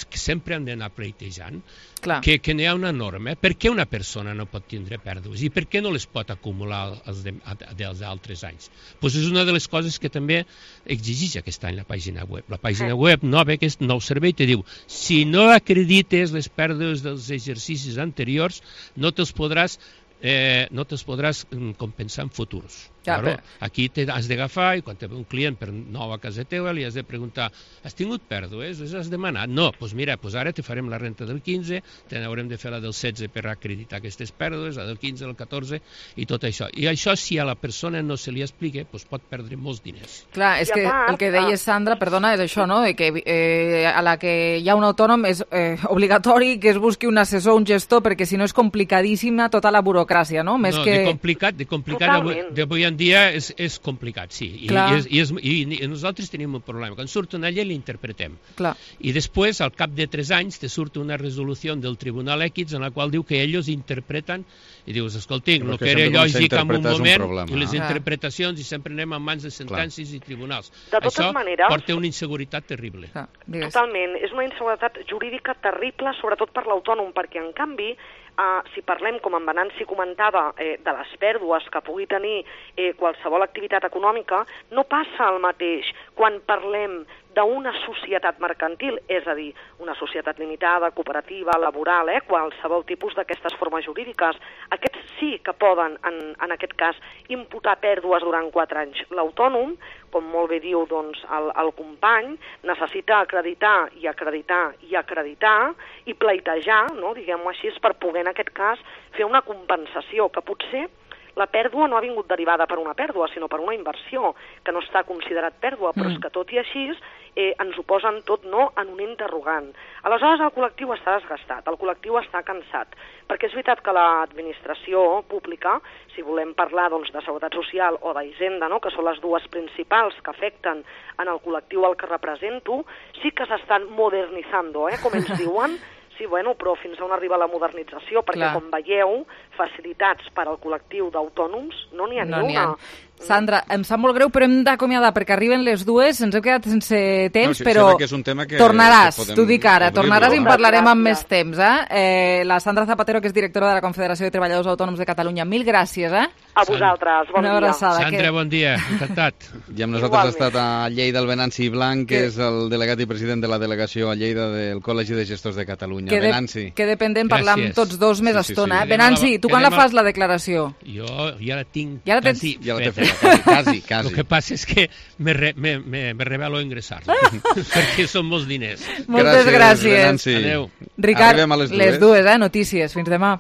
que sempre han d'anar pleitejant, Clar. que, que n'hi ha una norma. Per què una persona no pot tindre pèrdues i per què no les pot acumular els de, dels altres anys? Pues és una de les coses que també exigeix aquest any la pàgina web. La pàgina web nova, aquest nou servei, te diu, si no acredites les pèrdues dels exercicis anteriors, no te'ls podràs Eh, no te'ls podràs compensar en futurs. Ja, claro, aquí te has d'agafar i quan te ve un client per nou a casa teva li has de preguntar, has tingut pèrdues? Les has demanat? No, doncs pues mira, pues ara te farem la renta del quinze, te n'haurem de fer la del setze per acreditar aquestes pèrdues, la del quinze, el catorze i tot això. I això, si a la persona no se li explica, pues pot perdre molts diners. Clar, és que el que deies, Sandra, perdona, és això, no? De que eh, a la que hi ha un autònom és eh, obligatori que es busqui un assessor, un gestor, perquè si no és complicadíssima tota la burocràcia, no? Més no, que... de complicat, de complicat d'avui en dia és, és complicat, sí. I, i, és, i, és, i, I nosaltres tenim un problema. Quan surt una llei l'interpretem. Clar. I després, al cap de tres anys, te surt una resolució del Tribunal X en la qual diu que ells interpreten i dius, escolti, el que era lògic en un moment, un i les ah. interpretacions, i sempre anem en mans de sentències i tribunals. De totes Això maneres, porta una inseguretat terrible. Ah, totalment. És una inseguretat jurídica terrible, sobretot per l'autònom, perquè, en canvi, Uh, si parlem, com en Venanci comentava, eh, de les pèrdues que pugui tenir eh, qualsevol activitat econòmica, no passa el mateix quan parlem d'una societat mercantil, és a dir, una societat limitada, cooperativa, laboral, eh, qualsevol tipus d'aquestes formes jurídiques. Aquests sí que poden, en, en aquest cas, imputar pèrdues durant quatre anys. L'autònom, com molt bé diu doncs, el, el company, necessita acreditar i acreditar i acreditar i pleitejar, no, diguem-ho així, per poder, en aquest cas, fer una compensació que potser la pèrdua no ha vingut derivada per una pèrdua, sinó per una inversió, que no està considerat pèrdua, però mm. és que tot i així eh, ens ho posen tot no en un interrogant. Aleshores el col·lectiu està desgastat, el col·lectiu està cansat, perquè és veritat que l'administració pública, si volem parlar doncs, de seguretat social o d'Hisenda, no, que són les dues principals que afecten en el col·lectiu al que represento, sí que s'estan modernitzando, eh, com ens diuen. Sí, bueno, però fins on arriba la modernització, perquè, Clar. com veieu, facilitats per al col·lectiu d'autònoms no n'hi ha no ni una. Sandra, em sap molt greu, però hem d'acomiadar perquè arriben les dues, ens hem quedat sense temps, no, si, però que és un tema que, tornaràs, que t'ho dic ara, tornaràs i en parlarem amb més Gràcies. temps. Eh? Eh, la Sandra Zapatero, que és directora de la Confederació de Treballadors Autònoms de Catalunya, mil gràcies. Eh? A vosaltres, bon Una dia. abraçada. Sandra, que... bon dia, encantat. I amb nosaltres ha estat a Lleida el Venanci Blanc, que, que és el delegat i president de la delegació a Lleida del Col·legi de Gestors de Catalunya. Que, de, Venanci. que dependent parlar amb tots dos més sí, sí, estona. sí. Eh? Venanci, tu quan la fas, la declaració? Jo ja la tinc ja la tens... quasi ja la feta. feta, quasi, quasi. El que passa és que me, re, me, me, me revelo a ingressar-la, perquè són molts diners. Moltes gràcies. gràcies. Adéu. Ricard, a les dues. les dues, eh? Notícies. Fins demà.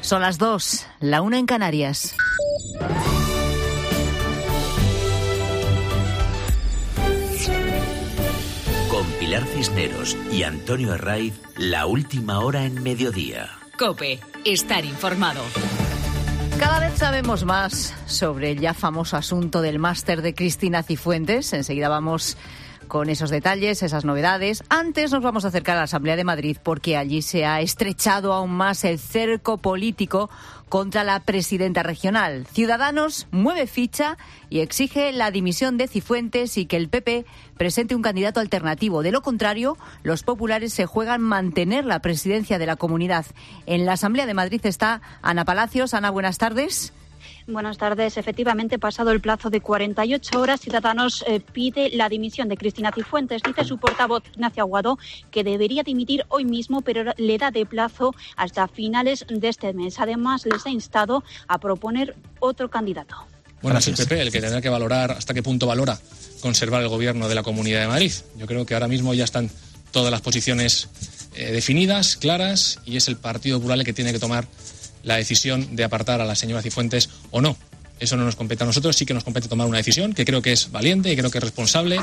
Son las dos, la una en Canarias. Con Pilar Cisneros y Antonio Herraiz, la última hora en mediodía. COPE, estar informado. Cada vez sabemos más sobre el ya famoso asunto del máster de Cristina Cifuentes. Enseguida vamos con esos detalles, esas novedades. Antes nos vamos a acercar a la Asamblea de Madrid porque allí se ha estrechado aún más el cerco político contra la presidenta regional. Ciudadanos mueve ficha y exige la dimisión de Cifuentes y que el P P presente un candidato alternativo. De lo contrario, los populares se juegan mantener la presidencia de la comunidad. En la Asamblea de Madrid está Ana Palacios. Ana, buenas tardes. Buenas tardes. Efectivamente, pasado el plazo de cuarenta y ocho horas, Ciudadanos eh, pide la dimisión de Cristina Cifuentes. Dice su portavoz, Ignacio Aguado, que debería dimitir hoy mismo, pero le da de plazo hasta finales de este mes. Además, les ha instado a proponer otro candidato. Bueno, es el P P el que tendrá que valorar hasta qué punto valora conservar el gobierno de la Comunidad de Madrid. Yo creo que ahora mismo ya están todas las posiciones eh, definidas, claras, y es el Partido Popular el que tiene que tomar la decisión de apartar a la señora Cifuentes o no. Eso no nos compete a nosotros, sí que nos compete tomar una decisión que creo que es valiente y creo que es responsable.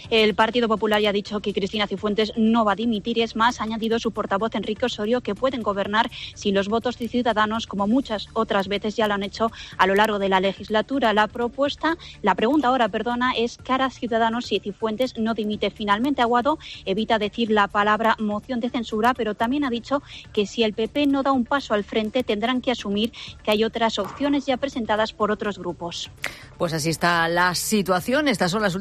El Partido Popular ya ha dicho que Cristina Cifuentes no va a dimitir. Es más, ha añadido su portavoz Enrique Osorio que pueden gobernar sin los votos de Ciudadanos, como muchas otras veces ya lo han hecho a lo largo de la legislatura. La propuesta, la pregunta ahora, perdona, es ¿qué hará Ciudadanos si Cifuentes no dimite? Finalmente, Aguado evita decir la palabra moción de censura, pero también ha dicho que si el P P no da un paso al frente, tendrán que asumir que hay otras opciones ya presentadas por otros grupos. Pues así está la situación. Estas son las